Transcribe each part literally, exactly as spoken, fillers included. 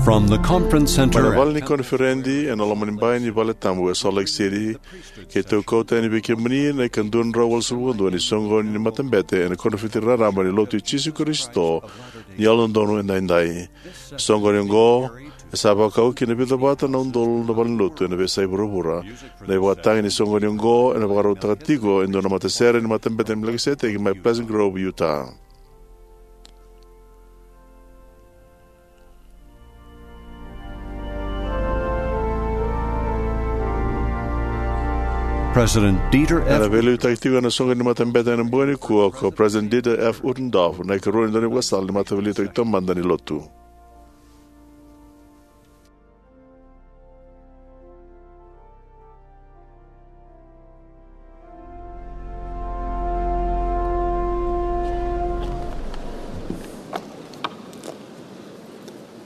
From the conference center mai na vale ni koniferedi ena loma ni bai ni vale tabu e Salt Lake City, keitou kauta yani vei kemuni na ika dua na drau walusagavulu ka dua ni soqoni ni matabete ena koniferedi raraba ni Lotu i Jisu Karisito ni Yalododonu Edaidai. Soqoni oqo e sa vakau ki na vica vata na udolu na valenilotu ena veiyasai vuravura. Na ivakatagi ni soqoni oqo ena vakarautaka tiko e dua na matasere ni matabete ni Melikiseteki mai Pleasant Grove, Utah. President Dieter F. Ena veiliutaki tiko ena soqoni ni matabete ena bogi nikua ko President Dieter F. Uchtdorf, na ikarua ni daunivakasala ni Mataveiliutaki Taumada ni Lotu.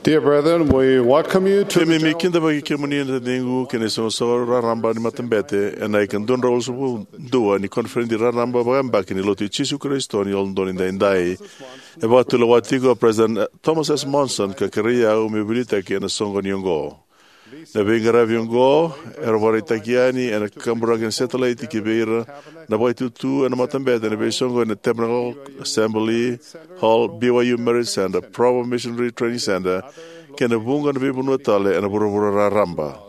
Dear brethren, we welcome you to the Keimami general kidavaki kemuni na taciqu ki na isoqosoqo raraba ni matabete ena ika dua na drau walusagavulu ka dua ni koniferedi raraba vakayabaki ni Lotu i Jisu Karisito ni Yalododonu Edaidai. E vakatulewa tiko o President Thomas S. Monson ka kerei au meu veiliutaki ena soqoni oqo. Na veiqaravi oqo era vakaraitaki yani ena kaburaki ni satellite ki vei ira na vakaitutu ena matabete ena veisoqoni ena Tabernacle Assembly Hall, B Y U Marriott Center, Provo Missionary Training Center, kei na vuqa na veivanua tale ena vuravura raraba.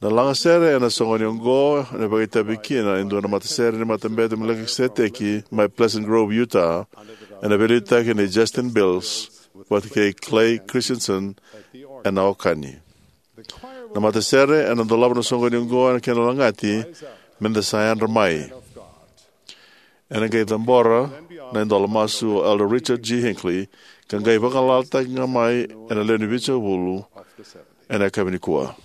Na lagasere ena soqoni oqo ena vakaitavi kina e dua na matasere ni Matabete i Melikiseteki mai Pleasant Grove, Utah, ena veiliutaki nei Justin Bills vata kei Clay Christensen ena okani. Na matasere ena dolava na soqoni oqo ena kena lagati, "Meda sa yadra mai." Ena qai cabora na idola masu o Elder Richard G. Hinckley, ka qai vagalalataki ga mai ena lewe ni vitusagavulu ena yakavi nikua.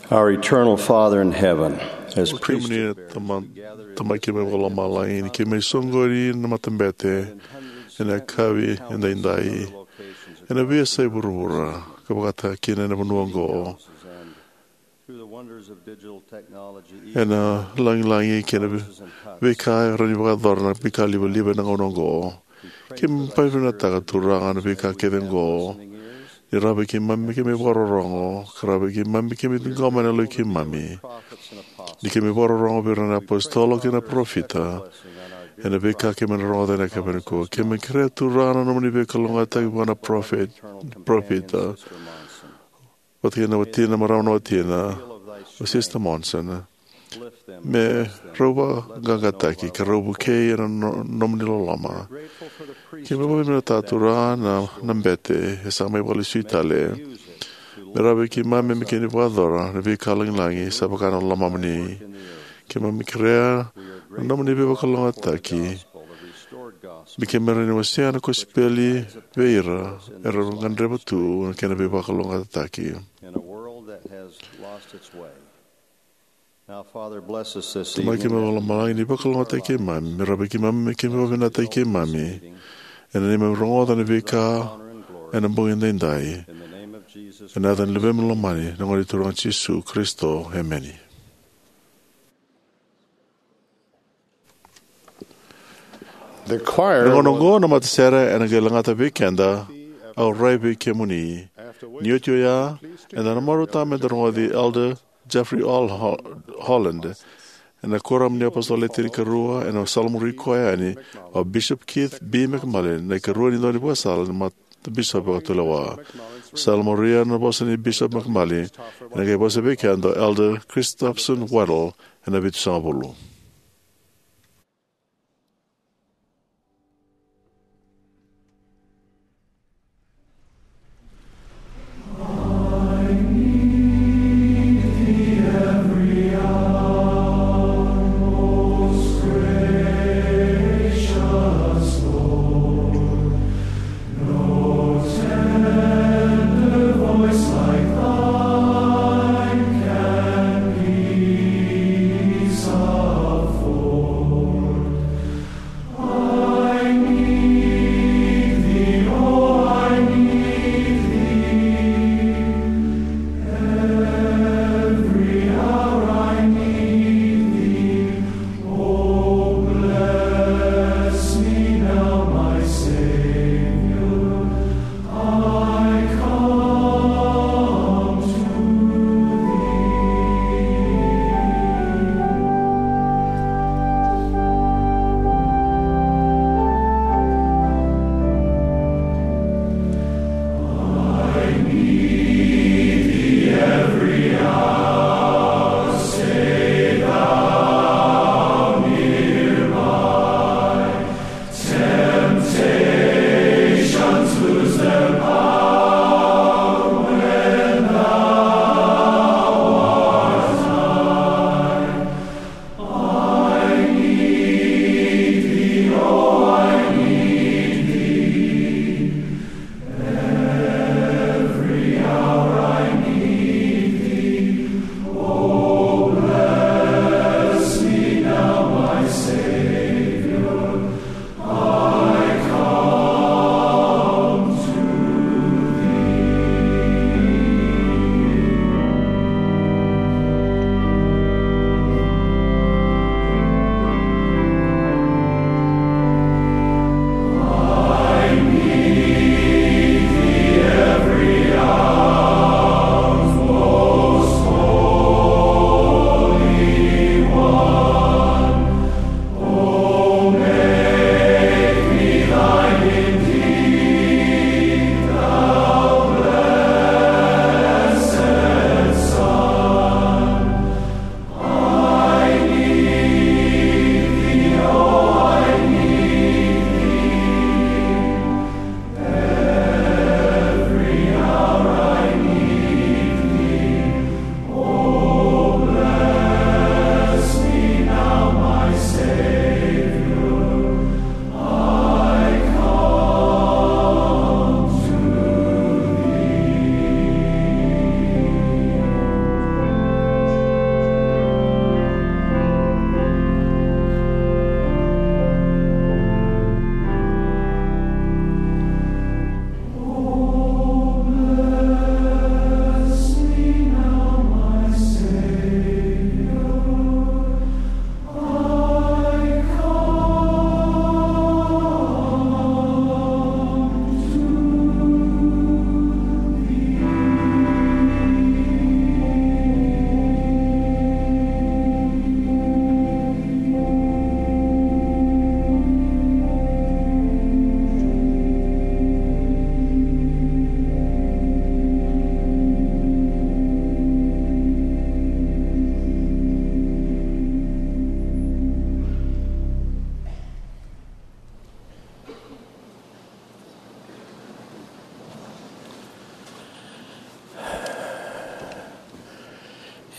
Our eternal Father in heaven, as kemuni na Tama, Tamai keimami vakalomalagi, ni keimami soqoni na matabete ena yakavi edaidai ena veiyasai vuravura, ka vakataka kina ena vanua oqo. Ena lagilagi kei na veika e rawa ni vakayacora na veika livaliva ena gauna oqo. Keimami vakavinavinakataka, Turaga, na veika kece oqo. Ni rawa vei keimami, keimami vakarorogo, ka rawa vei keimami, keimami ciqoma ena yaloi keimami. Ni keimami vakarorogo vei ira na apositolo kei na parofita ena veika keimami na rogoca ena yakavi nikua. Keimami kerea, Turaga, na nomuni veikalougataki vua na parofita, vata kei na watina, marama na watina, o Sister Monson, me rau vakaqaqataki ka rau vukei ena no, nomuni loloma. Keimami vakavinavinakataka, Turaga, na, na bete e sa mai vakalesui tale. Me rawa vei keimami me keimami vakayacora na veika lagilagi sa vaka na lomamuni. Keimami kerea na nomuni veivakalougatataki me keimami rawa ni wasea na kosipeli vei ira era gadreva tu na kena veivakalougatataki. In a world that has lost its way. Now, Father, bless us this Tamai evening. Keimami mai lomalagi, ni vakalougatataki keimami, me rawa vei keimami me keimami vakavinavinakataki keimami ena neimami rogoca na veika ena bogi edaidai. In the name of Jesus Ena yaca ni Luvemuni lomani, na Gone Turaga Jisu Karisito. Emeni. The choir Na gauna oqo na matasere ena qai lagata vei keda, Au Rai Vei Kemuni. Ni oti oya, eda na marautaka meda rogoci Elder Jeffrey Hol-, Holland ena Kuoramu ni Apositolo Le Tinikarua, ena sala muri koya yani o Bishop Keith B. McMullin, na ikarua ni daunivakasala ni Matabisopi Vakatulewa. Sala muria na vosa nei Bishop McMullin, ena qai vosa vei keda o Elder Christopherson Waddell ena vitusagavulu.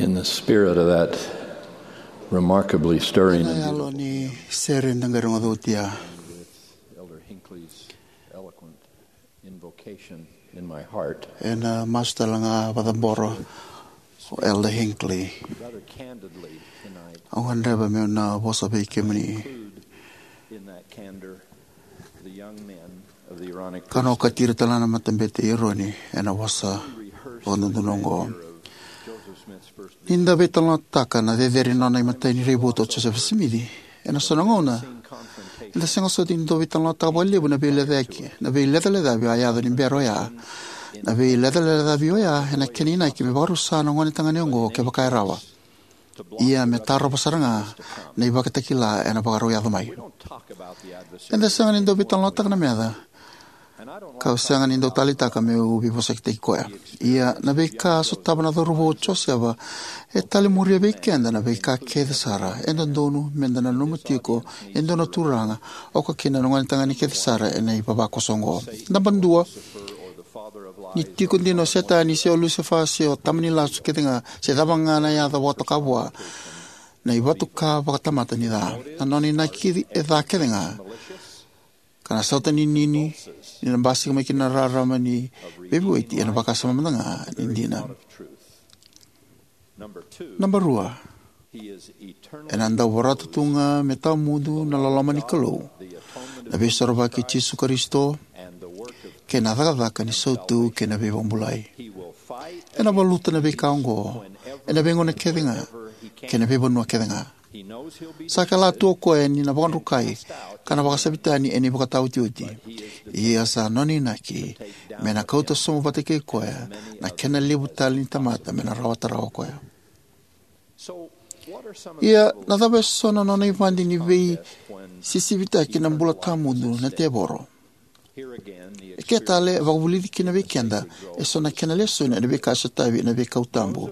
In the spirit of that remarkably stirring Na and yalo ni sere da qai rogoca oti ya. Elder Hinckley's eloquent invocation in my heart. Ena masu tale ga vakacabora o Elder Hinckley. Rather candidly tonight, au gadreva meu na vosa vei kemuni. Include in that candor the young men of the Aaronic Ka na okati ira tale ga na matabete i Eroni ena vosa vakadodonu oqo. Joseph Smith's first Ni da veitalanoataka na cecere ni nona imatai ni raivotu o Josefa Simici, ena so na gauna eda sega soti ni dau veitalanoataka vakalevu na veilecayaki, na veilecalecavi a yaco ni bera oya. Na veilecalecavi oya ena kena inaki me vakarusa na gonetagane oqo kevaka e rawa. Ia me tarova sara ga na ivakatakila ena vakarau yaco mai. Eda sega ni dau veitalanoataka na meca, kau sega ni dau taleitaka meu veivosakitaki koya. Ia na veika a sotava na cauravou o Josefa e talemuria vei keda na veika kece sara e dodonu meda nanuma tiko e dua na turaga, oka kina na gonetagane kece sara ena ivavakoso oqo. Naba dua, ni tiko dina o Setani se o Lusefa se o tama ni lasu kece ga se cava ga na yaca vakatoka vua, na ivatuka vakatamata ni ca, na nona inaki e ca kece ga, ka na sautaninini ni na basika mai kina na rarama ni veivueti ena vakasama mada ga ni dina. Naba rua, ena dau vorata tu ga me tawamudu na loloma ni Kalou, na veisorovaki i Jisu Karisito, kei na cakacaka ni sautu kei na veivakabulai. Ena valuta na veika oqo ena veigauna kece ga kei na veivanua kece ga. Sa kila tu o koya ni na vakadrukai ka na vakasavi tani ena ivakataotioti. Ia sa nona inaki me na kauta sobu vata kei koya na kena levu tale ni tamata me na rawata rawa o koya. Ia, na cava e so na nona ivadi ni veisisivitaki na bula tawamudu na tevoro? E ke tale, e vakavulici kina vei keda e so na kena lesoni ena veika e sotavi ena veikau tabu.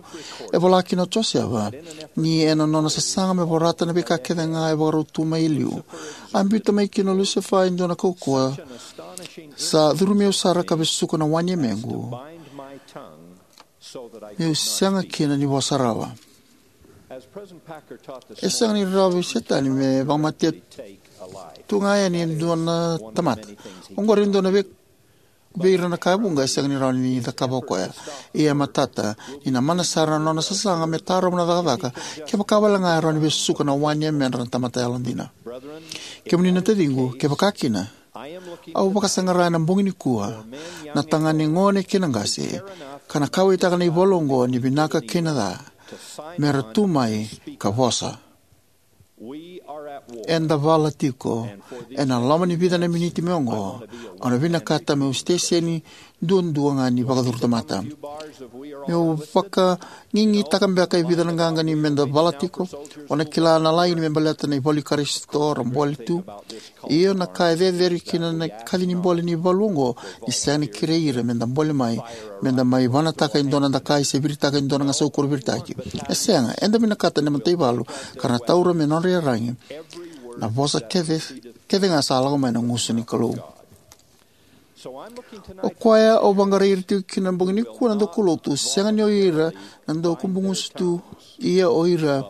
E vola kina o Josefa ni ena nona sasaga me vorata na veika kece ga e vakarau tu mai e liu, a biuta mai kina o Lusefa e dua na kaukauwa sa curumi au sara ka vesuka na wa ni yamequ, meu sega kina ni vosa rawa. E sega ni rawa vei Setani me vakamatea tu ga yani e dua na tamata. Oqori e dua na vei, vei ira na ka e vuqa e sega ni rawa ni cakava o koya. Ia e matata ni na mana sara na nona sasaga me tarova na cakacaka kevaka wale ga e rawa ni vesuka na wa ni yamedra na tamata yalodina. Kemuni na taciqu, kevaka kina, au vakasaqara ena bogi nikua na tagane gone kei na qase, ka na kauwaitaka na ivalu oqo ni vinaka kei na ca, me ra tu mai ka vosa. Eda vala tiko. Ena loma ni vica na miniti mai oqo, au na vinakata meu siteseni duadua ga ni vakacuru tamata. Meu vakagigitaka beka e vica na qaqa ni meda vala tiko. O na kila na laini me baleta na ivalu i Karisito, ra bole tu. Io, na ka e cecere kina na kaci ni bole ni valu oqo, ni sega ni kerei ira meda bole mai, meda mai vanataka e dua na dakai se viritaka e dua na gasau kuro viritaki. E sega, eda vinakata na mataivalu ka ra na taura me nodra iyaragi na vosa kece, kece ga sa lako mai na gusu ni Kalou. O koya au vaqarai ira tiko kina na bogi nikua na daukaulotu, sega ni o ira na daukubugusu tu, ia o ira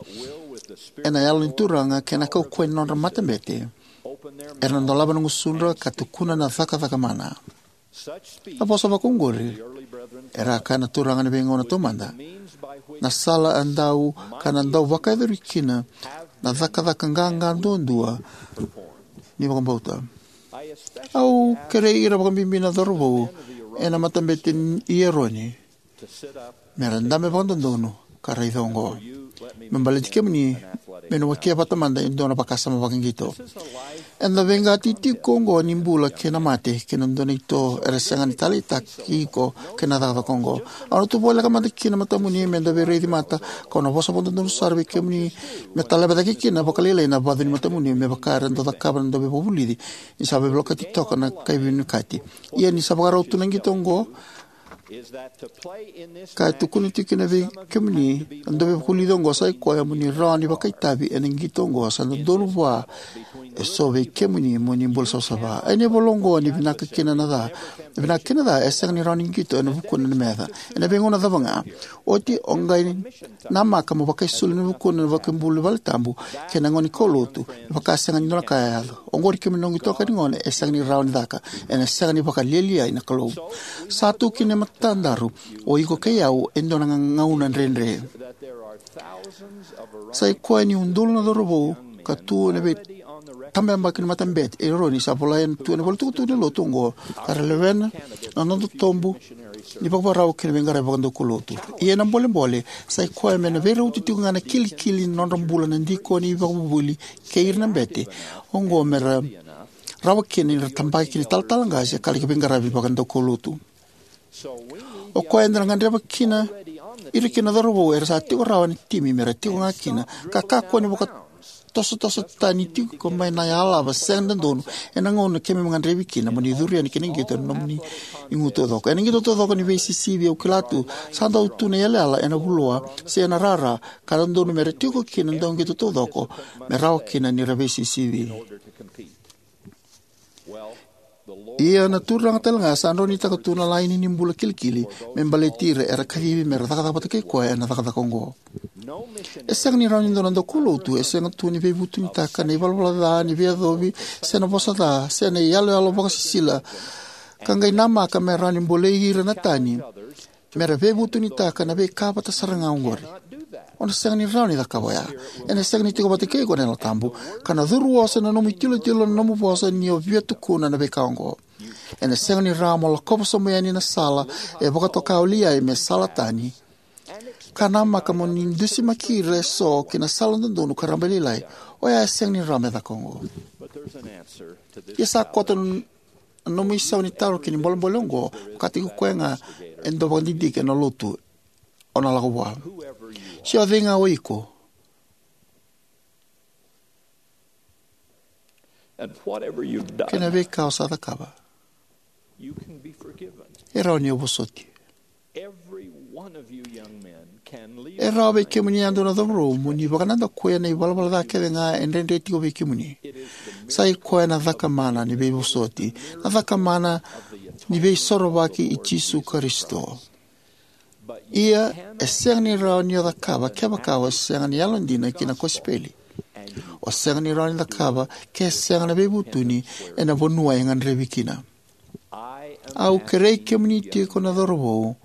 ena Yalo ni Turaga kei na kaukauwa ni nodra matabete, era na dolava na gusudra ka tukuna na cakacaka mana. Na vosa vakaoqori, era a kaya na turaga ena veigauna taumada, na sala a dau ka na dau vakayacori kina na cakacaka qaqa duadua ni vakabauta. Au kerei ira vakabibi na cauravou ena matabete i Eroni me ra dabe vakadodonu ka raica oqo. Me baleti kemuni, meu na wakia vata mada e dua na vakasama vakaqito. Eda veiqati tiko oqo ni bula kei na mate kei na dua na ito era sega ni taleitaki iko kei na cakacaka oqo. Au na tu voleka mada kina matamuni meda veiraici mata, kau na vosa vakadodonu sara vei kemuni me taleva cake kina vakalailai na vacu ni matamuni me vaka era dau cakava na dauveivakavulici ni sa veivolekati toka na kai veivinakati. Ia ni sa vakarau tu na qito oqo, ka e tukuna tiko kina vei kemuni na dauveivakavulici oqo, sa i koya mo ni rawa ni vakaitavi ena qito oqo sa dodonu vua Eso vei kemuni mo ni bula savasava. Ena ivola oqo, ni vinaka kina na ca, vinaka kina na ca e sega ni rawa ni qito ena vukuna na meca. Ena veigauna cava ga, oti o qai namaka mo vakaisulu ena vukuna na vakabula ni valetabu kei na gone ni kaulotu me vaka sega ni dua na ka e yaco. Oqori, kemuni noqu itokani gone, e sega ni rawa ni caka. Ena sega ni vakalialiai na Kalou. Sa tu kina e matadaru o iko kei au e dua na gauna dredre. Sai koya ni udolu na cauravou ka tu ena veitabayabaki ni matabete e Eroni sa volai tu ena ivolatukutuku ni lotu oqo, ka ra lewena na noda tobu ni vakavakarau kei na veiqaravi vakadaukaulotu. Ia na bolebole sai koya me na veirauti tiko ga na kilikili ni nodra bula na dikoni, ivakavuvuli, kei ira na bete oqo me ra rawa kina ni ra tabaki ki na italatala qase ka laki veiqaravi vakadaukaulotu. O koya eda na gadreva kina, ira kina na cauravou era sa tiko rawa ena timi me ra tiko ga kina, ka kakua ni vakatosotoso tani tiko mai na yalava sega ni dodonu ena gauna keimami gadrevi kina mo ni curu yani ki na qito ena nomuni igu taucoko. Ena qito taucoko ni veisisivi, au kila tu, sa dau tu na iyalayala ena vuloa se ena rara, ka dodonu me ra tiko kina na dauqito taucoko me rawa kina ni ra veisisivi. Ia na Turaga talega sa droinitaka tu na laini ni bula kilikili me baleti ira era kacivi me ra cakacaka vata kei koya ena cakacaka oqo. E sega ni rawa ni dua na daukaulotu e sega tu ni veivutunitaka na ivalavala ca ni veiyacovi, se na vosa ca, se na iyaloyalo vakasisila, ka qai namaka me rawa ni bolei ira na tani me ra veivutunitaka na veika vata sara ga oqori. O na sega ni rawa ni cakava oya. Ena sega ni tiko vata kei iko na Yalo Tabu, ka na curu oso ena nomu itilotilo na nomu vosa ni o via tukuna na veika oqo. Ena sega ni rawa mo lakova sobu yani na sala e vakatoka o Liai me sala tani, ka namaka mo ni dusimaki ira eso ki na sala dodonu ka rabailailai. Oya e sega ni rawa me caka oqo. Ia sa koto na nomu isau ni taro ki na bolebole oqo, vakataki koya ga e dau vakadidike ena lotu o na lako vua. Se o cei ga o iko, And whatever you've done, kei na veika o sa cakava, you can be forgiven. E rawa ni o vosoti. Every one of you young men can leave. E rawa vei kemuni yadua na cauravou mo ni vakanadakuya na ivalavala ca kece ga e dredre tiko vei kemuni. Sa i koya na cakamana ni veivosoti, na cakamana ni veisorovaki i Jisu Karisito. Ia e sega ni rawa ni o cakava kevaka o sega ni yalodina ki na kosipeli. O sega ni rawa ni cakava ke sega na veivutuni ena vanua e gadrevi kina. Au kerei kemuni tiko na cauravou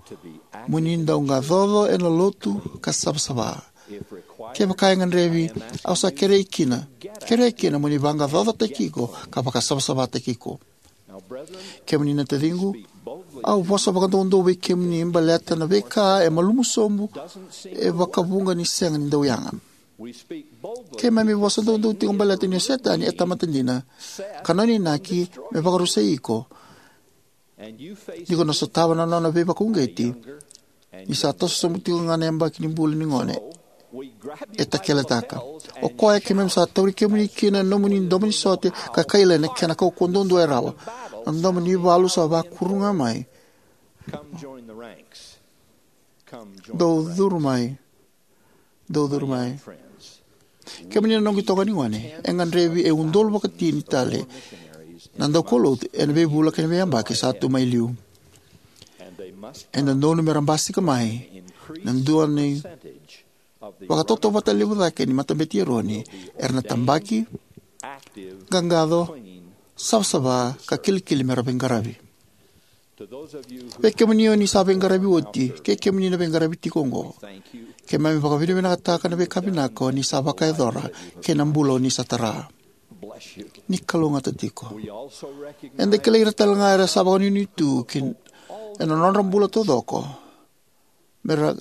mo ni dau qacoco ena lotu ka savasava. Kevaka e gadrevi, au sa kerei kina, kerei kina mo ni vaqaqacotaki iko ka vakasavasavataki iko. Kemuni na taciqu, au vosa vakadoudou vei kemuni baleta na veika e malumu sobu e vakavuqa ni sega ni dau yaga. Keimami vosa doudou tiko baleta ni o Setani e tamata dina, ka nona inaki me vakarusai iko. Ni ko na sotava na nona veivakauqeti ni sa toso sobu tiko ga na yabaki ni bula ni gone e takeletaka. O koya keimami sa tauri kemuni kina na nomuni domo ni sote ka kaila ena kena kaukauwa duadua e rawa. Na domo ni valu sa vakuru ga mai. Dou curu mai. Dou curu mai. Kemuni na noqu itokani gone, e gadrevi e udolu vakatini tale na daukaulotu ena veivula kei na veiyabaki sa tu mai liu. E dodonu me ra basika mai na dua ni vakatautauvata levu cake ni matabete i Eroni, era na tabaki, qaqaco, savasava ka kilikili me ra veiqaravi. Vei kemuni o ni sa veiqaravi oti kei kemuni na veiqaravi tiko oqo, keimami vakavinavinakataka na veika vinaka o ni sa vakayacora kei na bula o ni sa tara. Ni kalougata tiko. Eda kilai ira talega era sa vakanuinui tu ena nodra bula taucoko me ra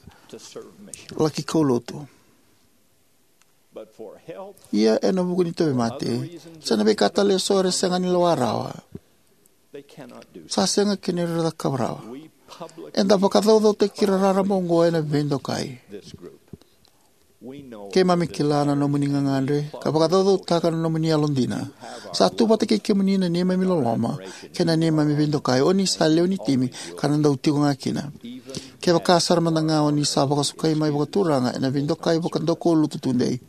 laki kaulotu. Ia ena vuku ni tauvimate se na veika tale eso era sega ni lewa rawa, sa sega kina ni ra cakava rawa. Eda vakacaucautaki ira raraba oqo ena veidokai. Keimami kila na nomuni gagadre ka vakacaucautaka na nomuni yalodina. Sa tu vata kei kemuni na neimami loloma kei na neimami veidokai. O ni sa lewe ni timi ka na dau tiko ga kina. Kevaka sara mada ga o ni sa vakasukai mai vakaturaga ena veidokai vakadaukaulotu tudei,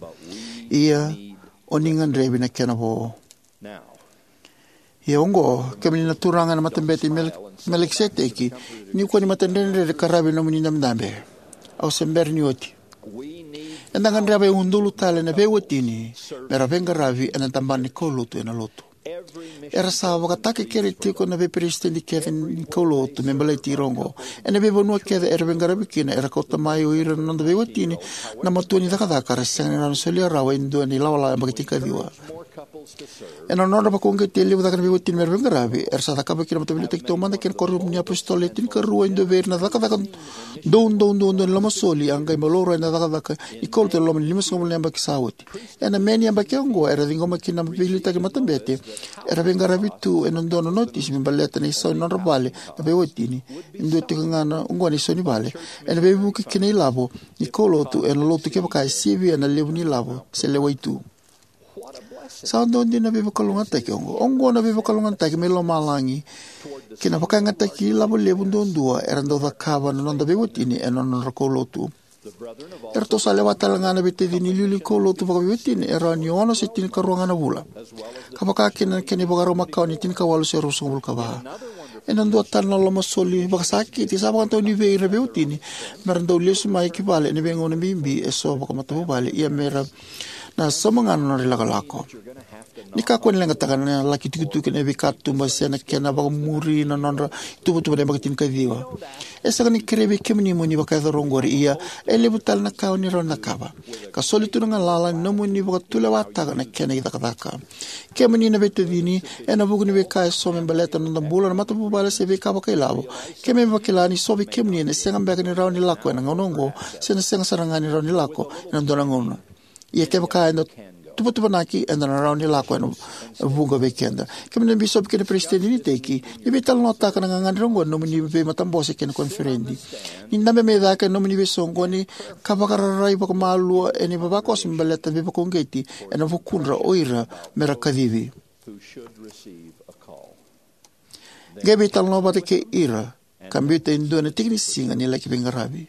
ia o ni gadrevi na kena vo. Ia oqo, kemuni na turaga ena Matabete i Mel-, Melikiseteki, ni kua ni matadredredre ka ravi na nomuni dabedabe. Au se bera ni oti. Eda gadreva e udolu tale na veiwatini me ra veiqaravi ena tabana ni kaulotu ena Lotu. Era sa vakatakekere tiko na veiperesitedi kece ni kaulotu me baleti ira oqo. Ena veivanua kece era veiqaravi kina, era kauta mai o ira na noda veiwatini na matua ni cakacaka, era sega ni rawa ni solia rawa e dua na ilawalawa yabaki tinikaciwa. Ena nodra vakauqeti e levu cake na veiwatini me ra veiqaravi, era sa cakava kina na Mataveiliutaki Taumada kei na Kuoramu ni iApositolo Le Tinikarua e dua vei ira na cakacaka doudou duadua ni lomasoli, a qai laurai na cakacaka ni kaulotu ena loma ni limasagavulu na yabaki sa oti. Ena Me ni yabaki oqo, era ciqoma kina na veiliutaki ni matabete, era veiqaravi tu ena dua na notisi me baleta na isau ni nodra vale na veiwatini, e dua tiko ga na oqo na isau ni vale, ena veivuke ki na ilavo ni kaulotu ena Lotu kevaka e sivia na levu ni ilavo se lewai tu. Sa dua dina na veivakalougatataki oqo. Oqo na veivakalougatataki mai lomalagi ki na vakayagataki ilavo levu duadua era dau cakava na noda veiwatini ena nodra kaulotu. Eratou sa lewa tale ga na veitacini iliuliu ni kaulotu vakaveiwatini e rawa ni ono se tinikarua ga na vula, ka vaka kina na kena ivakarau makawa ni tinikawalu se ruasagavulu ka va. Ena dua tale na lomasoli vakasakiti, sa vakadonui vei ira na veiwatini me ra dau lesu mai ki vale ena veigauna bibi eso vakamatavuvale, ia me ra na sauma ga na nodra ilakolako. Ni kakua ni leqataka na laki tukituki ena veikatuba se na kena vakamuri na nodra ituvatuva na yabaki tinikaciwa. E sega ni kerei vei kemuni mo ni vakayacora oqori, ia e levu tale na ka o ni rawa ni cakava ka soli tu na galala ni nomuni vakatulewataka na kena icakacaka. Kemuni na veitacini, ena vuku ni veika eso me baleta na noda bula na matavuvale se veika vakailavo, keimami vakila ni so vei kemuni ena sega beka ni rawa ni lako ena gauna oqo, se na sega sara ga ni rawa ni lako ena dua na gauna. Ia kevaka eda tuvatuvanaki, eda na rawa ni lako ena vuqa vei keda. Kemuni na bisopi kei na peresitedi ni iteki, ni veitalanoataka na gagadre oqo ena nomuni veimatabose kei na koniferedi. Ni dabe mai cake ena nomuni veisoqoni ka vakararai vakamalua ena ivavakoso me baleta na veivakauqeti ena vukudra o ira me ra kacivi. Qai veitalanoa vata kei ira ka biuta e dua na tikinisiga ni laki veiqaravi.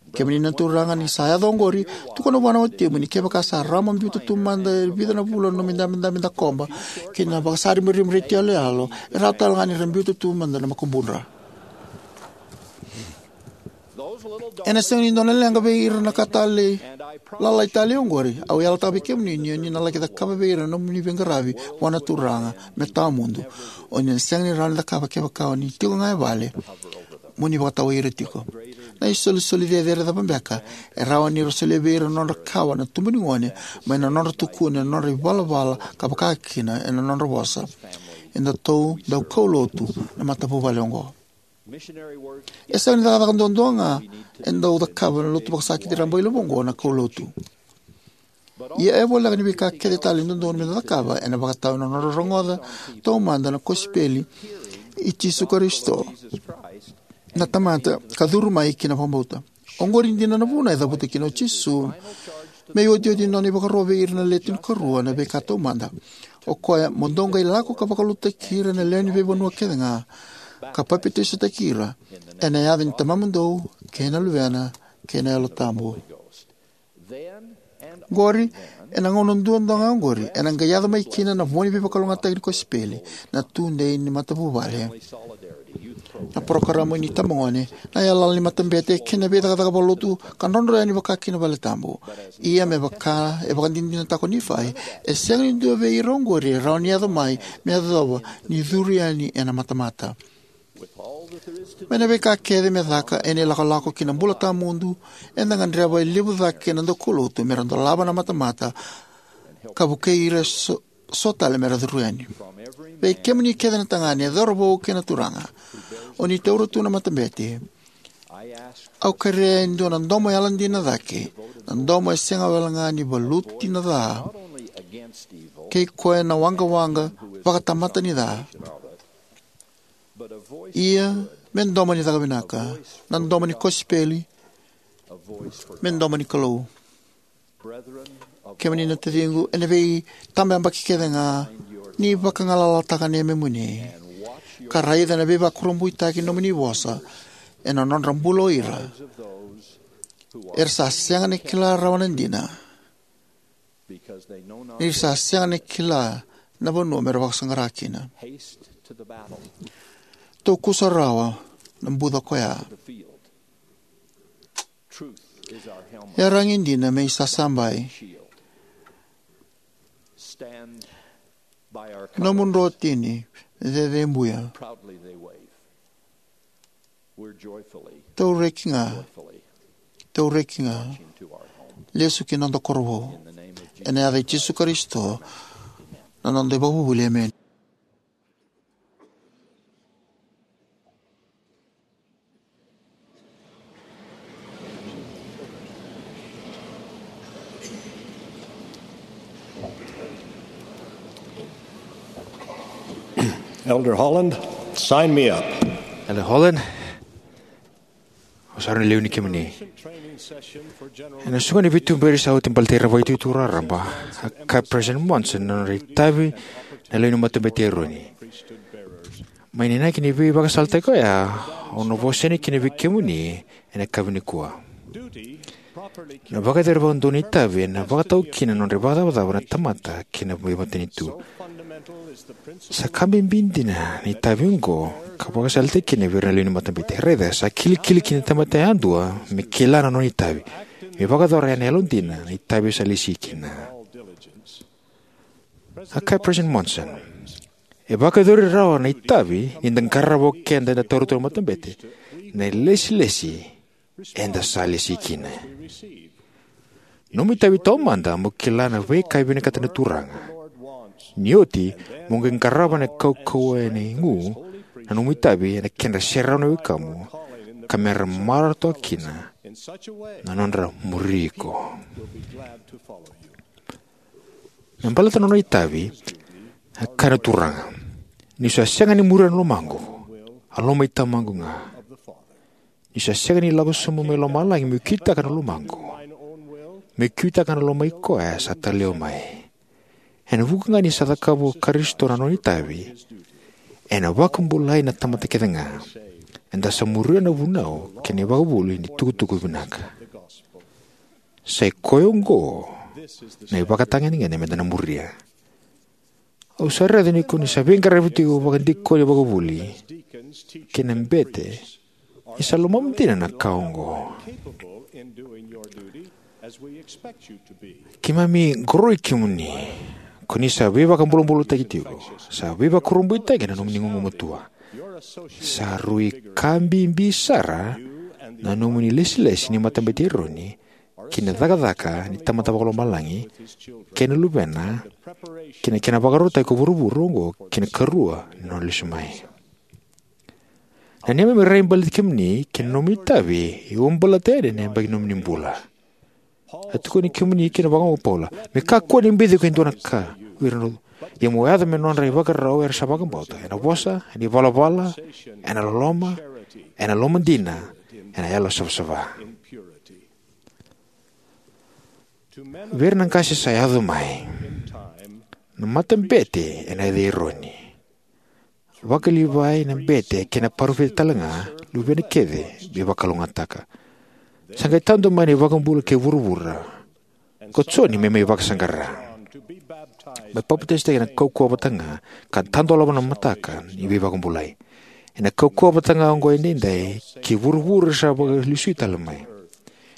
Kemuni na turaga, ni sa yaco oqori, tukuna vua na watimu ni kevaka sa rawa mo biuta tu mada e vica na vula na nomu idabedabe dakoba kei na vakasaribariba retio yaloyalo, e rawa tale ga ni ra biuta tu mada na makubudra. Ena sega ni dua na leqa vei ira na ka talei, lalai talei oqori. Au yalataka vei kemuni ni o ni na laki cakava vei ira na nomuni veiqaravi vua na Turaga me tawamudu. O ni na sega ni rawa ni cakava kevaka o ni tiko ga e vale mo ni vakatawai ira tiko. Na isolisoli cecere cava beka e rawa ni ra solia vei ira na nodra kawa na tubu ni gone mai na nodra tukuni na nodra ivalavala ka vaka kina ena nodra vosa? Edatou dau kaulotu na matavuvale oqo. E sega ni cakacaka duadua ga e dau cakava na lotu vakasakiti rabailevu oqo na kaulotu. Ia e voleka ni veika kece tale e dodonu meda cakava ena vakatawa na nodra rogoca taumada na kosipeli i Jisu Karisito, na Tamada, ka curu mai ki na vakabauta. Oqori dina na vuna e cavuta kina o Jisu me iotioti ni nona ivakaro vei ira na Le Tinikarua na veika taumada. O koya, mo dou qai lako ka vakalotutaki ira na lewe ni veivanua kece ga, ka papitaisotaki ira ena yaca ni Tamamudou kei na Luvena kei na Yalo Tabu. Qori, ena gauna duadua ga oqori, ena qai yaco mai kina na vua ni veivakalougatataki ni kosipeli, na tudei ni matavuvale. Na parokaramu ni itabagone, na yalayala ni matabete kei na veicakacaka vakalotu ka drodro yani vaka ki na valetabu. Ia me vaka e vakadinadinataka o Nifai, e sega ni dua vei ira oqori e rawa ni yaco mai me yacova ni curu yani ena matamata. Mai na veika kece me caka ena ilakolako ki na bula tawamudu, eda gadreva e levu cake na daukaulotu me ra dolava na matamata ka vukei ira so, so tale me ra curu yani. Vei kemuni kece na tagane, cauravou kei na turaga, o ni taura tu na matabete, au kerea e dua na domo yalodina cake, na domo e sega wale ga ni valuti na ca kei koya na waqawaqa vakatamata ni ca. Ia me domo ni caka vinaka, na domo ni kosipeli, me domo ni Kalou. Kemuni na taciqu, ena veitabayabaki kece ga ni vakagalalataka na yamemuni ka raica na veivakurabuitaki ni nomuni vosa ena nodra bula o ira era sa sega ni kila rawa na dina, ni ra sa sega ni kila na vanua me ra vakasaqara kina. Tou kusarawa na buca koya. Yaragi dina me isasabai. Nomu drotini cecebuya. Tou reki ga, tou reki ga, lesu ki na noda koro vou. Ena yaca i Jisu Karisito, na noda ivakavuvuli, emeni. Elder Holland, sign me up. Elder Holland, au sa rui lewe ni kemuni. Ena soqo ni veituberi sa oti baleti ira na vakaitutu raraba, a kaya President Monson na nodra itavi na lewe ni Matabete i Eroni. Mai na inaki ni veivakasalataki oya, au na vosa yani kina vei kemuni ena yakavi nikua. Na vakayacori vakadodonu ni itavi ena vakatau kina na nodra ivakacavacava na tamata kei na veimatanitu. Sa ka bibi dina na itavi oqo ka vakasalataki kina vei ira na lewe ni Matabete. Raica, sa kilikili kina na tamata yadua me kila na nona itavi, me vakayacora ena yalodina na itavi sa lesi kina. A kaya President Monson, e vakayacori rawa na itavi ni da qarava o keda eda taura tu na matabete na ilesilesi eda sa lesi kina. Nomu itavi taumada mo kila na veika e vinakata na Turaga. Ni oti, mo qai qarava na kaukauwa ena igu na nomu itavi ena kedra serau na wekamu, ka me ra marautaka kina na nodra muri iko. Me baleta na nona itavi, a kaya na Turaga, niu sa sega ni muria na lomaqu, a loma i Tamaqu ga. Niu sa sega ni lako sobu mai lomalagi meu kitaka na lomaqu, meu kitaka na loma i koya sa talai au mai. Ena vuku ga ni sa cakava o Karisito na nona itavi, ena vakabulai na tamata kece ga. Eda sa muria na vunau kei na ivakavuvuli ni tukutuku vinaka. Sa i koya oqo na ivakatagedegede meda na muria. Au sa raica ni ko ni sa veiqaravi tiko vakadikoni vakavuli kei na bete, ni sa lomamu dina na ka oqo. Keimami qoroi kemuni, ko ni sa veivakabulabulataki tiko, sa veivakurabuitaki na nomuni gugumatua. Sa rui ka bibi sara na nomuni lesilesi ni Matabete i Eroni ki na cakacaka ni Tamada Vakalomalagi kei na Luvena, ki na kena vakarautaki ko vuravura oqo ki na ikarua ni nona lesu mai. Na neimami rai baleti kemuni kei na nomuni itavi e uabaleta yani na yabaki ni nomuni bula. A tukuni kemuni kina vakaoqo o Paula, me kakua ni beci iko e dua na ka vei ira na, ia mo yaco me nodra ivakarau era sa vakabauta, ena vosa, ena ivalavala, ena loloma, ena lomadina, ena yalo savasava. Vei ira na qase sa yaco mai, na matabete ena yaca i Eroni. Vaka-Livai na bete kei na parofita talega, luvena kece me vakalougatataka. Sa qai tadu mai na iVakabula kei vuravura ko Joni me mai vakasaqara, me papitaisotaki ena kaukauwa vata ga, ka tadolava na mataka ni veivakabulai. Ena kaukauwa vata ga oqo edaidai kei vuravura sa vakalesui tale mai.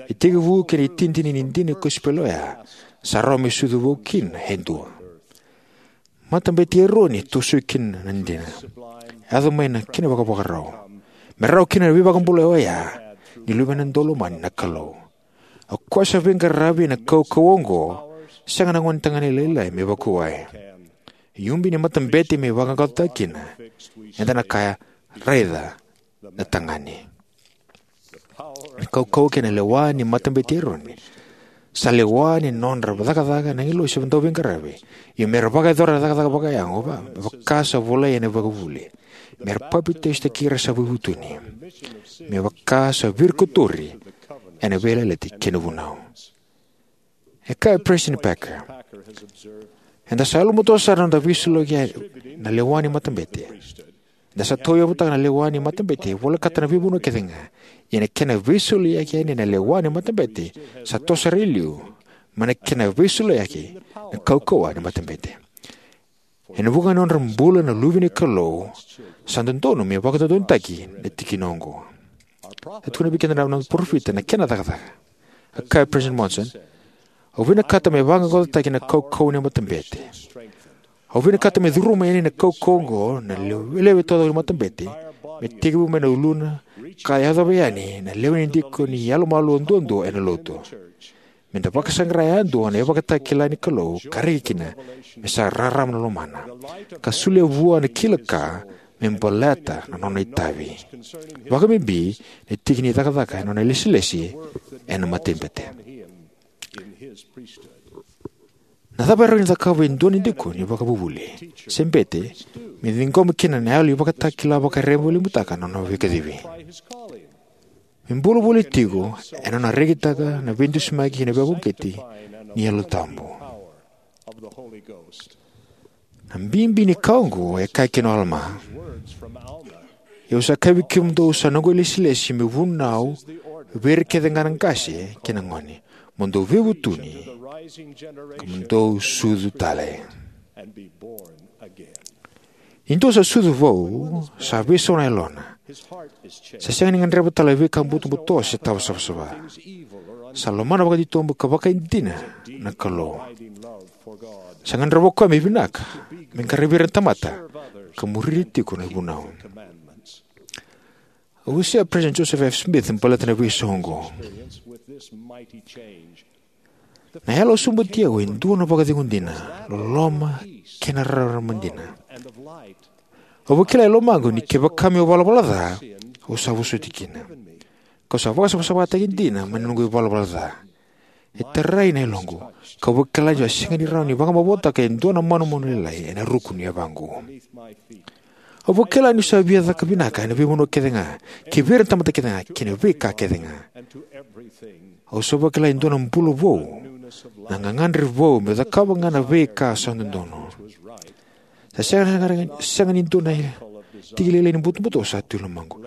E tekivu kei na itinitini ni dina ni kosipeli oya, sa rawa me sucu vou kina e dua. Matabete i Eroni e tosoi kina na dina. Yaco mai na kena vakavakarau me rawa kina na veivakabulai oya ni Luvena Daulomani na Kalou. O koya sa veiqaravi ena kaukauwa oqo, sega na gonetagane lailai me vakuwai. E ubi ni matabete me vaqaqacotaki kina. Eda na kaya, raica na tagane. Na kaukauwa kei na lewa ni Matabete i Eroni sa lewa ni nodra cakacaka na agilosi dauveiqaravi. Ia me ra vakayacora na cakacaka vakayago va, me vaka sa volai ena ivakavuvuli, me ra papitaisotaki ira sa veivutuni, me vaka sa virikotori ena veiyalayalati kei na vunau. E kaya o President Packer, eda sa yalomatua sara na noda veisoliyaki na lewa ni matabete. Eda sa tauyavutaka na lewa ni matabete volekata na veivanua kece ga. Ia na kena veisoliyaki yani na lewa ni matabete sa toso sara i liu mai na kena veisoliyaki na kaukauwa ni matabete. Ena vuku ga ni nodra bula na luve ni Kalou, sa dodonu me vakadodonutaki na tikina oqo. E tukuna vei keda na noda parofita na kena cakacaka. A kaya President Monson, "Au vinakata me vaqaqacotaki na kaukauwa ni matabete. Au vinakata me curuma yani na kaukauwa oqo na lewe, lewe taucoko ni matabete, me tekivu mai na uluna, ka yacova yani na lewe ni dikoni yalomalua duadua ena lotu. Me da vakasaqara yadua na ivakatakila ni Kalou, ka raici kina me sa rarama na lomana, ka solia vua na kila ka me baleta na nona itavi, vakabibi na tiki ni cakacaka ena nona ilesilesi ena matabete." Na cava e rawa ni cakava e dua na dikoni vakavuvuli se bete me ciqoma kina na yalo ni ivakatakila vakarerevaki me vakalemuka na nona veikacivi? Me bula voli tiko ena nona rekitaka na veidusimaki kei na veivakauqeti ni Yalo Tabu. Na bibi ni ka oqo e kaya kina o Alama: "Ia au sa kaya vei kemudou, sa noqu ilesilesi meu vunau vei ira kece ga na qase kei na gone, mo dou veivutuni, ka mo dou sucu tale." Ni dua sa sucu vou, sa veisau na yalona. Sa sega ni gadreva tale na veika butobuto se tawa savasava. Sa lomana vakatitobu ka vakaidina na Kalou. Sa gadreva o koya me vinaka, me qaravi ira na tamata, ka muri ira tiko na ivunau. Au wasea President Joseph F. Smith baleta na veisau oqo: "Na yalo a sobuti au e dua na vakacegu dina, loloma, kei na rarama dina. Au vakila e lomaqu ni kevaka meu valavala ca, au sa vosoti kina, kau sa vakasavasavataki dina mai na noqu ivalavala ca. E tarai na yaloqu, kau vakila niu sa sega ni rawa ni vakamavoataka e dua na manumanu lailai ena ruku ni yavaqu. Au vakila niu sa via caka vinaka ena veivanua kece ga, kei vei ira na tamata kece ga, kei na veika kece ga. Au sa vakila e dua na bula vou, na gagadre vou meu cakava ga na veika sa dodonu. Sa sega, sega ni dua na tiki lailai ni butobuto sa tu e lomaqu.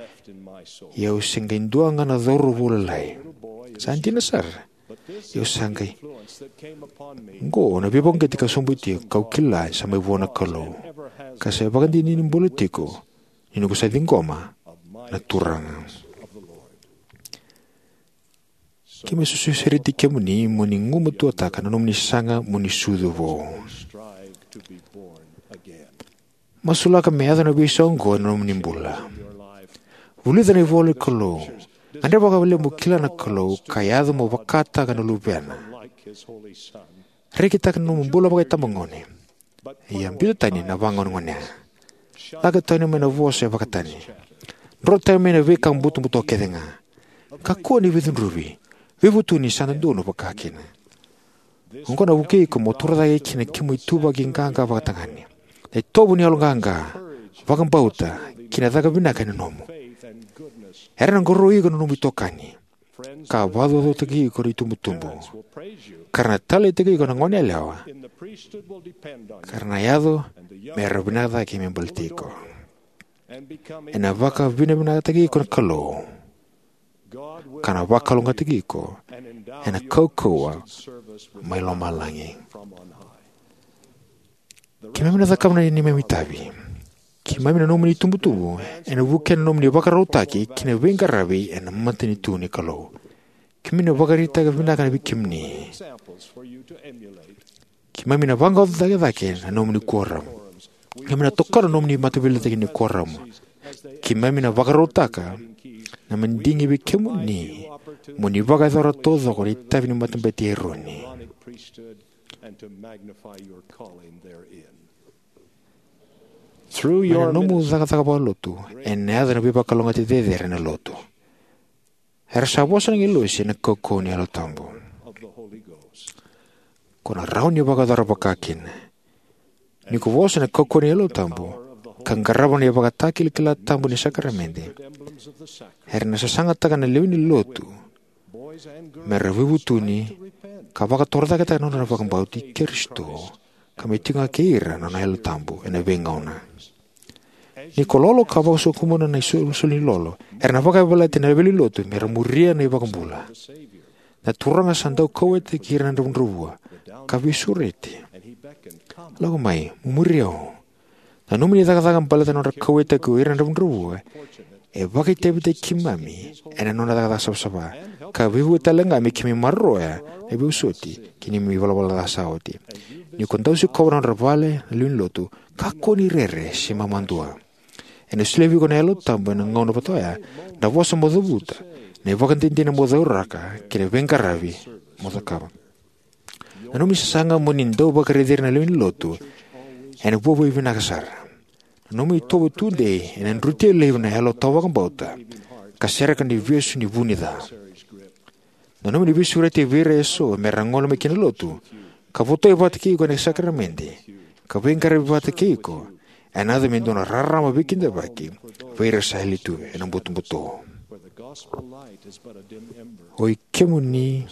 Ia au se qai dua ga na cauravou lalai. Sa dina sara. Ia au sa qai, oqo na veivakauqeti ka sobuti au, kau kila sa mai vua na Kalou, ka sa ivakadinadina ni bula tiko ni noqu sa ciqoma na Turaga." Keimami sa sureti kemuni mo ni gumatuataka na nomuni saga mo ni sucu vou. Masulaka me yaco na veisau oqo ena nomuni bula. Vulica na ivola ni Kalou. Gadreva vakalevu mo kila na Kalou, ka yaco mo vakataka na Luvena. Rekitaka na nomu bula vakaitabagone. Ia biuta tani na vagaonegonea. Lako tani mai na vosa e vakatani. Dro tani mai na veika butobuto kece ga. Kakua ni veicudruvi. Veivutuni, sa dodonu vakakina. Oqo na vukei iko mo torocake kina kemu ituvaki qaqa vakatagane. Na itovo ni yalo qaqa, vakabauta, kei na caka vinaka ena nomu. Era na qoroi iko na nomu itokani, ka vakacaucautaki iko na itubutubu, ka ra na taleitaki iko na goneyalewa, ka ra na yaco me ra vinaka cake me baleti iko. Ena vakavinavinakataki iko na Kalou, ka na vakalougatataki iko ena kaukauwa mai lomalagi. Keimami na cakava na neimami itavi. Keimami na nomuni itubutubu, ena vukea na nomuni vakarautaki kei na veiqaravi ena matanitu ni Kalou. Keimami na vakaraitaka vinaka vei kemuni. Keimami na vaqaqacotaka cake na nomuni kuoramu. Keimami na tokona na nomuni mataveiliutaki ni kuoramu. Keimami na vakarautaka na madigi vei kemuni mo ni vakayacora taucoko na itavi ni Matabete i Eroni. Mai na nomu cakacaka vakalotu ena yaco na veivakalougatataki cecere ena lotu. Era sa vosa na agilosi ena kaukauwa ni Yalo Tabu. Ko na rawa ni vakayacora vakakina. Ni ko vosa ena kaukauwa ni Yalo Tabu ka qarava na ivakatakilakila tabu ni sakaramede, era na sasagataka na lewe ni lotu me ra veivutuni ka vakatorocaketaka na nodra vakabauti Karisito, ka me tiko ga kei ira na nona Yalo Tabu ena veigauna. Ni ko lolo ka vakasokumuna na isolisoli ni lolo, era na vakayavalati na lewe ni lotu me ra muria na iVakabula. Na Turaga sa dau kauwaitaki ira na dravudravua ka veisureti. Lako mai, mo muri au. Na nomuni cakacaka baleta na nodra kauwaitaki o ira na dravudravua e vakaitavitaki keimami ena nona cakacaka savasava, ka veivuke tale ga me keimami maroroya na veivosoti kei na neimami ivalavala ca sa oti. Ni ko dau sikova na nodra vale na lewe ni lotu, kakua ni rere se mamadua. Ena solia vei iko na Yalo Tabu ena gauna vata oya na vosa mo cavuta, na ivakadinadina mo cauraka, kei na veiqaravi mo cakava. Na nomuni sasaga mo ni dau vakaraici ira na lewe ni lotu ena vuavuai vinaka sara. Na nomuni itovo tudei ena drutia laivi na yalo tawavakabauta ka sereka na ivesu ni vu ni ca. Na nomuni veisureti vei ira eso me ra gole mai ki na lotu, ka votai vata kei iko ena sakaramede, ka veiqaravi vata kei iko, ena yaco me dua na rarama veikidavaki vei ira sa yali tu ena butobuto. Oi kemuni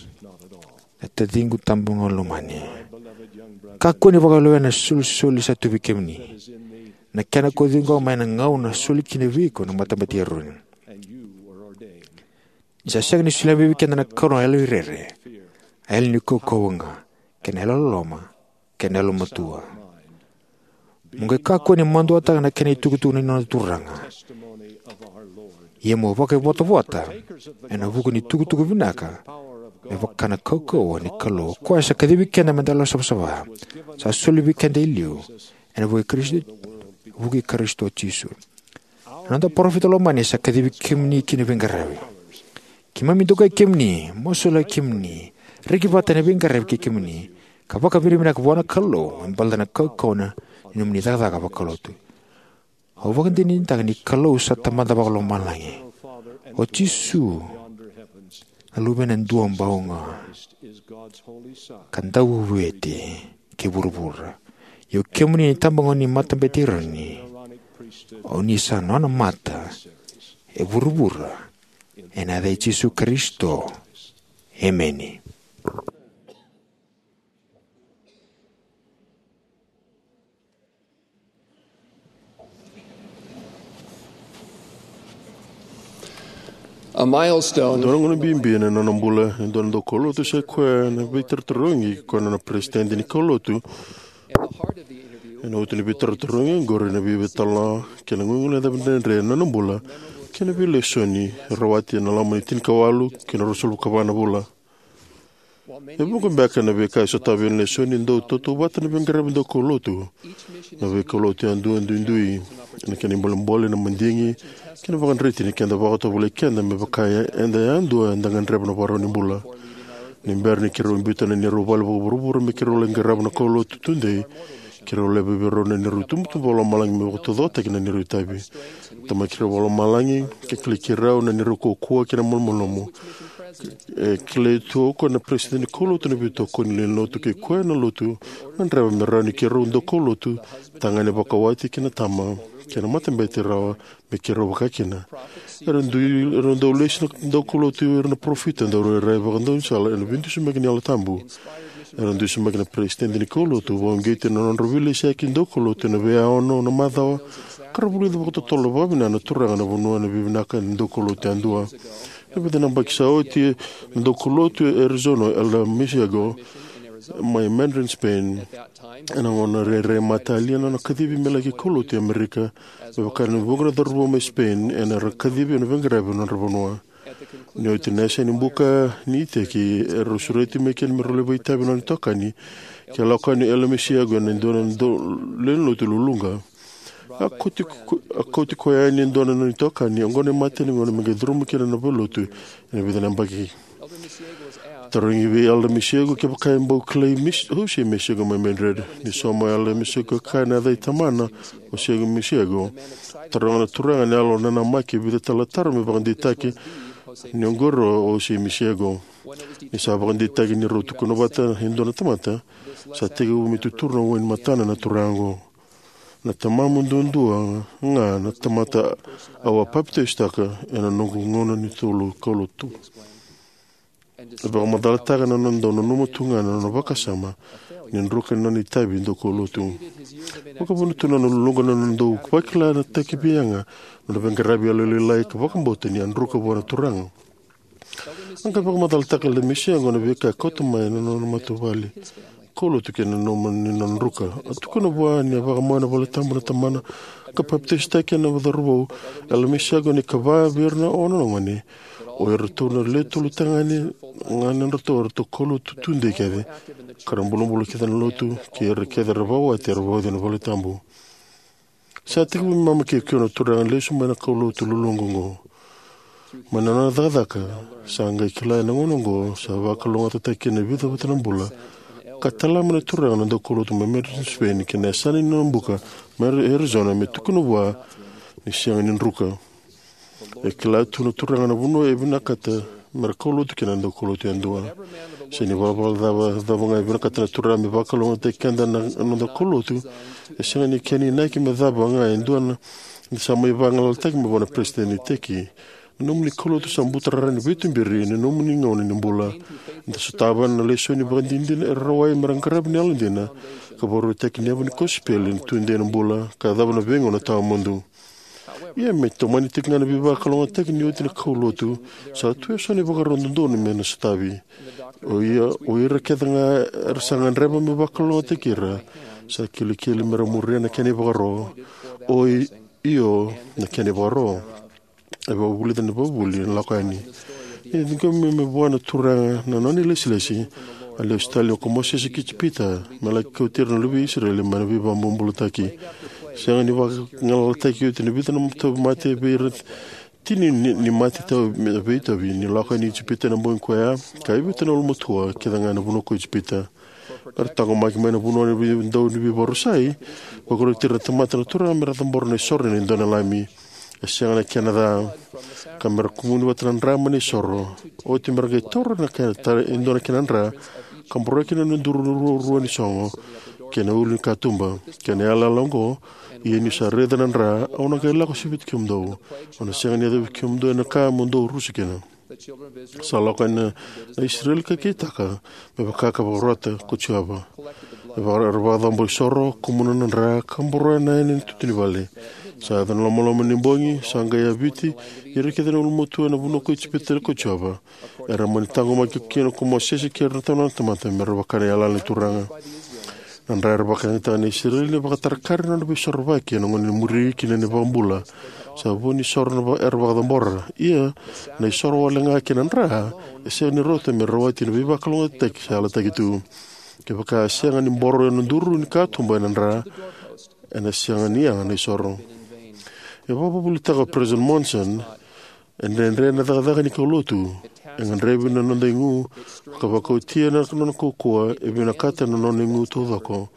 na taciqu tabaga lomani, kakua ni vakalewena na isolisoli sa tu vei kemuni, na kena ko ciqoma ena gauna soli kina vei iko na Matabete i Eroni. Ni sa sega ni solia mai vei keda na Kalou na yalo ni rere, a yalo ni kaukauwa ga, kei na yalo loloma, kei na yalo matua. Mo qai kakua ni maduataka na kena itukutuku ni noda Turaga, ia mo vakaivotavota ena vuku ni tukutuku vinaka, me vaka na kaukauwa ni Kalou, o koya sa kacivi keda me da yalo savasava, sa soli vei keda e liu ena vuku i Karisito, vuku i Karisito Jisu. Na noda parofita lomani sa kacivi kemuni ki na veiqaravi. Keimami dokai kemuni, masulaki kemuni, reki vata ena veiqaravi kei kemuni, ka vakavinavinaka vua na Kalou me baleta na kaukauwa ni nomuni cakacaka vakalotu. Au vakadinadinataka ni Kalou sa Tamada vakalomalagi. O Jisu na Luvena Duabau ga, ka Dauveivueti kei vuravura. Ia o kemuni na itabagone ni Matabete i Eroni, o ni sa nona mata e vuravura. Ena yaca i Jisu Karisito, emeni. A milestone. Dua na gauna bibi ena nona bula e dua na daukaulotu sa i koya na veitarotarogi, koya na nona peresitedi ni kaulotu. Ena utu ni veitarotarogi oqori na veitalanoa kei na guiguileca dredre ena nona bula, kei na veilesoni e rawati ena loma ni tinikawalu kei na ruasagavulu ka va na vula. E vuqa beka na veika e sotava na lesoni, dau tautauvata na veiqaravi daukaulotu. Na veikaulotu yadua duidui, na kena ibolebole, na madigi kei na vakadreti ni keda vakatovolei keda me vaka eda yadua eda gadreva na ivakarau ni bula. Ni bera ni keirau biuta na neirau vale vakavuravura me keirau lai qarava na kaulotu tudei, keirau laiva vei rau na neirau itubutubu vakalomalagi me vakataucokotaki na neirau itavi. Tamai keirau vakalomalagi, ke kilai keirau na neirau kaukauwa kei na malumalumu. E kilai tu o koya na peresitedi ni kaulotu, na veitokoni ni lewenilotu kei koya na lotu, gadreva me rawa ni keirau daukaulotu, tagane vakawati kei na tama, kei na matabete rawa me keirau vaka kina. Era dui, era dau lesi na daukaulotu, era na parofita, daurairai vakadaunisala ena veidusimaki ni Yalo Tabu. Era dusimaki na peresitedi ni kaulotu, vakauqeti na nodra veilesiyaki daukaulotu ena veiyaono na macawa, ka ra vulica vakatotolo vakavinaka na Turaga na vanua ena veivinaka ni daukaulotu yadua. Na vica na yabaki sa oti, na daukaulotu e Arizona, Elder Misiego, mai Madrid, Spain. Ena gauna rairai matalia na nona kacivi me laki kaulotu e Amerika, me vaka ni vuqa na cauravou mai Spain era kacivi ena veiqaravi ena nodra vanua. Ni oti na yasa ni buka ni iteki, erau sureti mai kina me rau lai vakaitavi na nona itokani, ke lako yani o Elder Misiego ena dua na dau lewenilotu luluqa. A kauti ko-, a kauti koya yani e dua na nona itokani, oqo na imatai ni gauna me qai curuma kina na valenilotu ena vica na yabaki. Tarogi vei Elder Misiego kevaka e bau kilai Mis-, Jose Misiego mai Madrid. Ni sauma o Elder Misiego, kaya na yaca i tamana, o Jose Misiego. Taroga na Turaga ena yalo nanamaki e vica tale na taro me vakadeitaki ni oqori o Jose Misiego. Ni sa vakadeitaki ni rau tukuna vata e dua na tamata, sa tekivu me tuturu na wainimatana na turaga oqo. Na tamamu duadua ga na tamata au a papitaisotaka ena noqu gauna ni tolu kaulotu. E vakamacalataka na nona dau nanuma tu ga na nona vakasama ni druka ni nona itavi daukaulotu. Vakavuna tu na nona luluqa na nona dau vakila na takiveiyaga na nona veiqaravi yalolailai ka vakabauta ni a druka vua na Turaga. A qai vakamacalataka o Elder Misiego na veika e kauta mai na nona matavuvale. kaulotu kei na nomuni nona druka. A tukuna vua ni a vakamau ena valetabu na tamana ka papitaisotaki ena cauravou, Elomise Yagoni, ka vaka vei ira na ono na gone, o iratou na lewe tolu tagane ga na nodratou eratou kaulotu tudei kece, ka ra bulabula kece na lotu, kei ira kece era vakawati era vauci ena valetabu. Sa tekivu me mama kei koya na turaga lesu mai na kaulotu luluqa oqo. Mai na nona cakacaka, sa qai kila ena gauna oqo sa vakalougatataki kina e vica vata na bula, ka tala mai na turaga na daukaulotu mai Madison, Spain, ki na yasana ni nona buka mai Arizona, me tukuna vua ni sega ni druka. E kila tu na turaga na vanua e vinakata me ra kaulotu kina na daukaulotu yadua. Se ni valavala cava, cava ga e vinakata na turaga me vakalougatataki keda na, na noda kaulotu, e sega ni kena inaki me cava ga e dua na, ni sa mai vagalalataki mai vua na peresitedi ni iteki. Na nomuni kaulotu sa buturara ni veituberi ena nomuni gauna ni bula. Eda sotava na lesoni vakadinadina e rawai me ra qaravi na yalodina, ka vakarautaki na yavu ni kosipeli ni tudei ena bula, ka yacova na veigauna tawamudu. Ia me tomani tiko ga na veivakalougatataki ni oti na kaulotu, sa tu eso na ivakarau dodonu me na sotavi. O ia, o ira kece ga era sa gadreva me vakalougatataki ira, sa kilikili me ra muria na kena ivakaro. O i, io, na kena ivakaro. E vakavulica na ivakavuvuli na lako yani. Ni ciqomi me vua na turaga na nona ilesilesi, a lesu tale o Mosese ki Ijipita, me laki kauti ira na luve i Isireli mai na veivakabobulataki. Sega ni vagalalataki oti na vica na tauvimate vei ira tini ni, ni mate tau me veitauvi, ni lako yani i Ijipita ena bogi koya, ka e vitu na ulumatua kece ga ena vanua ko Ijipita. Me ra taqomaki mai na vanua ni vei-, dau ni veivakarusai, vakaroti ira na tamata na turaga me ra cabora na isoro ni dua na lami. E sega na kena ca, ka me ra kumuni vata na dra mai na isoro. Oti me ra qai taura na kena ta-, e dua na kena dra, ka boroya kina na duru ruarua ni sogo, kei na ulu ni katuba, kei na yalayala oqo, ia niu sa raica na dra, au na qai lako siviti kemudou. Au na sega ni yacovi kemudou ena ka mo dou rusa kina. Sa lako yani na, na Isireli ka kitaka, me vaka ka vakarota ko Jiova. E vaka-, era vakacabo isoro, kumuna na dra, ka boroya na yani ni tutu ni vale. Sa yaco na lomaloma ni bogi, sa qai yaviti ira kece na ulumatua ena vanua ko Ijipita ko Jiova. Era mani taqomaki kina ko Mosese kei ira na tamata, me ra vaka na yalayala ni Turaga. Na dra era vakayagataka na Isireli ni vakatarakara na nona veisorovaki ena gauna ni muri kina na iVakabula. Sa vu ni soro na va-, era vakacabora. Ia, na isoro wale ga kei na dra, e sega ni rauta me rawati na veivakalougatataki sa yalataki tu. Kevaka e sega ni boro ena duru ni katuba ena dra, ena sega ni yaga na isoro. E vakavuvulitaka o President Monson, e dredre na cakacaka ni kaulotu. E gadrevi na noda igu, ka vakaotia na nona kaukauwa, e vinakata na nona igu taucoko.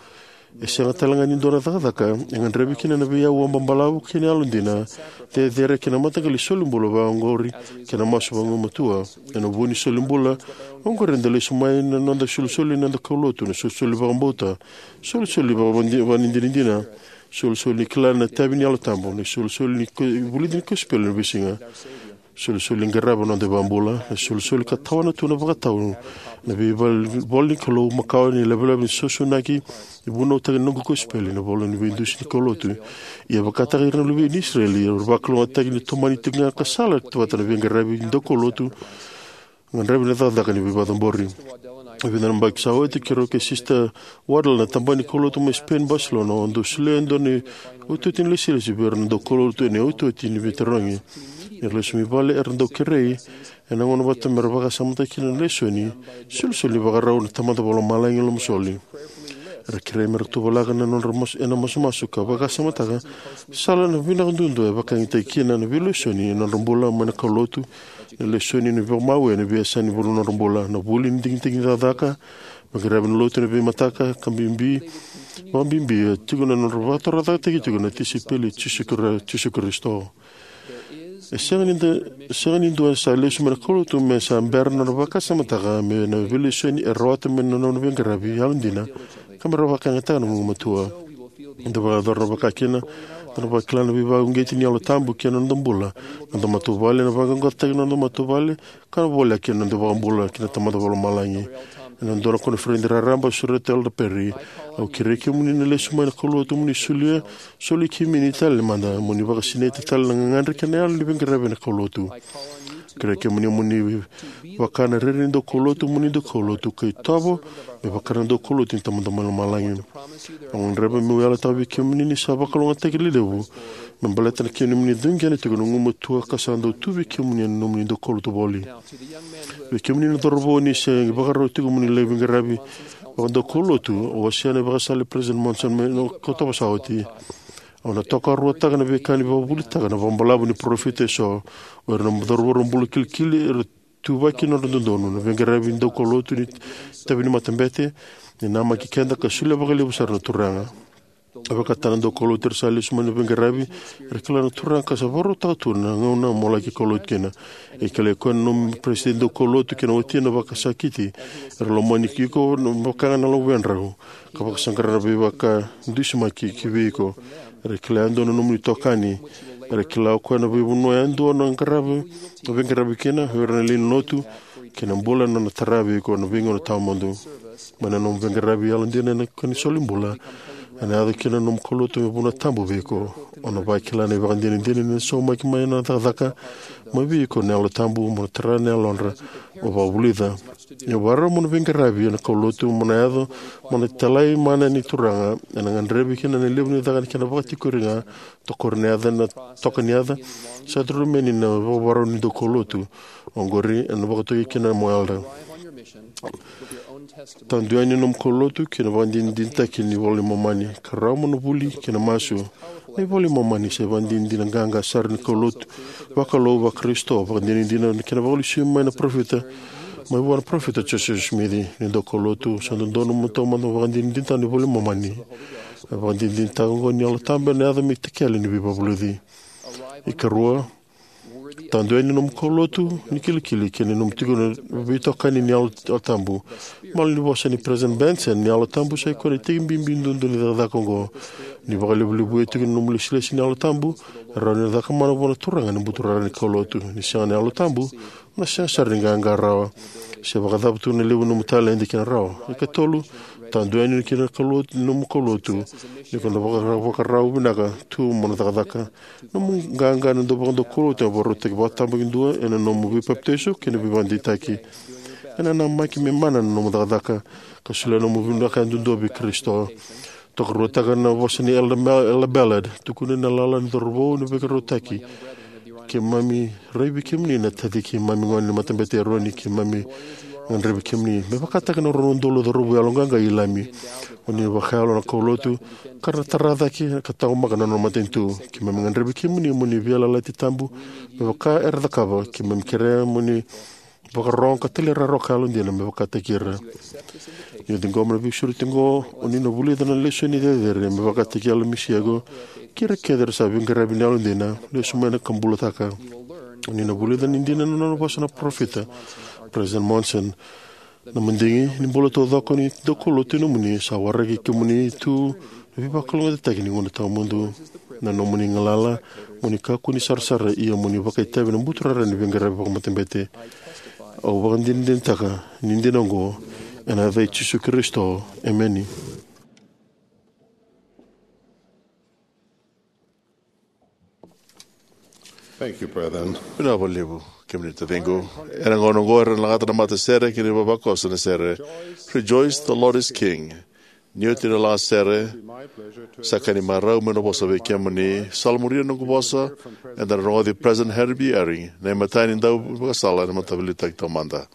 E sega tale ga ni dua na cakacaka e gadrevi kina na veiauwa babalavu kei na yalodina cecere kei na mataqali solibula vakaoqori kei na masu vagumatua. Ena vu ni solibula oqori eda lesu mai na noda isolisoli, na noda kaulotu, na isolisoli vakabauta, isolisoli vakavadi-, vakadinadina, isolisoli ni kila na itavi ni Yalo Tabu, na isolisoli ni ko-, vulici ni kosipeli ena veisiga. Solisoli qarava na noda iVakabula, na solisoli ka tawana tu na vakatau, na veival-, ivola ni Kalou makawa ni lavelave ni sausaunaki, ni vunautaki na noqu kosipeli, na ivola ni veidusi ni kaulotu. Ia vakataka ira na luve ni Isireli, era vakalougatataki ni tomani tiko ga ka sala tu vata na veiqaravi ni daukaulotu, qaravi na cakacaka ni veivakacabori. E vica na yabaki sa oti, keirau kei Sister Waddell na tabana ni kaulotu mai Spain, Barcelona, au dau solia e dua na iotioti ni lesilesi vei ira na daukaulotu ena iotioti ni veitarogi. Ni ra lesu mai vale, era dau kerei ena gauna vata me ra vakasamataka kina na lesoni, solisoli ni vakarau na Tamada Vakalomalagi lomasoli. Era kerei me ra tuvalaka na nodra mas-, ena masumasu ka vakasamataka sala na vinaka duadua e vakayagataki kina na veilesoni ena nodra bula mai na kaulotu, na lesoni ni vakamau ena veiyasana ni vanua nodra bula, na vuli ni digidigi ni cakacaka, veiqaravi ena lotu ena veimataka, ka bibi, vakabibi, e tiko na nodra vakatorocaketaki tiko na tisaipeli i Jisu Kri-, Jisu Karisito. E sega ni da-, sega ni dua sa lesu mai na kaulotu me sa bera na nona vakasamataka me na veilesoni e rawata mai na nona veiqaravi yalodina, ka me ra vakayagataka na gugumatua. Da vakayacora na vakakina, da na vakila na veivakauqeti ni Yalo Tabu kei na noda bula, na noda matavuvale, na vaqaqacotaki na noda matavuvale, ka na voleka kina na noda iVakabula kei na Tamada Vakalomalagi. Ena dua na koniferedi raraba, sureta Elder Perry, au kerei kemuni na lesu mai na kaulotu mo ni solia, soli kemuni tale mada, mo ni vakasinaita tale na gagadre kei na yalo ni veiqaravi ena kaulotu. Kerea kemuni mo ni vaka na rere ni daukaulotu mo ni daukaulotu, ka itovo me vaka na daukaulotu ni Tamada mai Lomalagi. Au gadreva meu yalataka vei kemuni ni sa vakalougatataki lelevu me baleta na kemuni duidua tiko na gumatua ka sa dau tu vei kemuni ena nomuni daukaulotu voli. Vei kemuni na cauravou, ni se ivakarau tiko mo ni lai veiqaravi vakadaukaulotu, au wasea na ivakasala i President Monson mai na Okotova sa oti. Au na tokaruataka na veika ni vakavuvulitaka na vakabalavu ni parofita eso, o ira na cauravou era bula kilikili, era tuvaki nodra dodonu, na veiqaravi daukaulotu ni itavi ni matabete, ni namaki keda ka solia vakalevu sara na Turaga. E vakataka na daukaulotu era sa lesu mai na veiqaravi, era kila na Turaga ka sa vakarautaka tu na gauna mo laki kaulotu kina. E kilai koya na nomu peresitedi daukaulotu kei na watina vakasakiti, era lomani iko na vaka ga na luvedrau, ka vakasaqara na veivakadusimaki ki vei iko. Era kila yadua na nomuni itokani. Era kila o koya na veivanua yadua na qaravi, na veiqaravi kina, o ira na lewe ni lotu, kei na bula na nona tara vei iko na veigauna tawamudu. Mai na nomu veiqaravi yalodina ena ka ni solibula, ena yaco kina na nomu kaulotu me vuna tabu vei iko. O na vakila na ivakadinadina ni na saumaki mai na cakacaka mai vei iko na Yalo Tabu mo na tara na yalodra mo vakavulica. Ni vakarau mo na veiqaravi ena kaulotu mo na yaco mo na italai mana ni Turaga, ena gadrevi kina na levu ni caka ni kena vakatikori ga, tokori na yaca, na toka ni yaca, sa curuma yani na vakavakarau ni daukaulotu. Oqori ena vakatokai kina mo elder. Tadu yani nomu kaulotu kei na vakadinadinataki ni iVola i Momani, ka rawa mo na vuli kei na masu. Na iVola i Momani sa ivakadinadina qaqa sara ni kaulotu vakalou vaKarisito, vakadinadina na kena vakalesui mai na parofita, mai vua na parofita Josefa Simici. Ni daukaulotu, sa dodonu mo taumada vakadinadinataka na iVola i Momani. Na vakadinadinataka oqo ni Yalo Tabu ena yaco me itakele ni veivakavulici. Ikarua, tadu yani nomu kaulotu ni kilikili kei na nomu tiko na veitokani ni Yalo, Yalo Tabu. Malanivosa ni President Benson, ni Yalo Tabu sa ikoya na iteki bibi duadua ni cakacaka oqo. Ni vakalevulevuya tiko na nomu lesilesi ni Yalo Tabu, e rawa ni na caka mana vua na Turaga ena buturara ni kaulotu. Ni sega na Yalo Tabu, na sega sara ni qaqa rawa. Se vakacava tu na levu ni nomu taledi kei na rawa. Ikatolu, tadu yani kei na kaulotu, nomu kaulotu. Ni ko na vakara-, vakarau vinaka tu mo na cakacaka. Nomu qaqa ena dau vakadaukaulotu e vakarautaki vakatabakidua ena nomu veipapitaiso kei na veivakadeitaki. Ena namaki me mana na nomu cakacaka, ka solia nomu vinaka yadudua vei Karisito. Tokaruataka na vosa ni Elder Mel-, Elder Ballard, tukuna na lala ni cauravou ni veivakarautaki. Keimami rai vei kemuni na taci keimami gone ni matabete Eroni, keimami gadrevi kemuni. Me vakataki na rua na udolu na cauravou yaloqaqa i Ilami. Oni vakayalo na kaulotu, ka ra tara cake ka taqomaka na nona matanitu. Keimami gadrevi kemuni mo ni veiyalayalati tabu, me vaka era cakava, keimami kerea mo ni vakarorogo ka talairawarawa ka yalodina me vakataki ira. Ni o ciqoma na veisureti oqo, oni na vulica na lesoni cecere me vakataki yalo misi yaqo, kei ira kece era sa veiqaravi ni yalodina, lesu mai na ka bulataka. Oni na vulica ni dina na nona vosa na parofita, President Monson. Na madigi ni bula taucoko ni daukaulotu e nomuni, sa waraki kemuni tu na veivakalougatataki ni gauna tawamudu. Na nomuni galala, mo ni kakua ni sarasara, ia mo ni vakaitavi ena buturara ni veiqaravi vakamatabete. Au vakadinadinataka ni dina oqo, ena yaca i Jisu Karisito. Emeni. Thank you, brethren. Vinaka vakalevu, kemuni taciqu. Ena gauna oqo era na lagata na matasere kei na ivavakoso na sere Rejoice, the Lord is King. Ni oti na lagasere, sa ka ni marau meu na vosa vei kemuni. Sa muria na noqu vosa, eda na rogoci President Henry B. Eyring, na imatai ni dauvakasala ena Mataveiliutaki Taumada.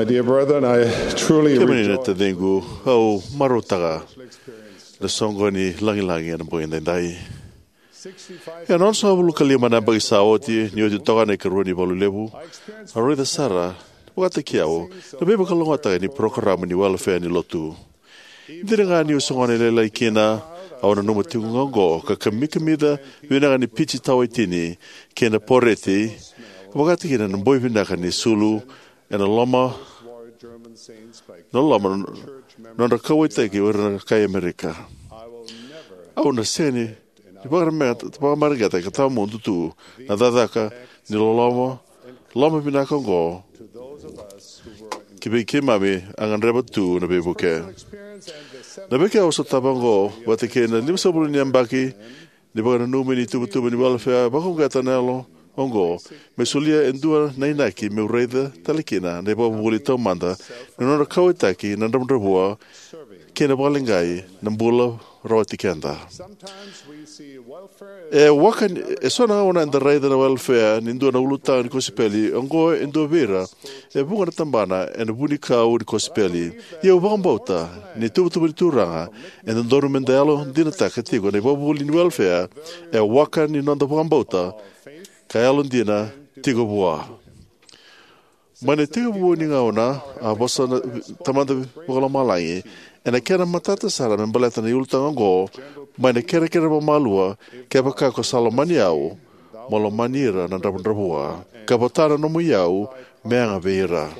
Dear brethren, I truly Kemuni na rejoice. Taciqu, au marautaka na soqoni lagilagi ena bogi daidai. Ena onosagavulu ka lima na yabaki sa oti, ni oti toka na ikarua ni valu levu, au raica sara vakataki au na veivakalougatataki ni parokaramu ni welefea ni lotu. Dina ga niu se gone lailai kina, au nanuma tiko ga oqo ka kamikamica vinaka ni pici tawaitini kei na poreti, vakataki na boi vinaka ni sulu ena loma, na loma nodra kauwaitaki o ira na kai Amerika. Au na sega ni vakamareqeta, vakamareqeta ka tawamudu tu na cakacaka ni loloma, loma vinaka oqo ki vei keimami a gadreva tu na veivuke. Na veika au sotava oqo vata kei na limasagavulu ni yabaki ni vakananumi ni tuvatuva ni welefea, vakauqeta na yalo oqo me solia e dua na inaki meu raica tale kina na ivakavuvuli taumada ni nodra kauwaitaki na dravudravua kei na vakaleqai na bula rawati keda. E waka ni, e so na gauna eda raica na welefea ni dua na ulutaga ni kosipeli oqo e dua vei ira e vuqa na tabana ena vunikau ni kosipeli. Ia au vakabauta ni tuvatuva ni Turaga e dodonu meda yalodinataka tiko na ivakavuvuli ni welefea e waka ni noda vakabauta ka yalodina tiko vua. Mai na itekivu ni gauna, a vosa na Tamada Vakalomalagi ena kena matata sara me baleta na ulutaga oqo, mai na kerekere vakamalua, kevaka ko sa lomani au, mo lomani ira na dravudravua, ka vota na nomu iyau me yaga vei ira.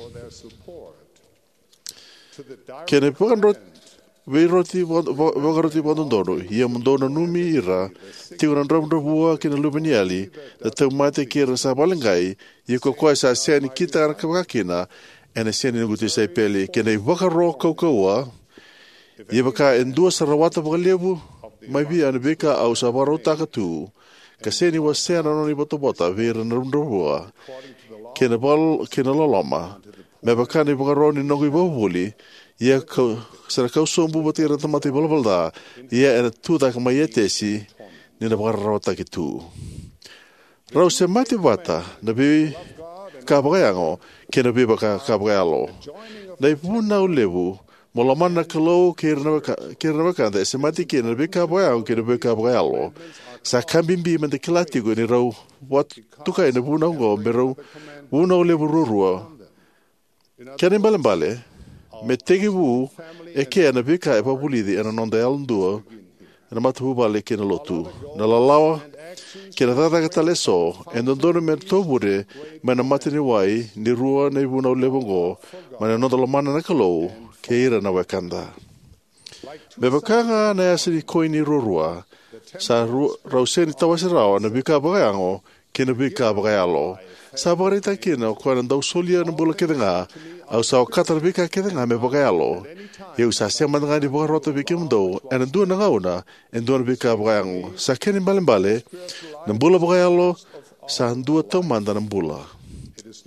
Kei na vakadro-, veiroti va-, va-, vakaroti vakadodonu, ia mo dou nanumi ira tiko na dravudravua kei na luveniyali, na tauvimate kei ira sa vakaleqai, ia ko koya sa sega ni kitaka vakakina, ena sega ni noqu tisaipeli. Kei na ivakaro kaukauwa, ia vaka e dua sa rawata vakalevu mai vei au na veika au sa vakarautaka tu, ka sega ni wasea na nona ivotavota vei ira na dravudravua kei na val-, kei na loloma, me vaka na ivakaro ni noqu ivakavuvuli, ia kau, sa na kau sobu vata kei ira na tamata ivalavala ca, ia ena tu cake mai Etesi ni na vakararawataki tu. Rau semati vata na veika vakayago kei na veika vakayalo. Na ivunau levu mo lomana na Kalou kei ira na weka-, kei ira na wekada e semati kina na veika vakayago kei na veika vakayalo. Sa ka bibi meda kila tiko ni rau vakatokai na vunau oqo me rau vunau levu ruarua. Kena ibalebale, me tekivu eke na veika e vakavulici ena noda yalodua, ena matavuvale kei na lotu. Na lalawa kei na cakacaka tale eso e dodonu me tovure mai na mata ni wai ni rua na ivunau levu oqo, mai na noda lomana na Kalou kei ira na wekada. Me vaka ga na yasa ni koini ruarua, sa ru-, rau sega ni tawase rawa na veika vakayago kei na veika vakayalo. Sa vakaraitaka kina o koya na dau solia na bula kece ga, au sa okata na veika kece ga me vakayalo. Ia au sa sega mada ga ni vakarota vei kemudou ena dua na gauna e dua na veika vakayago. Sa kena ibalebale, na bula vakayalo sa dua taumada na bula.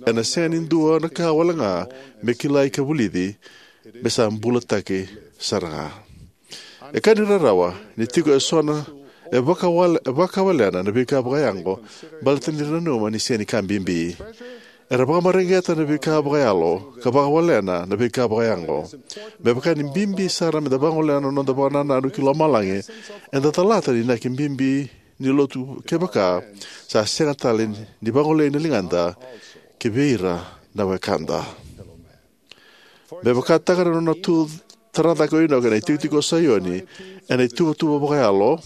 Ena sega ni dua na ka wale ga me kilai ka vulici, me sa bulataki sara ga. E ka ni rarawa ni tiko e so na, e vakawale-, e vakawalena na veika vakayago, baleta ni ra nanuma ni sega ni ka bibi. Era vakamareqeta na veika vakayalo ka vakawalena na veika vakayago. Me vaka ni bibi sara meda vagolea na noda vakanananu ki lomalagi, eda calata na inaki bibi ni lotu kevaka sa sega tale ni vagolei na ligada ki vei ira na wekada. Me vakataka na nona tu tara cake o Inoka ena itikotiko o Saioni ena ituvatuva vakayalo,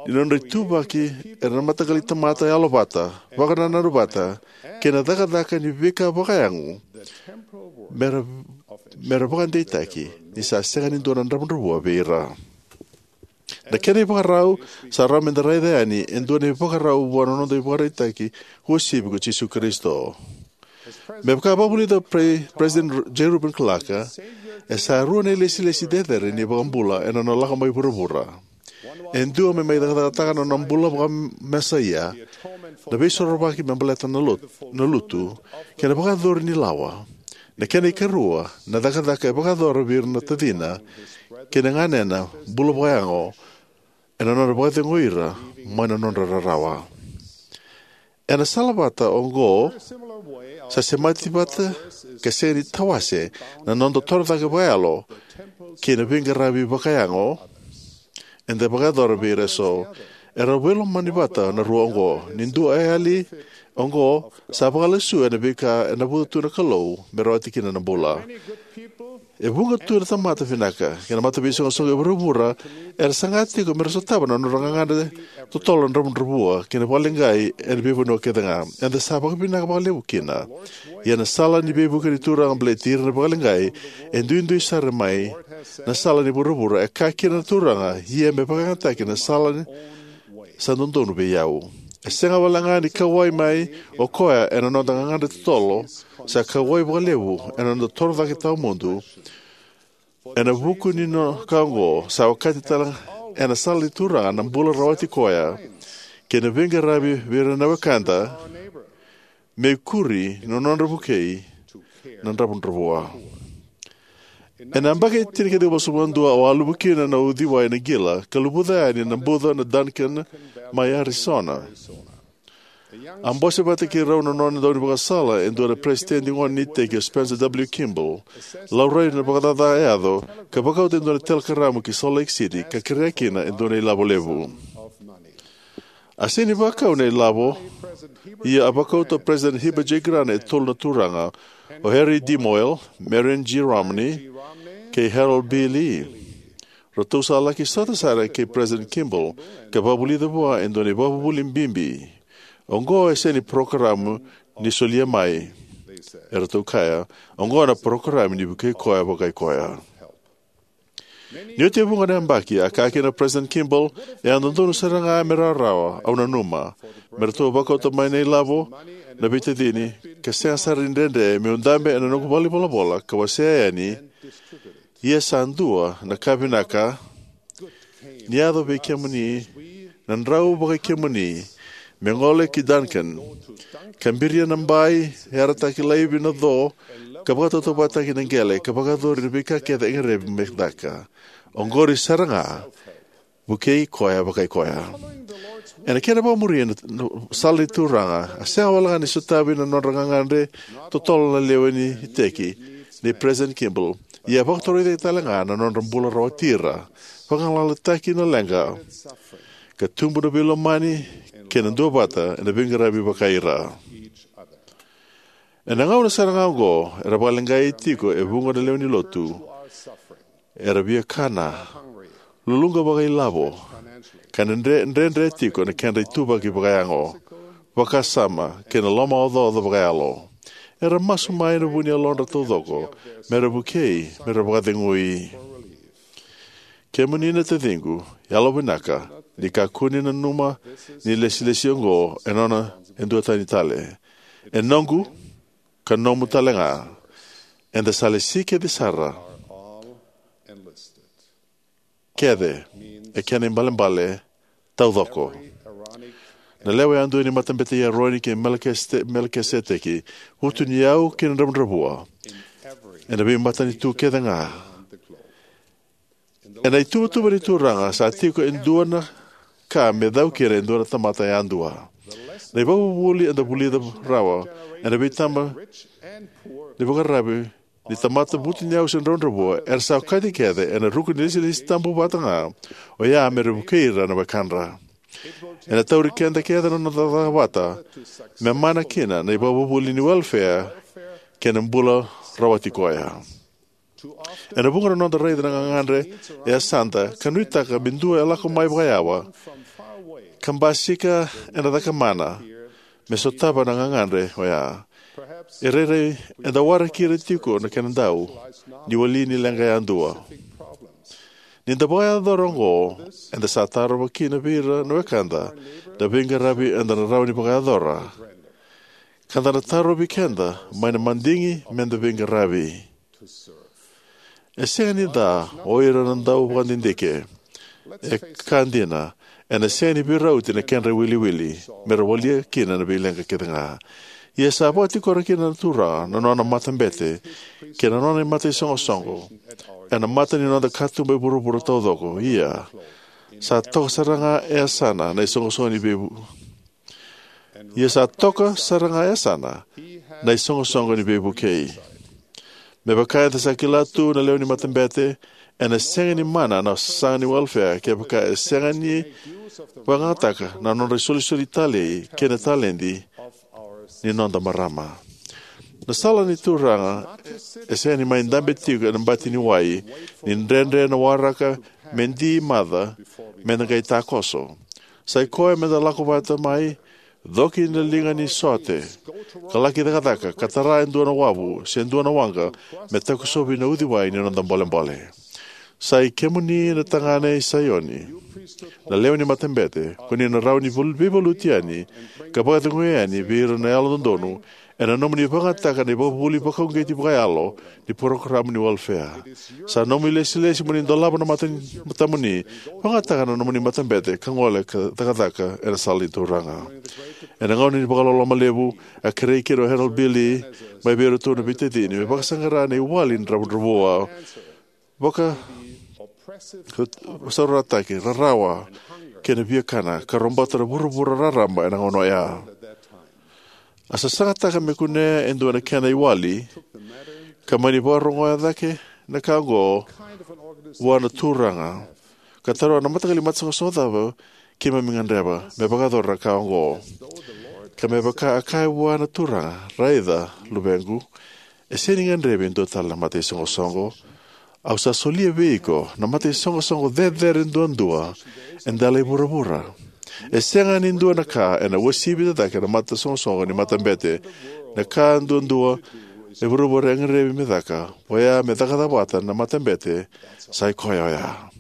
ni nodra ituvaki era na mataqali tamata yalovata, vakanananu vata, kei na cakacaka ni veika vakayago, mera, mera vakadeitaki ni sa sega ni dua na dravudravua vei ira. Na kena ivakarau, sa rawa meda raica yani e dua na ivakarau vua na noda ivakaraitaki uasivi ko Jisu Karisito. Me vaka vakavulica o Pre-, President J. Reuben Clark, e sa rua na ilesilesi cecere ni iVakabula ena nona lako mai vuravura. E dua me mai cakacakataka na nona bula vakamesaia, na veisorovaki me baleta na lot-, na lutu, kei na vakayacori ni lawa. Na kena ikarua, na cakacaka e vakayacora vei ira na tacina kei na ganena bula vakayago, ena nona vakacegui ira mai na nodra rarawa. Ena sala vata oqo, Sa semati vata ka sega ni tawase na noda toro cake vakayalo kei na veiqaravi vakayago eda vakayacora vei ira eso. Era veilomani vata na rua oqo. Ni dua e yali oqo, sa vakalesuya na veika e navuca tu na Kalou me rawati kina na bula. E vuqa tu na tamata vinaka kei na mataveisoqosoqo e vuravura era saga tiko me ra sotava na nodra gagadre totolo na dravudravua kei na vakaleqai ena veivanua kece ga. Eda sa vakavinaka vakalevu kina. Ia na sala ni veivuke ni Turaga baleti ira na vakaleqai e duidui sara mai na sala ni vuravura. E kaya kina na Turaga, ia me vakayagataki na sala ni sa dodonu vei au. E sega walega ni kauwai mai o koya ena noda gagadre totolo, sa kauwai vakalevu ena noda toro cake tawamudu. Ena vuku ni no ka oqo, sa okati tale ena sala ni Turaga na bula rawati koya kei na veiqaravi vei ira na wekada, me ikuri na nodra vukei na dravudravua. Ena yabaki tinikaciwa vasagavulu ka dua, au a luvu kina na uciwai na qila ka luvuca yani na buca na Duncan mai Arizona. A bose vata kei rau na nona daunivakasala e dua na peresitedi gone ni iteki, o Spencer W. Kimball. Laurai na vakacaca e yaco, ka vakauta e dua na telekaramu ki Salt Lake City ka kerea kina e dua na ilavo levu. A sega ni vakau na ilavo, ia a vakauta o President Heber J. Grant e tolu na turaga, o Harry D. Moyle, Marion G. Romney, kei Harold B. Lee. Ratou sa laki sota sara kei President Kimball ka vakavulica vua e dua na ivakavuvuli bibi. Oqo e sega ni parokaramu ni solia mai, e ratou kaya. Oqo na parokaramu ni vukei koya vakai koya. Ni oti e vuqa na yabaki, a kaya kina o President Kimball, e a dodonu sara ga me rawarawa, au nanuma, me ratou vakauta mai na ilavo na veitacini, ka sega sara ni dredre meu dabe ena noqu valenivolavola ka wasea yani. Ia sa dua na ka vinaka ni yaco vei kemuni, na drau vakai kemuni, me gole ki Duncan, ka biria na bai, yarataki laivi na co, ka vakatautauvatataki na qele, ka vakayacori na veika kece e gadrevi me caka. Oqori sara ga, vukei koya vakai koya. Ena kena vakamuri na, na sala ni Turaga, a sega walega ni sotavi na nodra gagadre totolo na lewe ni iteki nei President Kimball. Ia a vakatorocaketaki talega na nodra bula rawati ira, vagalalataki na leqa, ka tubu na veilomani kei na duavata ena veiqaravi vakai ira. Ena gauna sara ga oqo, era vakaleqai tiko e vuqa na lewe ni lotu. Era via kana, luluqa vakailavo, ka na dre, dredre tiko na kedra ituvaki vakayago, vakasama, kei na lomaocaoca vakayalo. Era masu mai ena vu ni yalodra taucoko, me ra vukei, me ra vakacegui. Kemuni na taciqu, yalovinaka, ni kakua ni nanuma ni lesilesi oqo e nona e dua tani tale. E noqu, ka nomu talega. Eda sa lesi kece sara. Kece, e kena ibalebale, taucoko. Na lewe yadua ni matabete i Eroni kei Melekisete-, Melekiseteki, vutuniyau kei na dravudravua. Ena veimatanitu kece ga. Ena ituvatuva ni Turaga sa tiko e dua na ka me cau kina e dua na tamata yadua. Na ivakavuvuli eda vulica rawa ena veitaba ni vakararavi ni tamata vutuniyau se dravudravua, era sa okati kece ena ruku ni lesilesi tabu vata ga, oya me ra vukei ira na wekadra. Ena tauri keda kece na noda cakacaka vata me mana kina na ivakavuvuli ni welfare kei na bula rawati koya. Ena vuqa na noda raica na gagadre e yasada ka nuitaka me dua e lako mai vakayawa ka basika ena cakamana me sotava na gagadre oya. E rairai eda waraki ira tiko na kena dau ni wali ni leqa yadua. Ni da vakayacora oqo, eda sa tarova kina vei ira na wekada na veiqaravi eda na rawa ni vakayacora. Ka da na tarovi keda mai na madigi me da veiqaravi. E sega ni ca o ira na dau vakadidike. E ka dina, ena sega ni veirauti na kedra iwiliwili me ra walia kina na veileqa kece ga. Ia sa vakatikora kina na Turaga na nona matabete kei na nona mata isoqosoqo ena mata ni noda katuba e vuravura taucoko. Ia sa toka sara ga e yasana na isoqosoqo ni veivu. Ia sa toka sara ga e yasana na isoqosoqo ni veivukei. Me vaka eda sa kila tu na lewe ni matabete, ena sega ni mana na sasaga ni welfare kevaka e sega ni vakayagataka na nodra isolisoli talei kei na taledi ni noda marama. Na sala ni Turaga e sega ni mai dabe tiko ena bati ni wai ni dredre na waraka me di maca me da qai takoso. Sai koya me da lako vata mai, coki na liga ni sote, ka laki cakacaka ka tara e dua na wavu se dua na waqa me takosovi na uciwai ni noda bolebole. Sai kemuni na tagane i Saioni, na lewe ni matabete, ko ni na rawa ni veivaluti yani ka vakacegui yani vei ira na yalododonu ena nomuni vakayagataka na ivakavuvuli vakauqeti vakayalo ni parokaramu ni welfare. Sa nomu ilesilesi mo ni dolava na mata ni matamuni, vakayagataka na nomuni matabete ka gole ka cakacaka ena sala ni Turaga. Ena gauna ni vakaloloma levu, a kerei kina o Harold B. Lee mai vei iratou na veitacini me vakasaqara na iwali ni dravudravua, vakasaurarataki, rarawa kei na viakana ka robota na vuravura raraba ena gauna oya. A sasagataka me kunea e dua na kena iwali, ka mani vakarogoya cake na ka oqo vua na Turaga, ka taroga na mataqali matasoqosoqo cava keimami gadreva me vakayacora na ka oqo. Ka me vaka a kaya vua na Turaga, raica, luvequ, e sega ni gadrevi e dua tale na mataisoqosoqo. Au sa solia vei iko na mataisoqosoqo cecere duadua e dela i vuravura. E sega ni dua na ka ena uasivi cake na matasoqosoqo ni matabete. Na ka duadua e vuravura e gadrevi me caka, oya me cakacaka vata na matabete, sai koya oya.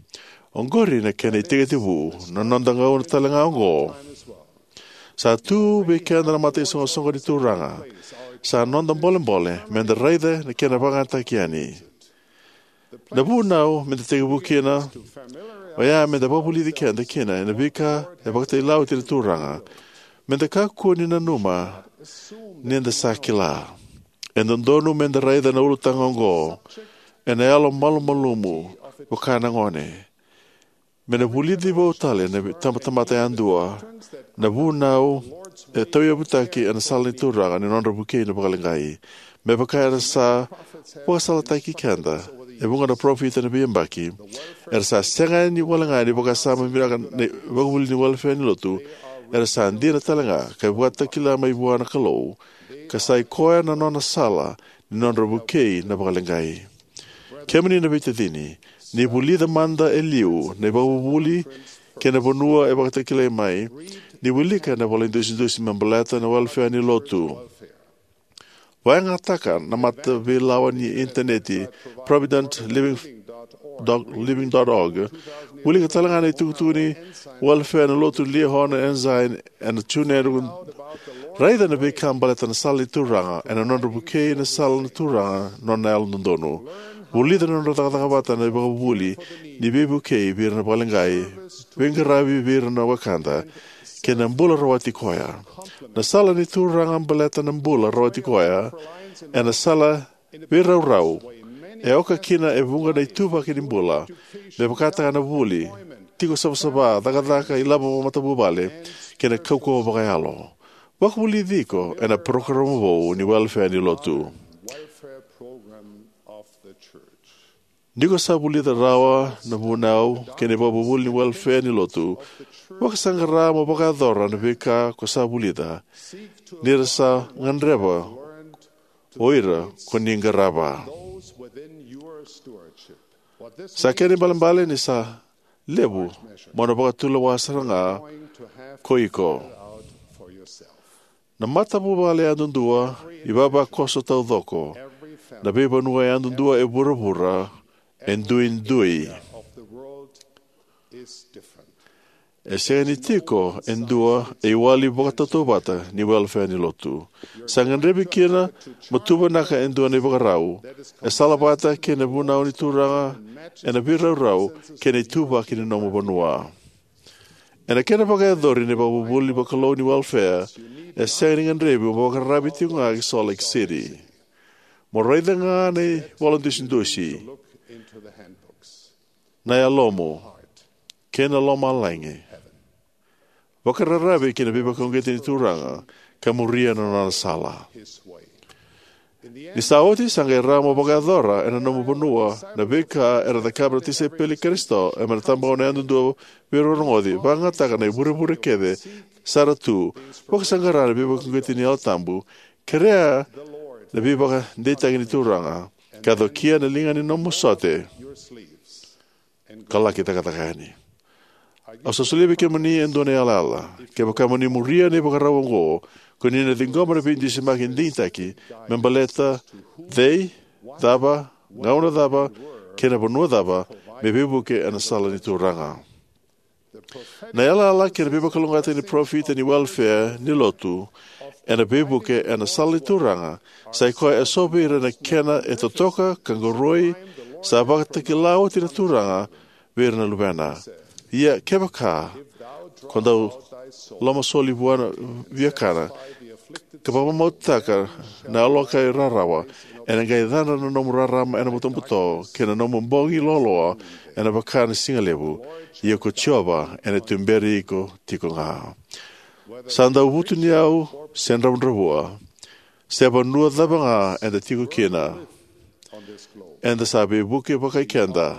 Oqori na kena itekitekivu na noda gauna tale ga oqo. Sa tu vei keda na mataisoqosoqo ni Turaga. Sa noda bolebole me da raica na kena vakayagataki yani. Na vunau me da tekivu kina oya me da vakavulici keda kina ena veika e vakatailalai oti na Turaga, me da kakua ni nanuma ni da sa kila. E dodonu me da raica na ulutaga oqo ena yalo malumalumu vaka na gone. Me na vulici vou tale na itabatamata yadua na vunau e tauyavutaki ena sala ni Turaga ni nodra vukei na vakaleqai. Me vaka era sa vakasalataki keda e vuqa na parofita ena veiyabaki, era sa sega ni walega ni vakasama vinaka na ivakavuvuli ni welefea ni lotu. Era sa dina talega ka vakatakila mai vua na Kalou, ka sai koya na nona sala ni nodra vukei na vakaleqai. Kemuni na veitacini, ni vulica mada e liu na ivakavuvuli kei na vanua e vakatakilai mai. Ni wilika na ivola idusidusi me baleta na welefea ni lotu. Vakayagataka na mataveilawa ni initaneti provident living dot org. Wilika talega na itukutuku ni welefea ni lotu Liahona Ensign ena TuneIn. Raica na veika baleta na sala ni Turaga ena nodra vukei na sala ni Turaga nona yalododonu. Vulica na nodra cakacaka vata na ivakavuvuli ni veivukei vei ira na vakaleqai, veiqaravi vei ira na wekada, kei na bula rawati koya. Na sala ni Turaga baleta na bula rawati koya ena sala veiraurau e oka kina e vuqa na ituvaki ni bula, me vakataka na vuli, tiko savasava, cakacaka, ilavo vakamatavuvale, kei na kaukauwa vakayalo. Vakavulici iko ena parokaramu vou ni welefea ni lotu. Ni ko sa vulica rawa na vunau kei na ivakavuvuli ni welefea ni lotu, vakasaqara mo vakayacora na veika ko sa vulica, ni ra sa gadreva o ira ko ni qarava. Sa kena ibalebale ni sa levu mo na vakatulewa sara ga ko iko. Na matavuvale yadudua, ivavakoso taucoko, na veivanua yadudua e vuravura e duidui. E sega ni tiko e dua e iwali vakatautauvata ni welefea ni lotu. Sa gadrevi kina mo tuvanaka e dua na ivakarau e salavata kei na vunau ni Turaga ena veiraurau kei na ituvaki ni nomu vanua. Ena kena vakayacori na ivakavuvuli vakalou ni welefea, e sega ni gadrevi mo vakararavi tiko ga ki Salt Lake City. Mo raica ga na ivola dusidusi, na yalomu, kei na lomalagi. Vakararavi ki na veivakauqeti ni Turaga ka muria na nona sala. Ni sa oti, sa qai rawa mo vakayacora ena nomu vanua na veika era cakava na tisaipeli i Karisito ena tabagauna yadudua vei ira na rogoci, vakayagataka na ivurevure kece sara tu, vakasaqara na veivakauqeti ni Yalo Tabu, kerea na veivakadeitaki ni Turaga, ka cokia na liga ni nomu sote, ka laki cakacaka yani. Au sa solia vei kemuni e dua na yalayala. Kevaka mo ni muria na ivakarau oqo, ko ni na ciqoma na veidusimaki digitaki me baleta cei, cava, gauna cava, kei na vanua cava, me veivuke ena sala ni Turaga. Na yalayala kei na veivakalougatataki ni parofita ni welefea ni lotu ena veivuke ena sala ni Turaga, sa i koya eso vei ira na kena e totoka ka qoroi, sa vakatakila oti na Turaga vei ira na luvena. Ia kevaka ko dau lomasoli vua na viakana, ka vakamamautaka na yaloka e rarawa, ena qai cadra na nomu rarama ena butobuto, kei na nomu bogi loaloa ena vaka na siga levu, ia ko Jiova ena tuberi iko tiko ga. Sa dau vutuniyau se dravudravua, se vanua cava ga eda tiko kina, eda sa veivuke vakai keda.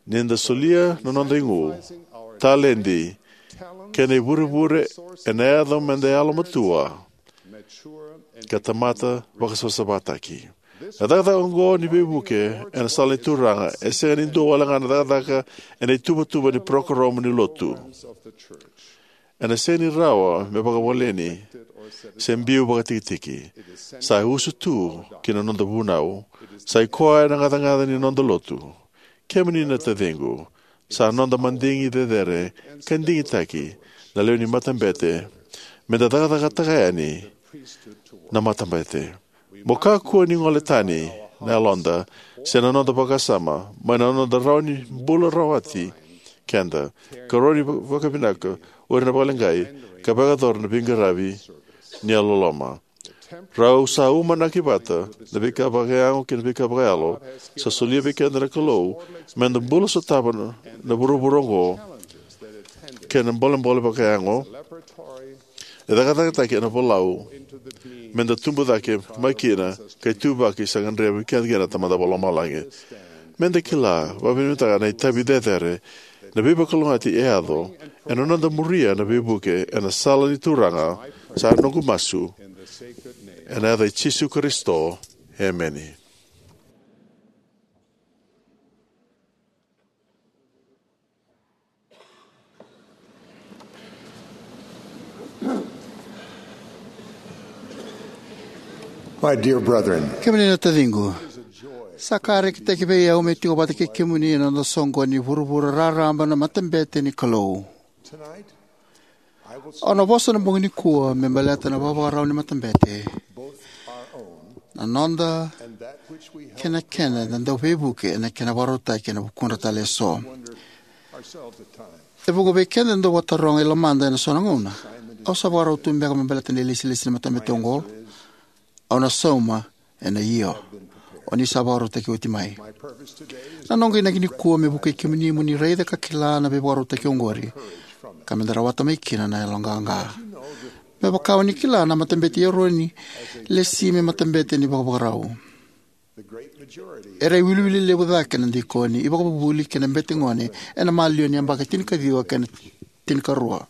Ni da solia na noda igu, taledi, kei na ivurevure ena yaco meda yalomatua ka tamata vakasavasavataki. Na cakacaka oqo ni veivuke ena sala ni Turaga e sega ni dua wale ga na cakacaka ena ituvatuva ni parokaramu ni lotu. Ena sega ni rawa me vakawaleni se biu vakatikitiki. Sa usu tu ki na noda vunau. Sa i koya na gacagaca ni noda lotu. Kemuni na taciqu, sa noda madigi cecere ka digitaki na lewe ni matabete meda cakacakataka yani na matabete. Mo kakua ni gole tani na yaloda se na noda vakasama mai na noda rawa ni bula rawati keda, ka rawa ni vakavinaka o ira na vakaleqai, ka vakayacora na veiqaravi ni yalololoma. Rau sa umanaki vata na veika vakayago kei na veika vakayalo sa solia vei keda na Kalou meda bula sotava na, na vuravura oqo kei na bolebole vakayago e cakacakataki ena volau meda tubu cake mai kina ka ituvaki sa gadreva vei keda kina na Tamada Vakalomalagi. Meda kila vakavinakataka na itavi cecere na veivakalougatataki e yaco ena noda muria na veivuke ena sala ni Turaga, sa noqu masu ena yaca i Jisu Karisito. Emeni. My dear brethren, kemuni na taciqu, sa ka rekitaki vei au me tiko vata kei kemuni ena noda soqoni ni vuravura raraba na matabete ni Kalou. Au na vosa na bogi nikua me baleta na vakavakarau ni matabete, na noda kei na kena eda dau veivuke ena kena vakarautaki ena vukudra tale eso. E vuqa vei keda e dau vakataroga e lomada ena so na gauna, au sa vakarau tu beka me baleta na ilesilesi ni matabete oqo? Au na sauma ena io. O ni sa vakarautaki oti mai. Na noqu inaki nikua me vukei kemuni mo ni raica ka kila na veivakarautaki oqori, ka meda rawata mai kina na yaloqaqa. Me vaka o ni kila, na matabete i Eroni lesi me matabete ni vakavakarau. Era iwiliwili levu cake na dikoni, ivakavuvuli kei na bete gone ena maliwa ni yabaki tinikaciwa kei na tinikarua.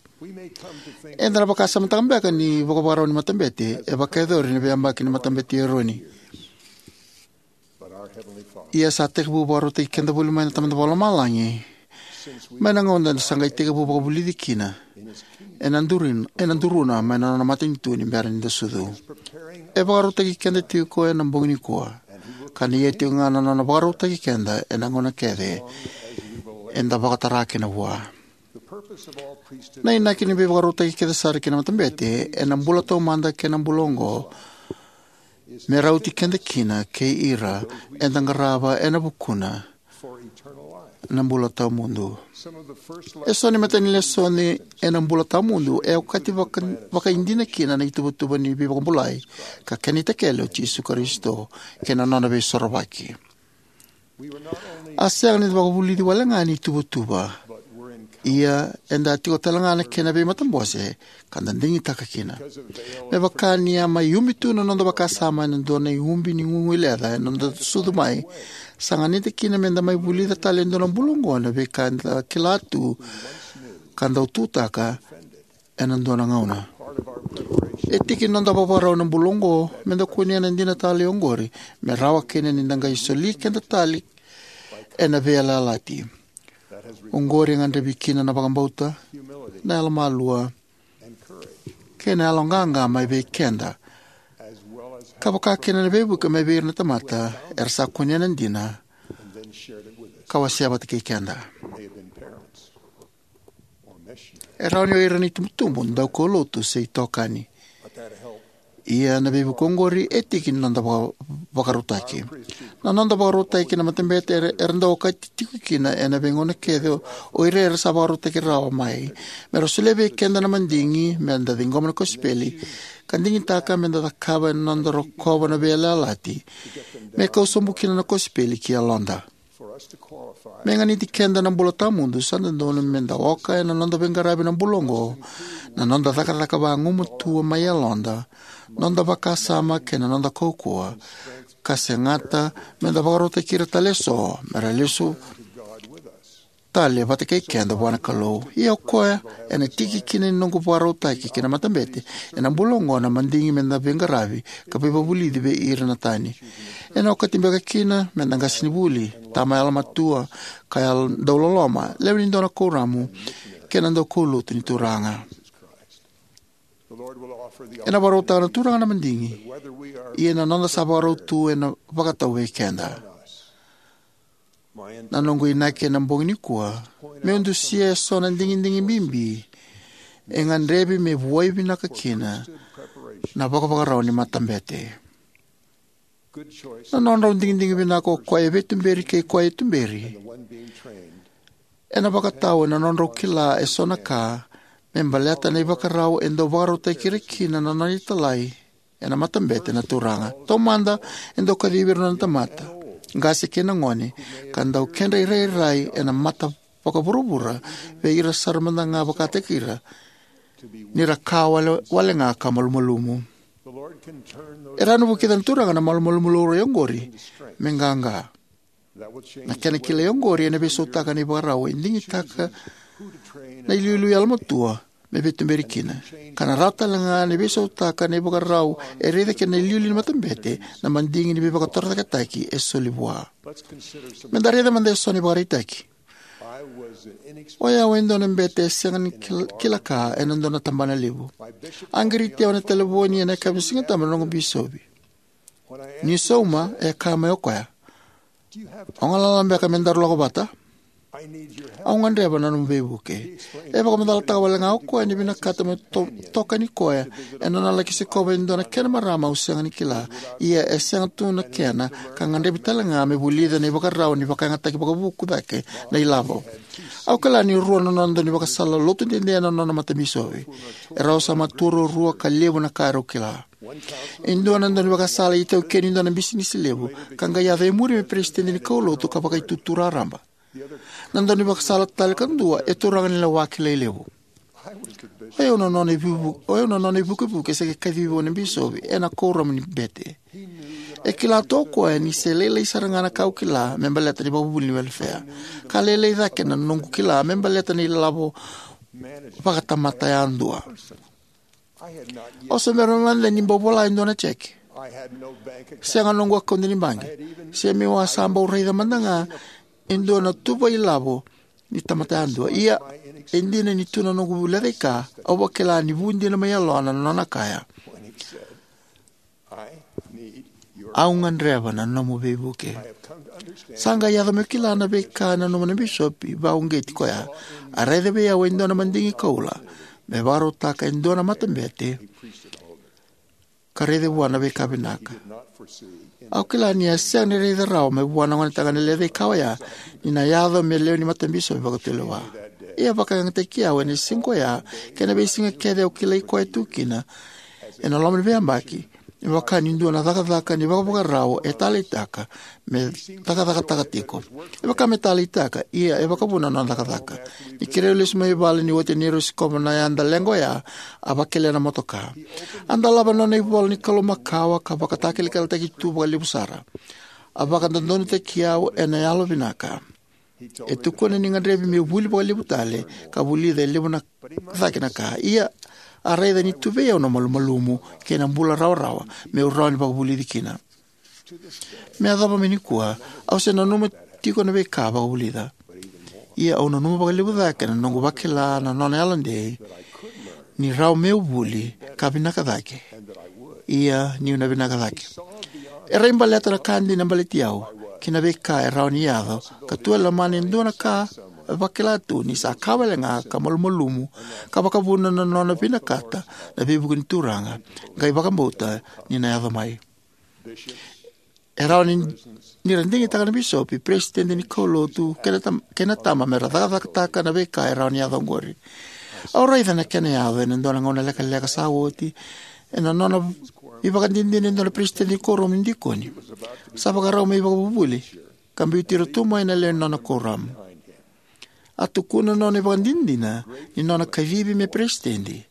Eda na vakasamataka beka ni vakavakarau ni matabete e vakayacori ena veiyabaki ni matabete i Eroni. Ia sa tekivu vakarautaki keda voli mai na Tamada Vakalomalagi mai na gauna eda sa qai tekivu vakavulici kina ena durin-, ena duruna mai na nona matanitu ni bera ni da sucu. E vakarautaki keda tiko ena bogi nikua, ka na ia tiko ga na nona vakarautaki keda ena gauna kece eda vakatara kina vua. Na inaki ni veivakarautaki kece sara ki na matabete ena bula taumada kei na bula oqo, me rauti keda kina kei ira eda qarava ena vukuna na bula tawamudu. Eso na imatai ni lesoni ena bula tawamudu e okati vaka-, vakaidina kina na ituvatuva ni veivakabulai ka kena itakele o Jisu Karisito kei na nona veisorovaki. A sega ni da vakavulici wale ga ni tuvatuva, Ia eda tiko talega na kena veimatabose ka da digitaka kina. Me vaka ni a mai ubi tu na noda vakasama ena dua na iubi ni guguileca ena noda sucu mai, sa ganita kina meda mai vulica tale e dua na bula oqo na veika eda kila tu ka dau tutaka ena dua na gauna. E tiki ni noda vakavakarau ena bula oqo meda kunea na dina talei oqori me rawa kina ni da qai soli keda tale ena veiyalayalati. Oqori e gadrevi kina na vakabauta, na yalomalua, kei na yaloqaqa mai vei keda, ka vaka kina na veivuke mai vei ira na tamata era sa kunea na dina ka wasea vata kei keda. E rawa ni o ira na itubutubu, daukaulotu, se itokani. Ia na veivuke oqori e tiki ni noda vaka-, vakarautaki. Na noda vakarautaki ki na matabete era, era dau okati tiko kina ena veigauna kece o ira era sa vakarautaki rawa mai me ra solia vei keda na madigi meda ciqoma na kosipeli, ka digitaka meda cakava ena noda rokova na veiyalayalati me kau sobu kina na kosipeli ki yaloda. Me ganiti keda na bula tawamudu, sa dodonu meda oka ena noda veiqaravi na bula oqo na noda cakacaka vagumatua mai yaloda, noda vakasama kei na noda kaukauwa, ka segata meda vakarautaki ira tale eso me ra lesu tale vata kei keda vua na Kalou. Ia o koya ena tiki kina ni noqu vakarautaki ki na matabete ena bula oqo na madigi meda veiqaravi ka veivakavulici vei ira na tani. Ena okati beka kina meda qasenivuli, tama yalomatua, ka yalo dauloloma, lewe ni dua na kuoramu, kei na daukaulotu ni Turaga. Ena vakarautaka na Turaga na madigi, ia na noda sa vakarau tu ena vakatau vei keda. Na noqu inaki ena bogi nikua meu dusia eso na digidigi bibi e gadrevi me vuai vinaka kina na vakavakarau ni matabete. Na nodrau digidigi vinaka o koya e veituberi kei koya e tuberi ena vakatau ena nodrau kila eso na ka me baleta na ivakarau e dau vakarautaki ira kina na nona italai ena matabete na Turaga. Taumada e dau kacivi ira na nona tamata, qase kei na gone, ka dau kedra irairai ena mata vakavuravura vei ira sara mada ga vakataki ira ni ra ka wale, wale ga ka malumalumu. E rawa ni vukica na Turaga na malumalumu laurai oqori me qaqa. Na kena kilai oqori ena veisautaka na ivakarau e digitaka na iliuliu yalomatua me veituberi kina, ka na rawa tale ga ni veisautaka na ivakarau e raica kina na iliuliu ni matabete na madigi ni veivakatorocaketaki e soli vua. Meda raica mada eso na ivakaraitaki. O yau e dua na bete e sega ni kil-, kila ka ena dua na tabana levu. A qiriti au ena talevoni ena yakavi ni Sigatabu na noqu bisopi. Ni sauma, e kaya mai o koya, "O galala beka me daru lako vata? Au gadreva na nomu veivuke." E vakamacalataka wale ga o koya ni vinakata me to-, tokani koya ena nona laki sikova e dua na kena marama au sega ni kila, ia e sega tu na kena, ka gadrevi tale ga me vulica na ivakarau ni vakayagataki vakavuku cake na ilavo. Au kila ni rua na nona daunivakasala lotu dede na nona matabisopi. Erau sa matua ruarua ka levu na ka erau kila. E dua na daunivakasala e itaukei ni dua na bisinisi levu, ka qai yaco e muri me peresitedi ni kaulotu ka vakaitutu raraba. Na daunivakasala tale kadua e turaga ni lewa kilai levu. O yau na nona ivuvu-, o yau na nona ivukevuke se qai kacivi vua na bisopi ena kuoramu ni bete. E kila tu o koya ni se lailai sara ga na ka au kila me baleta ni vakavuvuli ni welefea. Ka lailai cake na noqu kila me baleta na ilavo vakatamata yadua. Au se bera mada ni bau vola e dua na jeke. Sega noqu akaude ni baqe. Se meu a sa bau raica mada ga e dua na tuva ilavo ni tamata yadua. Ia, e dina ni tu na noqu lecaika, au vakila ni vu dina mai yalona na nona kaya, "Au gadreva na nomu veivuke." Sa qai yaco meu kila na veika e nanuma na bisopi vakauqeti koya. A raica vei au e dua na madigi koula me vakarautaka e dua na matabete ka raica vua na veika vinaka. Au kila ni a sega ni raica rawa mai vua na gonetagane lecaika oya ni na yaco me lewe ni matabisopi vakatulewa. Ia vakayagataki au ena siga oya kei na veisiga kece au kilai koya tu kina ena loma ni veiyabaki, Me vaka ni dua na cakacaka ni vakavakarau e taleitaka me cakacakataka tiko. E vaka me taleitaka, ia e vakavuna na nona cakacaka. Ni keirau lesu mai vale ni oti neirau sikova na yada leqa oya, a vakelea na motoka. A dolava na nona ivola ni Kalou makawa ka vakatakilakilataki tu vakalevu sara. A vakadodonutaki au ena yalo vinaka. E tukuna ni gadrevi meu vuli vakalevu tale ka vulica e levu na cake na ka. Ia, a raica ni tu vei au na malumalumu kei na bula rawarawa meu rawa ni vakavulici kina. Me yacova mai nikua, au se nanuma tiko na veika a vakavulica. Ia au nanuma vakalevu cake na noqu vakila na nona yalodei ni rawa meu vuli ka vinaka cake. Ia niu na vinaka cake. E rai baleta na ka dina baleti au kei na veika e rawa ni yaco, ka tu e lomana e dua na ka e vakila tu ni sa ka wale ga ka malumalumu ka vakavuna na nona vinakata na veivuke ni Turaga, qai vakabauta ni na yaco mai. E rawa ni, ni ra digitaka na bisopi, peresitedi ni kaulotu kei na tam-, kei na tama me ra cakacakataka na veika e rawa ni yaco oqori. Au raica na kena yaco ena dua na gauna lekaleka sa oti, ena nona ivakadinadina e dua na peresitedi ni kuoramu ni dikoni. Sa vakarau me ivakavuvuli ka biuti ira tu mai na lewe ni nona kuoramu. A tukuna na nona ivakadinadina ni nona kacivi me peresitedi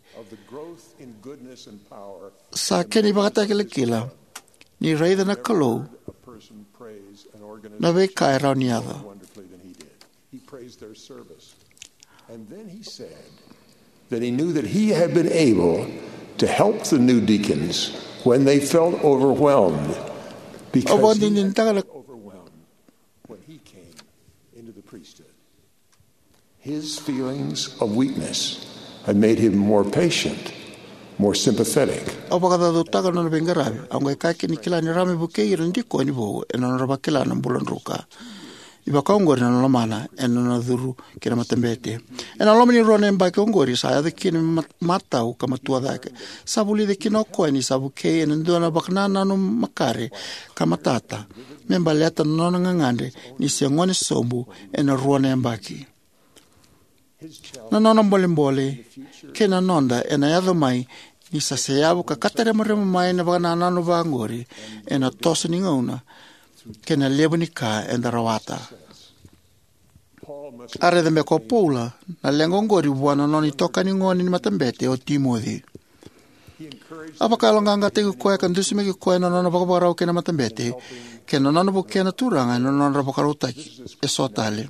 sa kena ivakatakilakila ni raica na Kalou na veika e rawa ni yaco. He praised their service. And then he said that he knew that he had been able to help the new deacons when they felt overwhelmed, Au because he had vakadinadinataka na overwhelmed when he came into the priesthood. His feelings of weakness had made him more patient, more sympathetic. Au vakacaucautaka na nona veiqaravi. Au qai kaya ni kila ni rawa me vukei ira na dikoni vou ena nodra vakila na bula druka. E vaka oqori na lomana ena nona curu ki na matabete. Ena loma ni rua na yabaki oqori sa yaco kina me mat-, matau ka matua cake. Sa vulica kina o koya ni sa vukei ena dua na vakanananu makare ka matata me baleta na nona gagadre ni se gone sobu ena rua na yabaki. Na nona bolebole kei na noda ena yaco mai ni sa seyavu ka kataremarema mai na vakanananu vaqori ena toso ni gauna kei na levu ni ka eda rawata. A raica beka o Paula na leqa oqori vua na nona itokani gone ni matabete o Timoci. A vakayaloqaqataki koya ka dusimaki koya na nona vakavakarau kei na matabete kei na nona vukea na Turaga ena nodra vakarautaki eso tale.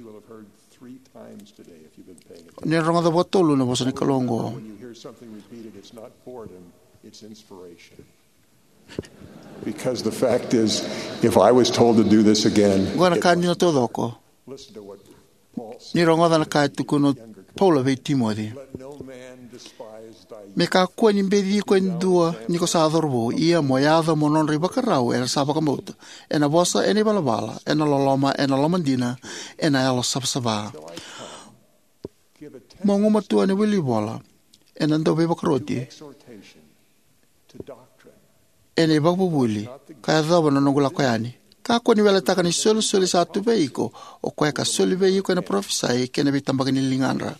Three times today, if you've been paying attention. Ni rogoca vakatolu na vosa ni Kalou oqo. When you hear something repeated, it's not boredom, it's inspiration. Because the fact is, if I was told to do this again, Oqo na ka dina taucoko. Listen to what Paul said. Ni rogoca na ka e tukuna o Paula vei Timoci. Let no man despise thy Me kakua ni beci iko e dua ni ko sa cauravou, ia mo yaco mo nodra ivakarau era sa vakabauta, ena vosa, ena ivalavala, ena loloma, ena lomadina, ena yalo savasava. Mo gumatua ena wilivola, ena dauveivakaroti, exhortation to doctrine. Ena ivakavuvuli, ka yacova na noqu lako yani. Kakua ni weletaka na isolisoli sa tu vei iko, o koya ka soli vei iko ena parofisai kei na veitabaki ni ligadra.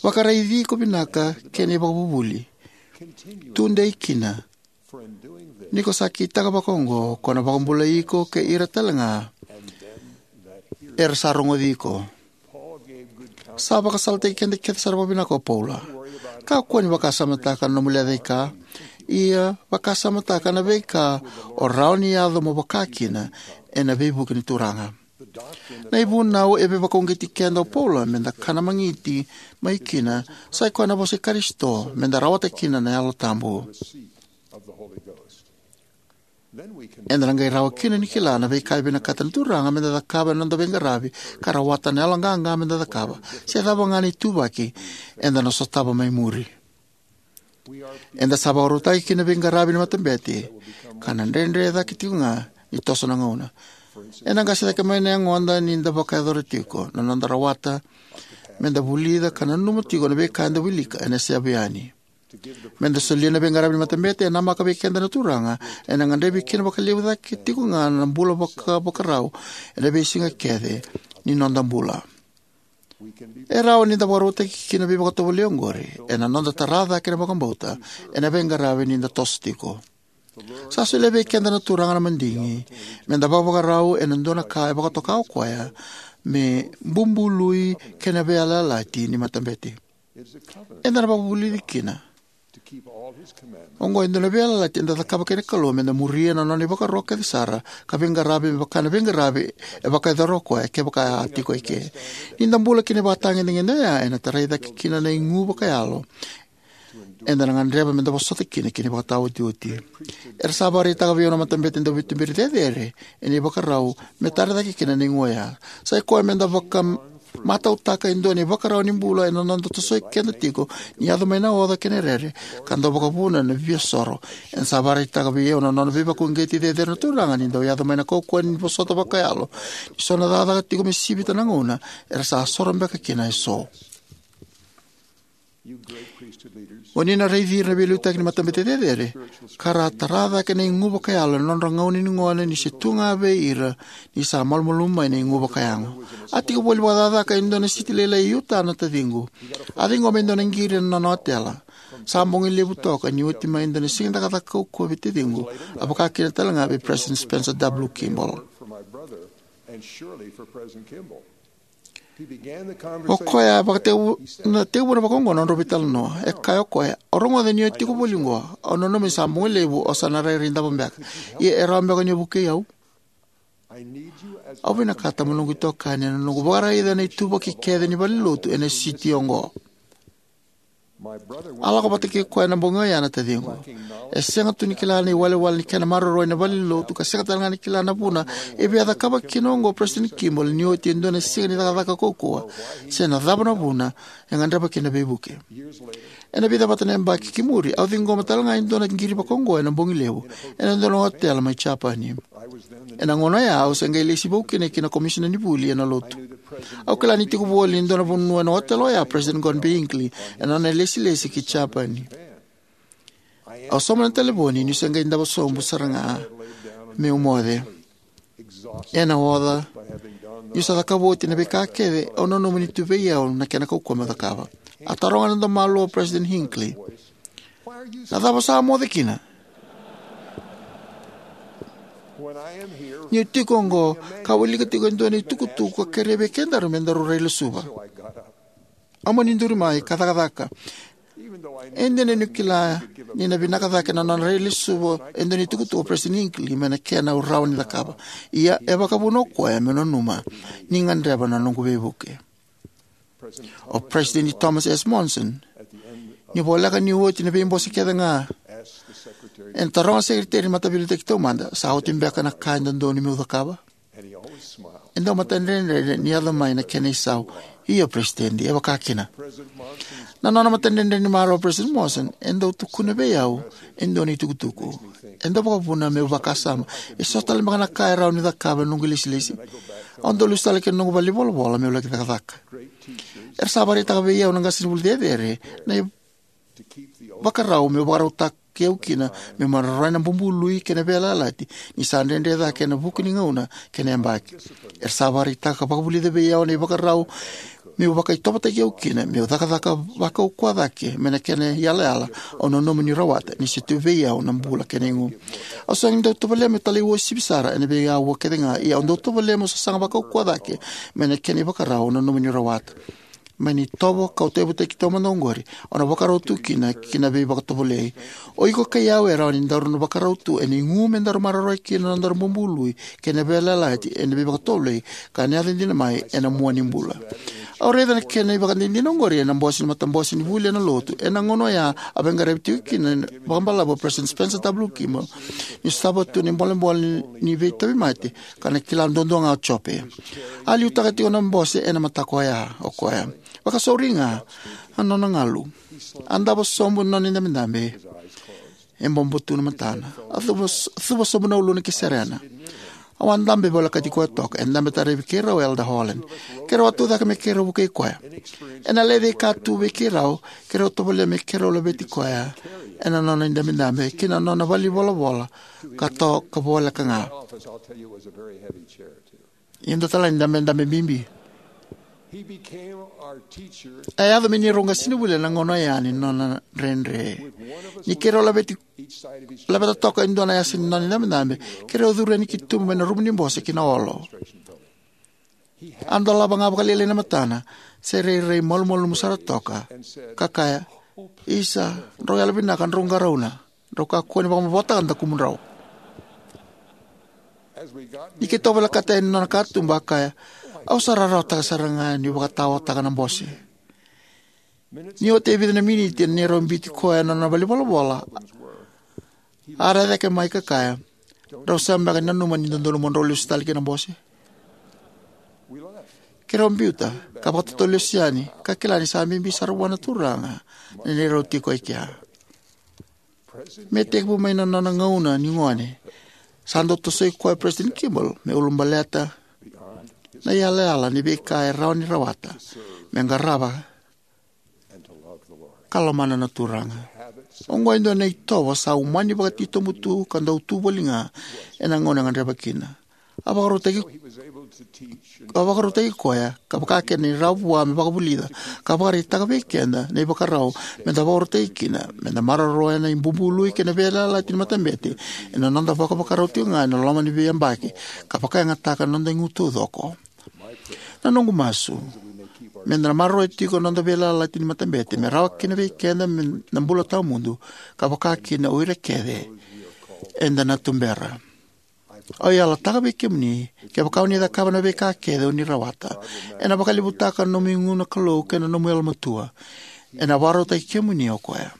Vakaraici iko vinaka kei na ivakavuvuli. Tudei kina. Ni ko sa kitaka vakaoqo, ko na vakabulai iko kei ira talega era sa rogoci iko. Sa vakasalataki keda kece sara vakavinaka o Paula. Kakua ni vakasamataka na nomu lecaika, ia vakasamataka na veika o rawa ni yaco mo vaka kina ena veivuke ni Turaga. Na ivunau e veivakauqeti keda o Paula meda kana magiti mai kina, sa i koya na vosa i Karisito, meda rawata kina na Yalo Tabu. Eda na qai rawa kina ni kila na veika e vinakata na Turaga meda cakava ena noda veiqaravi, ka rawata na yaloqaqa meda cakava, se cava ga na ituvaki eda na sotava mai muri. Eda sa vakarautaki ki na veiqaravi ni matabete, ka na dredre cake tiko ga ni toso na gauna. Ena qase cake mai na yagoda ni da vakayacora tiko na noda rawata meda vulica ka nanuma tiko na veika eda wilika ena seyavu yani. Meda solia na veiqaravi ni matabete e namaka vei keda na Turaga, ena gadrevi kina vakalevu cake tiko ga na bula vakavakarau ena veisiga kece ni noda bula. E rawa ni da vakarautaki kina veivakatovolei oqori ena noda tara cake na vakabauta ena veiqaravi ni da toso tiko. Sa solia vei keda na Turaga na madigi me da vakavakarau ena dua na ka e vakatoka o koya me bubului kei na veiyalayalati ni matabete. Eda na vakavulici kina. Oqo e dua na veiyalayalati eda cakava kei na Kalou, me da muria na nona ivakaro kece sara ka veiqaravi me vaka na veiqaravi e vakayacora o koya kevaka a tiko eke. Ni da bula kina ivakatagedegede oya, ena tarai cake kina na igu vakayalo eda na gadreva me da vosota kina ki na ivakataotioti. Era sa vakaraitaka vei au na matabete dauveituberi cecere ena ivakarau me tara cake kina na igu oya. Sa i koya me da vakamatautaka e dua na ivakarau ni bula ena noda tosoi keda tiko ni yaco mai na oca kei na rere, ka dau vakavuna na viasoro. Ena sa vakaraitaka vei au na nona veivakauqeti cecere na Turaga ni dau yaco mai na kaukauwa ni vosota vakayalo ni so na cakacaka tiko me sivita na gauna era sa soro beka kina eso. O ni na raici ira na veiliutaki ni matabete cecere ka ra tara cake na igu vakayalo ena nodra gauna ni gone ni se tu ga vei ira ni sa malumalumu mai na igu vakayago. A tiko voli vakacakacaka e dua na siti lailai e Utah na taciqu. A ciqoma e dua na qiri ena nona otela. Sa bogi levu toka ni oti mai e dua na siga ni cakacaka kaukauwa vei taciqu, a vaka kina tale ga vei President Spencer W. Kimball. O koya a vakatekivu, na tekivuna vakaoqo na nodrau veitalanoa. E kaya o koya, "Au rogoca ni o tiko voli oqo. Au nanuma ni sa bogi levu o sa na rairai davo beka. Ia e rawa beka ni o vukei au?" Au vinakata mo noqu itokani ena noqu vakaraica na ituvaki kece ni valenilotu ena siti oqo. A lako vata kei koya ena bogi oya na taciqu. E sega tu ni kila na iwalewale ni kena maroroi na valenilotu, ka sega tale ga ni kila na vuna e via cakava kina oqo o President Kimball ni oti e dua na siga ni cakacaka kaukauwa, se na cava na vuna e gadreva kina na veivuke. Ena vica vata na yabaki ki muri, au ciqoma tale ga e dua na qiri vakaoqo ena bogi levu ena dua na otela mai Japani. Ena gauna oya, au se qai lesi vou kina ki na Komisina ni Vuli ena Lotu. Au kila ni tiko voli ena dua na vanua ena otela oya President Gordon B. Hinckley ena nona ilesilesi ki Japani. Au sauma na talevoni niu se qai davo sobu sara ga meu moce. Ena oca, niu sa cakava oti na veika kece au nanuma ni tu vei au na kena kaukauwa meu cakava. A taroga ena domo malua o President Hinckley, "Na cava o sa moce kina?" Niu tiko oqo, ka wilika tiko e dua na itukutuku ka kerei vei kedaru me daru railesuva. Au mani duri mai ka cakacaka. E dina niu kila ni na vinaka cake na nona railesuva e dua na itukutuku o President Hinckley mai na kena au rawa ni cakava. Ia e vakavuna o koya meu nanuma ni gadreva na noqu veivuke. O President Thomas S. Monson, ni voleka ni oti na veibose kece ga, ena taroga na sekeriteri ni Mataveiliutaki Taumada, "Sa oti beka na ka e dodonu meu cakava?" E dau matadredre ni yaco mai na kena isau, "Io, President, e vaka kina." Na nona matadredre ni marau o President Monson e dau tukuna vei au e dua na itukutuku. E dau vakavuna meu vakasama, "E so tale beka na ka e rawa ni cakava ena noqu ilesilesi?" Au dau lesu tale ki na noqu valenivolavola meu laki cakacaka. Era sa vakaraitaka vei au na qasenivuli cecere na ivakarau meu vakarautaki au kina meu maroroya na bubului kei na veiyalayalati ni sa dredre cake ena vuku ni gauna kei na yabaki. Era sa vakaraitaka ka vakavulica vei au na ivakarau meu vakaitovotaki au kina meu cakacaka vakaukauwa cake mai na kena iyalayala au nanuma niu rawata ni se tu vei au na bula kei na igu. Au sega ni dau tovolea meu talaiuasivi sara ena veiaua kece ga, ia au dau tovolea meu sasaga vakaukauwa cake mai na kena ivakarau au nanuma niu rawata. Mai na itovo kau tauyavutaki taumada oqori, au na vakarau tu kina ki na veivakatovolei. O iko kei au e rawa ni daru na vakarau tu ena igu me daru maroroya kina na nodaru bubului kei na veiyalayalati ena veivakatovolei ka na yaco dina mai ena mua ni bula. Au raica na kena ivakadinadina oqori ena bose ni matabose ni vuli ena Lotu. Ena gauna oya a veiqaravi tiko kina vakabalavu o President Spencer W. Kimball ni sotava tu na ibolebole ni veitauvimate, ka na kila duadua ga o Jope. A liutaka tiko na bose ena mataka oya o koya. Vakasauri ga na nona galu. A davo sobu na nona idabedabe. E bobo tu na matana. A cuva, cuva sobu na uluna ki serena. Au a dabe volekati koya toka. E dabe taravi keirau o Elder Holland. Keirau a tucake me keirau vukei koya. Ena lecaika tu vei keirau, keirau tovolea me keirau laveti koya ena nona idabedabe ki na nona valenivolavola ka toka voleka ga. Ia dua tale na idabedabe bibi. A yaco me neirau qasenivuli ena gauna oya ni nona dredre. Ni keirau laveti, laveta toka e dua na yasa ni nona idabedabe, keirau curu yani ki tuba mai na rumu ni bose ki na olo. A dolava ga vakalailai na matana, se rairai malumalumu sara toka, ka kaya, "Isa, drau yalovinaka, drau qarauna. Drau kakua ni vakamavotaka na dakumudrau." Ni keitou volekata yani na nona katuba, a kaya, "Au sa rarawataka sara ga niu vakataotaka na bose." Ni oti e vica na miniti ena neirau biuti koya ena nona valenivolavola, a rai cake mai ka kaya, "Drau sega beka ni nanuma ni dodonu mo drau lesu tale ki na bose?" Keirau biuta ka vakatautau lesu yani, ka kila ni sa bibi sara vua na Turaga na neirau tiko e kea. Me tekivu mai na nona gauna ni gone, sa dau tosoi koya o Peresitedi Kimball me ulabaleta na iyalayala ni veika e rawa ni rawata me qarava ka lomana na Turaga. Oqo e dua na itovo sa umani vakatitobu tu ka dau tu voli ga ena gauna e gadreva kina. A vakarautaki, a vakarautaki koya, ka vakakina ni rawa vua me vakavulica ka vakaraitaka vei keda na ivakarau me da vakarautaki kina me da maroroya na ibubului kei na veiyalayalati ni matabete ena noda vakavakarau tiko ga ena loma ni veiyabaki, ka vakayagataka na noda igu taucoko. Na noqu masu me da na maroroya tiko na noda veiyalayalati ni matabete me rawa kina vei keda me na bula tawamudu, ka vaka kina o ira kece eda na tubera. Au yalataka vei kemuni, kevaka o ni cakava na veika kece o ni rawata, ena vakalevutaka na nomu igu na Kalou kei na nomu yalomatua. Ena vakarautaki kemuni o koya.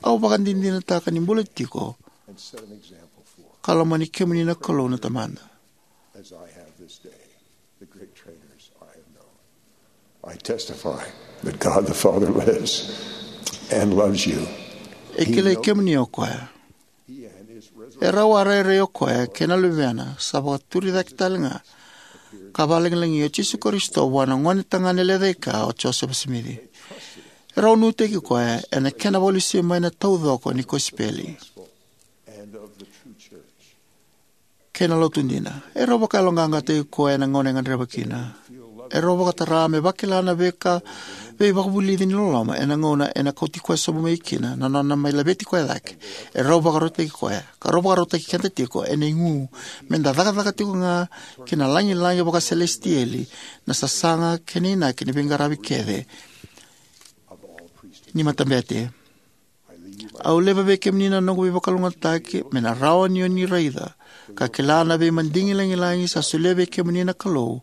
Au vakadinadinataka ni bula tiko ka lomani kemuni na Kalou na Tamada. As I have this day, the great trainers I have known. I testify that God the Father lives and loves you. E kilai kemuni o koya. E rau a rairai o koya kei na Luvena sa vakaturi cake tale ga ka vakalagilagi o Jisu Karisito vua na gone tagane lecaika o Josefa Simici. E rau nuitaki koya ena kena vakalesui mai na taucoko ni kosipeli kei na lotu dina. E rau vakayaloqaqataki koya ena gauna e gadreva kina. E rau vakatara me vakila na veika, veivakavulici ni loloma ena gauna ena kauti koya sobu mai kina na nona mai laveti koya cake. E rau vakarautaki koya ka rau vakarautaki keda tiko ena igu me da cakacaka tiko ga ki na lagilagi vakaselesitieli, na sasaga kei na inaki ni veiqaravi kece ni matabete. Au laiva vei kemuni na noqu veivakalougatataki me na rawa ni o ni raica ka kila na veimadigi lagilagi sa solia vei kemuni na Kalou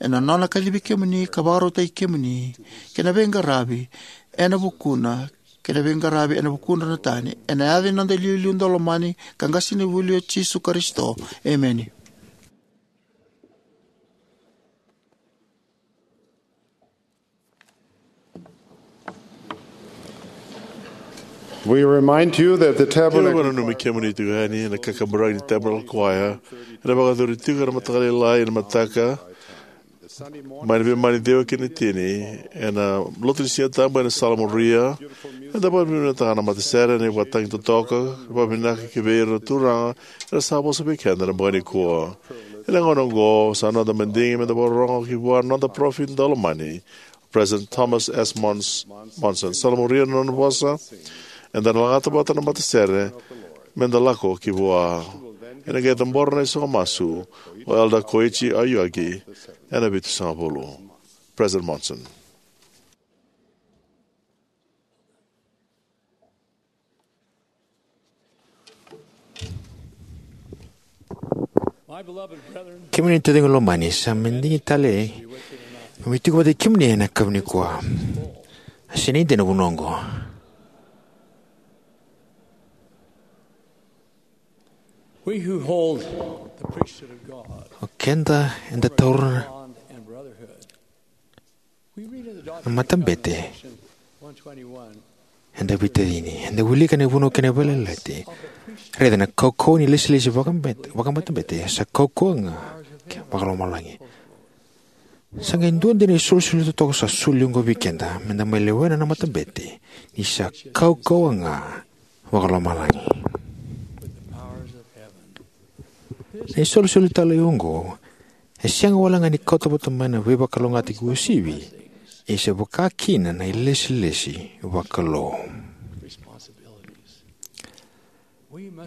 ena nona kacivi kemuni ka vakarautaki kemuni kei na veiqaravi ena vukuna, kei na veiqaravi ena vukudra na tani, ena yaca ni noda iliuliu daulomani ka qasenivuli o Jisu Karisito. Emeni. We remind you that the Tabernacle Choir nanumi kemuni tiko yani na kakaburaki ni Tabernacle Choir ena vakayacori tiko ena mataka lailai ena mataka mai na veimama ni ciwa ki na tini ena lotu ni Siga Tabu ena sala muria. Eda vakavinavinakataka na matasere ena ivakatagi totoka, vakavinaka ki vei ira na turaga era sa vosa vei keda ena bogi nikua. Ena gauna oqo sa noda madigi meda vakarorogo ki vua na noda parofita daulomani, President Thomas S. Mons-, Monson. Sa na muria na nona vosa, eda na lagata vata na matasere meda lako ki vua. Ena qai cabora na isogo masu o Elder Koichi Aoyagi ena vitusagavulu. President Monson. Kemuni na taciqu lomani, sa madigi tale meu mai tiko vata kei kemuni ena yakavi nikua. A sega ni dina na vuna oqo. We who hold the priesthood of God, o keda eda taura bond and brotherhood. We read in the na matabete. Doctrine and Covenants, one twenty-one. Eda veitacini, eda wilika na ivunau kei na veiyalayalati. Raica na kaukauwa ni lesilesi vakabet-, vakamatabete sa kaukauwa ga kei vakalomalagi. Sa qai dua dina na isolisoli totoka sa soli oqo vei keda meda mai lewena na matabete ni sa kaukauwa ga vakalomalagi. Na isolisoli talei oqo E sega wale ga ni kauta vata mai na veivakalougatataki uasivi, ia sa vaka kina na ilesilesi vakalou.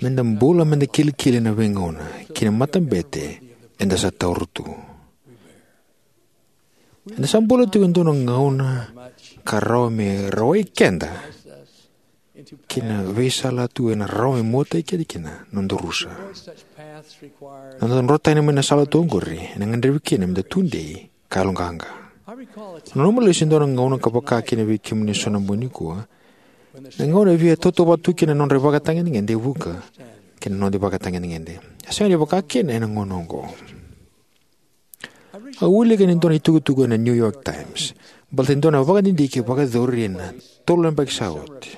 Meda bula meda kilikili ena veigauna kei na matabete eda sa taura tu. Eda sa bula tiko e dua na gauna ka rawa me rawai keda ki na veisala tu ena rawa me muataki keda kina na noda rusa. Na noda drotani mai na sala tu oqori ena gadrevi kina meda tudei ka yaloqaqa. Au nanuma lesu e dua na gauna ka vaka kina vei kemuni eso na bogi nikua, na gauna e via tautauvata tu kina na nodra ivakatagedegede e vuqa kei na noda ivakatagedegede. E sega ni vaka kina ena gauna oqo. Au wilika ni dua na itukutuku ena New York Times baleta e dua na vakadidike vakayacori ena tolu na yabaki sa oti.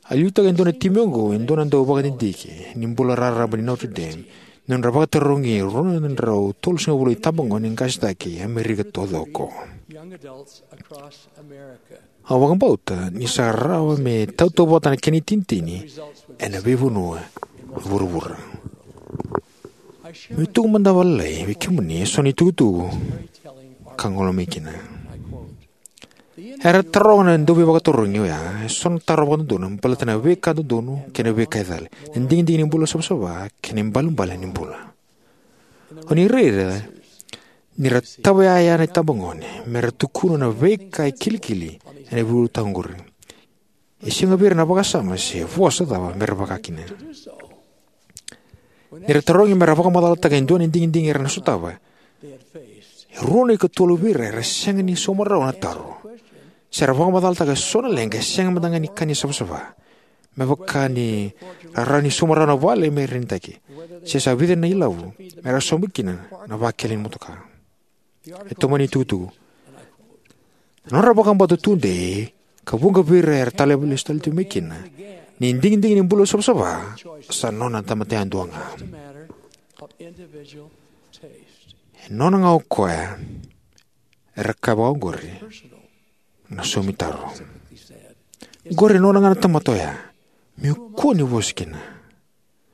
A liutaka e dua na timi oqo e dua na dau vakadidike ni bula raraba ni Notre Dame, ni nodra vakatarogi e rua na drau tolusagavulu na itabagone qasenitaki e Amerika taucoko. Au vakabauta ni sa rawa me tautauvata na kena itinitini ena veivanua e vuravura. Meu tuku mada vakalailai vei kemuni eso na itukutuku ka gole mai kina. Era taroga na dauveivakatarogi oya eso na taro vakadodonu baleta na veika dodonu kei na veika e cala, na digidigi ni bula savasava kei na ibalebale ni bula. O ni raica ni ra tavaya na itabagone me ra tukuna na veika e kilikili ena veiulutaga oqori. E sega vei ira na vakasama se vosa cava me ra vaka kina. Ni ra tarogi me ra vakamacalataka e dua na digidigi era na sotava, e rua na ikatolu vei ira era sega ni sauma rawa na taro, se ra vakamacalataka eso na leqa e sega mada ga ni ka ni savasava, me vaka ni ra rawa ni sauma rawa na vale me renitaki, se sa vica na ilavo me ra sauma kina na vakele ni motoka. E tomani itukutuku: Na nodra vakabauta tudei, ka vuqa vei ira era talevi lesu tale tu mai kina, ni digidigi ni bula savasava sa nona tamata yadua ga. E nona ga o koya, era kaya vakaoqori na saumitaro. Oqori e nona ga na tamata oya, meu kua ni vosa kina.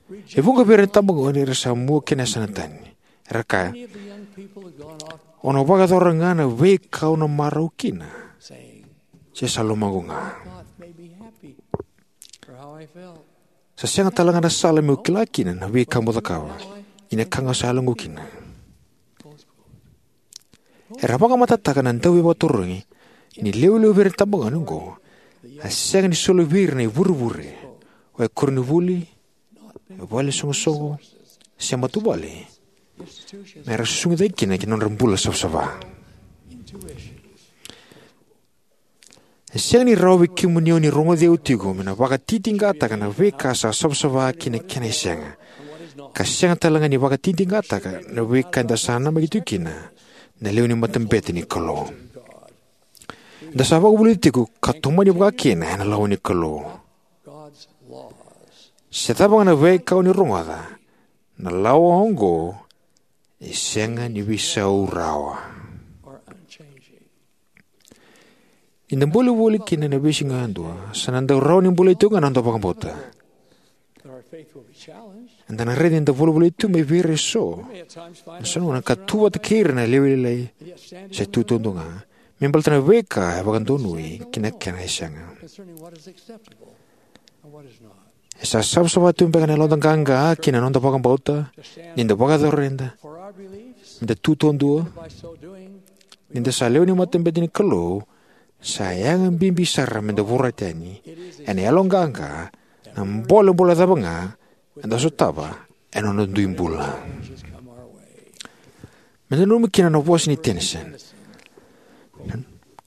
E vuqa vei ira na itabagone era sa mua kina yasana tani. Era kaya, "Au na vakayacora ga na veika au na marau kina, se sa lomaqu ga. Sa sega tale ga na sala meu kila kina na veika meu cakava, ia na ka ga sa yaloqu kina." Era vakamatatataka na dauveivakatarogi ni lewe levu vei ira na itabagone oqo a sega ni soli vei ira na ivurevure, o koronivuli, vale ni soqosoqo, se matavuvale, me ra susugi cake kina ki na nodra bula savasava. E sega ni rawa vei kemuni o ni rogoci au tiko me na vakatitiqataka na veika sa savasava kei na kena e sega, ka sega tale ga ni vakatitiqataka na veika eda sa namaki tiko kina na lewe ni matabete ni Kalou. Eda sa vakavulici tiko ka tomani vaka kina ena lawa ni Kalou. Se cava ga na veika o ni rogoca, na lawa oqo e sega ni veisau rawa. Ni da bula voli kina ena veisiga yadua, sa na dau rawa ni bulai tiko ga na noda vakabauta. Eda na raica ni da volivolai tu mai vei ira eso, na so na gauna ka tu vata kei ira na lewe lailai se tu taudua ga, me baleta na veika e vakadonui kei na kena e sega. E sa savasava tu beka na yaloda qaqa kei na noda vakabauta ni da vakayacora eda, me da tu taudua? Ni da sa lewe ni matabete ni Kalou, sa yaga bibi sara me da vorata yani ena yaloqaqa na bolebole cava ga eda sotava ena noda dui bula. Me da nanuma kina na vosa nei Tennyson: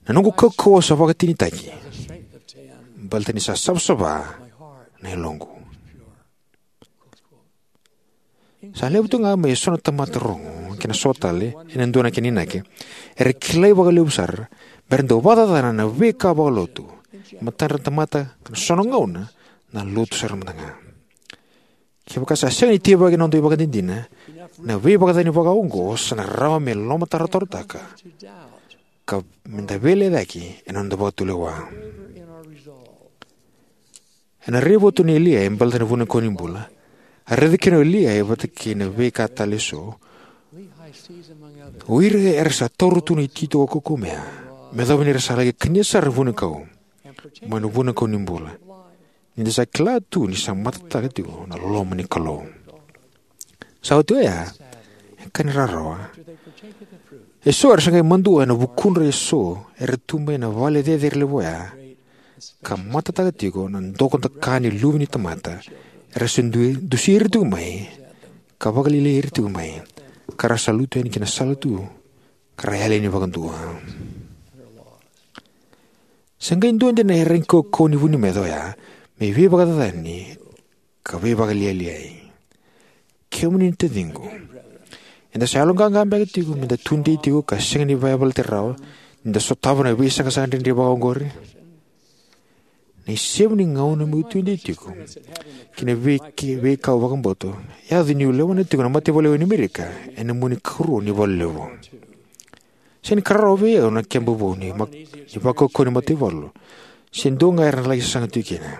"Na noqu kaukauwa sa vakatinitaki, baleta ni sa savasava na yaloqu." Sa levu tu ga mai eso na tamata rogo kei na so tale ena dua na kena inaki, era kilai vakalevu sara me ra dau vakacacana na veika vakalotu e matadra na tamata, ka na so na gauna na lotu sara mada ga. Kevaka sa sega ni tivaki na noda ivakadinadina, na veivakacacani vakaoqo sa na rawa me lomatarotarotaka ka me da veilecayaki ena noda vakatulewa. Ena raivotu nei Liai e baleta na vunau ni bula, a raica kina o Liai vata kei na veika tale eso, O ira era sa taura tu na itoito kaukaua me yacova ni ra sa laki kania sara na vunikau mai na vunikau ni bula, ni da sa kila tu ni sa matataka tiko na loma ni Kalou. Sa oti oya, e ka ni rarawa, eso era sa qai madua ena vukudra eso era tu mai na vale cecere levu oya, ka matataka tiko na dokodoka ni luve ni tamata era sa du- dusi ira tiko mai, ka vakalialiai ira tiko mai, ka ra sa lutu yani ki na sala tu, ka ra yali yani vakadua. Sa qai dua dina na iyaragi kaukaua ni vu ni meca oya me veivakacacani ka veivakalialiai. Kemuni na taciqu, eda sa yaloqaqa beka tiko me da tudei tiko ka sega ni vakayavalati rawa ni da sotava na veisaqasaqa dredre vakaoqori? Na isevu ni gauna meu tudei tiko ki na veika- veikau vakabauta e yaco niu lewa tiko na mataivalu ni Amerika ena mua ni karua ni valu levu. Sega ni ka rarawa vei au na keba vou ni mak- ni vakaukauwa ni mataivalu, se dua ga era na laki sasaga tiko kina.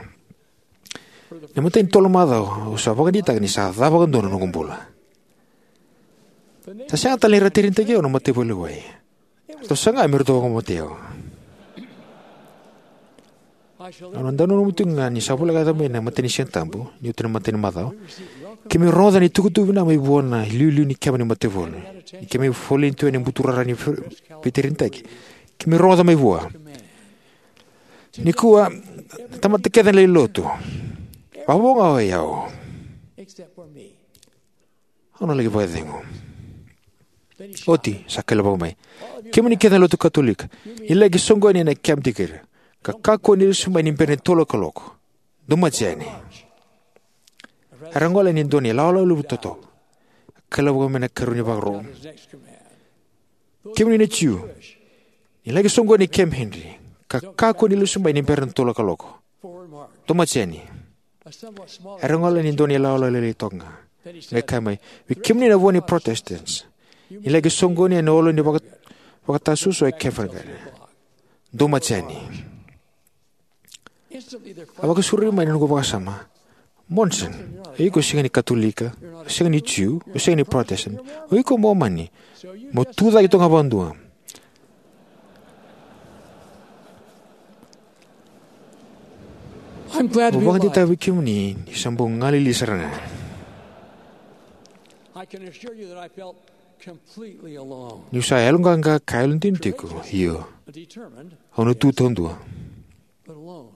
Na imatai ni tolu na macawa au sa vakadeitaka ni sa ca vakadua na noqu bula. Sa sega tale ni ra terenitaki au na mataivalu e wai. Ratou saga me ratou vakamatei au. Au na dau nanuma tiko ga ni sa voleka yaco mai na imatai ni Siga Tabu, ni oti na imatai ni macawa, keimami rogoca na itukutuku vinaka mai vua na iliuliu ni keba ni mataivalu. Ni keimami foleni tu ena buturara ni fe- veiterenitaki, keimami rogoca mai vua: "Nikua, na tamata kece na lai lotu, vavo ga o yau. Au na laki vakacegu." Oti sa kailavaka mai: "Kemuni kece na lotu Katolika, ni laki soqoni ena keba tiko kina, ka kakua ni lesu mai ni bera ni tolu na kaloko. Dou maji yani." Era gole yani e dua na ilawalawa levu totoka. Kailavaka mai na ikarua ni vakaro: "Kemuni na Jiu, ni laki soqoni e Camp Henry, ka kakua ni lesu mai ni bera ni tolu na kaloko. Dou maji yani." Era gole yani e dua na ilawalawa lailai toka ga. Qai kaya mai: "Vei kemuni na vua ni Protestants, ni laki soqoni ena olo ni vaka- vakatasuasua e Covent Garden. Dou maji yani." A vakasauri mai na noqu vakasama: "Monson, o iko sega ni Katolika, o sega ni Jiu, o sega ni Protestant, o iko Momani. Mo tu cake toka ga vakadua." I'm glad to Au be alive. Vakadeitaka vei kemuni ni sa bau galili sara ga. I can assure you that I felt completely alone. Niu sa yaloqaqa ka yalodina tiko, io, Determined au na tu taudua. But alone.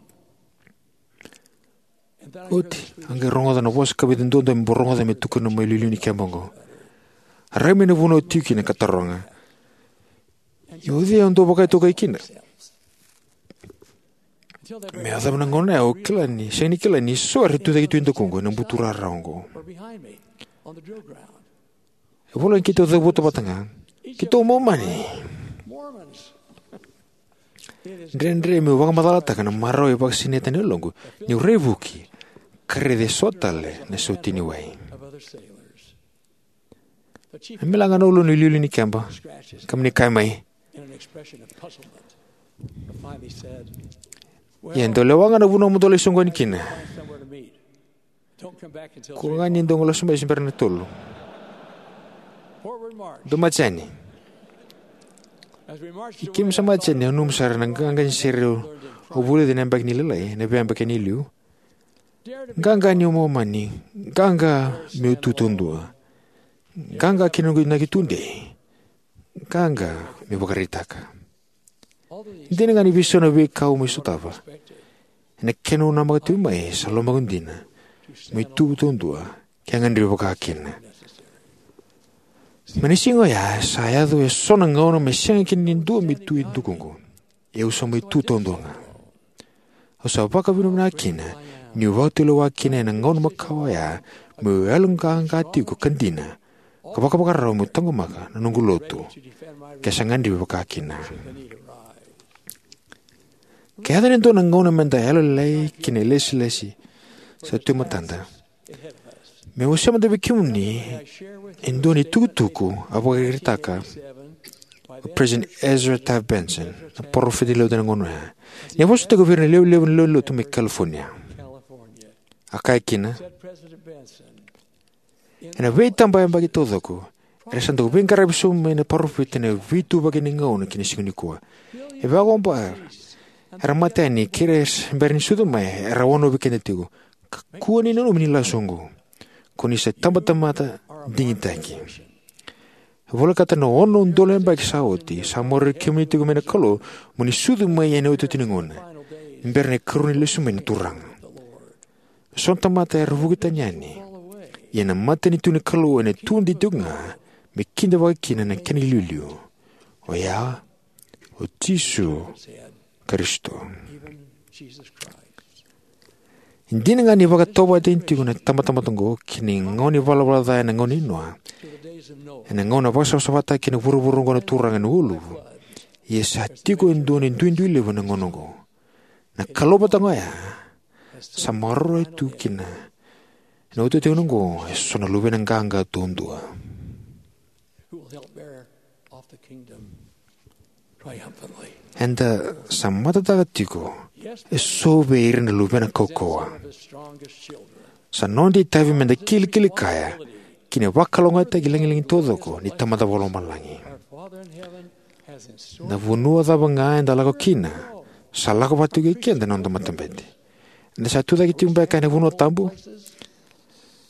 And then I heard Oti, a qai rogoca na vosa kavica duadua me bau rogoca me tukuna mai liuliu ni keba oqo. A rai mai na vanua au tiko kina ka taroga: "Ia o cei au dau vakaitokai kina?" Me yacova na gauna ya au kila ni sega ni kila ni so era tucake tu e dakuqu ena buturara oqo. E voleka ni keitou cavuta vata ga: "Keitou Momani." Dredre meu vakamacalataka na marau e vakasinaita na yaloqu niu raivuki ka raica eso tale na sautiniwai. A mila ga na uluna na iliuliu ni keba, ka mani kaya mai: "Ia, dou lewa ga na vanua mo dou lai soqoni kina. Kua ga ni dou qai lesu mai se bera na tolu. Dou maji yani." Ni keimami sa maji yani, au nanuma sara na qaqa ni sere au vulica ena yabaki ni lailai, ena veiyabaki ni liu. Qaqa niu Momani, qaqa meu tu taudua, qaqa ki na noqu inaki tudei, qaqa meu vakaraitaka. Dina ga ni veisau na veika au mai sotava, ena kena au namaka tiko mai sa lomaqu dina meu tu taudua ke gadrevi vaka kina. Mai na siga oya sa yaco eso na gauna me sega kina ni dua me tu e dakuqu, ia au sa mai tu taudua ga. Au sa vakavinavinaka kina niu vakatulewa kina ena gauna makawa oya meu yaloqaqa tiko ka dina ka vakavakarau meu taqomaka na noqu lotu ke sa gadrevi vaka kina. Ke yaco ni dua na gauna meda yalolailai ki na ilesilesi sa tu e matada, meu wasea mada vei kemuni e dua na itukutuku a vakaraitaka o President Ezra Taft Benson, na parofita ni Lotu ena gauna oya, ni a vosataka vei ira na lewe levu ni lewenilotu mai California. A kaya kina: "Ena veitabayabaki taucoko, Era sa dau veiqaravi sobu mai na parofita ena veituvaki ni gauna ki na siga nikua. E vakaoba era mate yani kei ira sa bera ni sucu mai, era wanovi keda tiko. Kakua ni nanumi ni lasu oqo. Ko ni sa tabatamata digitaki. E volekata na ono na udolu na yabaki sa oti, sa maroroi kemuni tiko mai na Kalou mo ni sucu mai ena iotioti ni gauna, ni bera na ikarua ni lesu mai na Turaga. So na tamata era vuki tani yani, ia na matanitu ni Kalou ena tudei tiko ga me kidavaki kina na kena iliuliu, oya o Jisu Karisito. E dina ga ni vakatauvatani tiko na tabatamata oqo ki na gauna ni valavala ca ena gauna i Noa, ena gauna vakasavasavataki kina vuravura oqo na Turaga ena uluvu, ia sa tiko e dua na duidui levu ena gauna oqo. Na Kalou vata ga oya sa maroroi tu kina ena iotioti ni gauna oqo eso na luvena qaqa duadua. Eda sa matataka tiko eso vei ira na luvena kaukauwa. Sa noda itavi meda kilikili kaya ki na vakalougatataki lagilagi taucoko ni Tamada Vakalomalagi. Na vanua cava ga eda lako kina, sa lako vata tiko kei keda na noda matabete. Eda sa tucake tiko beka ena vanua tabu?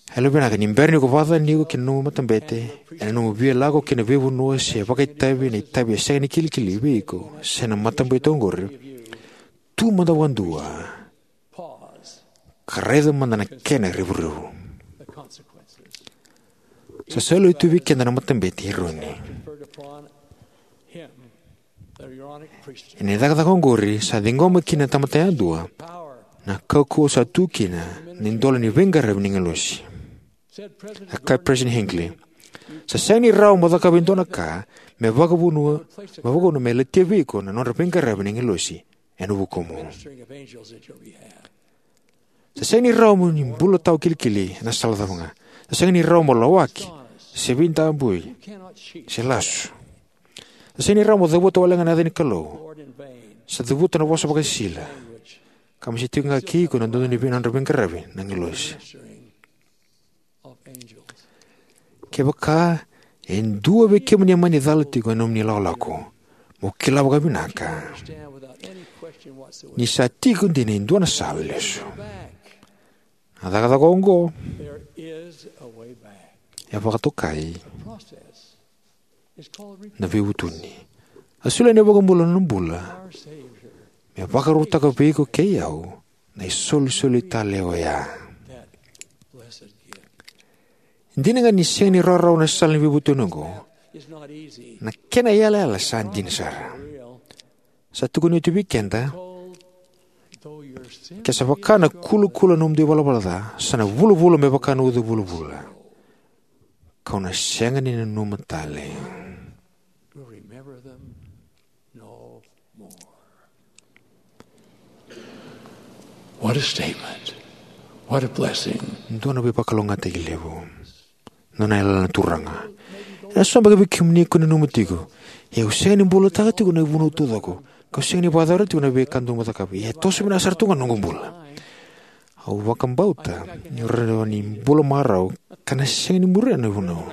E yalovinaka ni bera ni ko vakacacani iko kei na nomu matabete, ena nomu via lako ki na veivanua se vakaitavi ena itavi e sega ni kilikili vei iko se na matabete oqori, tu mada vakadua ka raica mada na kena revurevu. Sa saluti tu vei keda na matabete i Eroni. Ena cakacaka oqori sa ciqoma kina na tamata yadua na kaukauwa sa tu kina na idola ni veiqaravi ni agilosi. A kaya President Hinckley, sa sega ni rawa mo cakava e dua na ka me vakavuna me latia vei iko na nodra veiqaravi na agilosi ena vukumu. Sa sega ni rawa mo ni bula tawa kilikili ena sala cava ga. Sa sega ni rawa mo lawaki se veidabui se lasu. Sa sega ni rawa mo cavuta wale ga na yaca ni Kalou. Sa cavuta na vosa vakasisila ka me se tiko ga kei iko na dodonu ni vei nodra veiqaravi na agilosi. Kevaka e dua vei kemuni e mani cala tiko ena nomuni lakolako, mo kila vakavinaka ni sa tiko dina e dua na sala lesu. Na cakacaka oqo e vakatokai na veivutuni. A solia na iVakabula na nona bula me vakarautaka vei iko kei au na isolisoli tale oya. Dina ga ni sega ni rawarawa na sala ni veivutuni oqo, na kena iyalayala sa dina sara. Sa tukuni oti vei keda, ke sa vaka na kulakula na nomudou ivalavala ca, sa na vulavula me vaka na uca vulavula, kau na sega ni nanuma tale. What a statement. What a blessing. Dua na veivakalougatataki levu. Nona yalayala na Turaga. Ena so beka vei kemuni ko nanuma tiko, ia au sega ni bulataka tiko na ivunau taucoko, kau sega ni vakayacora tiko na veika dou mo cakava, ia e toso vinaka sara tu ga na noqu bula. Au vakabauta niu rawa ni bula marau ka na sega ni muria na ivunau.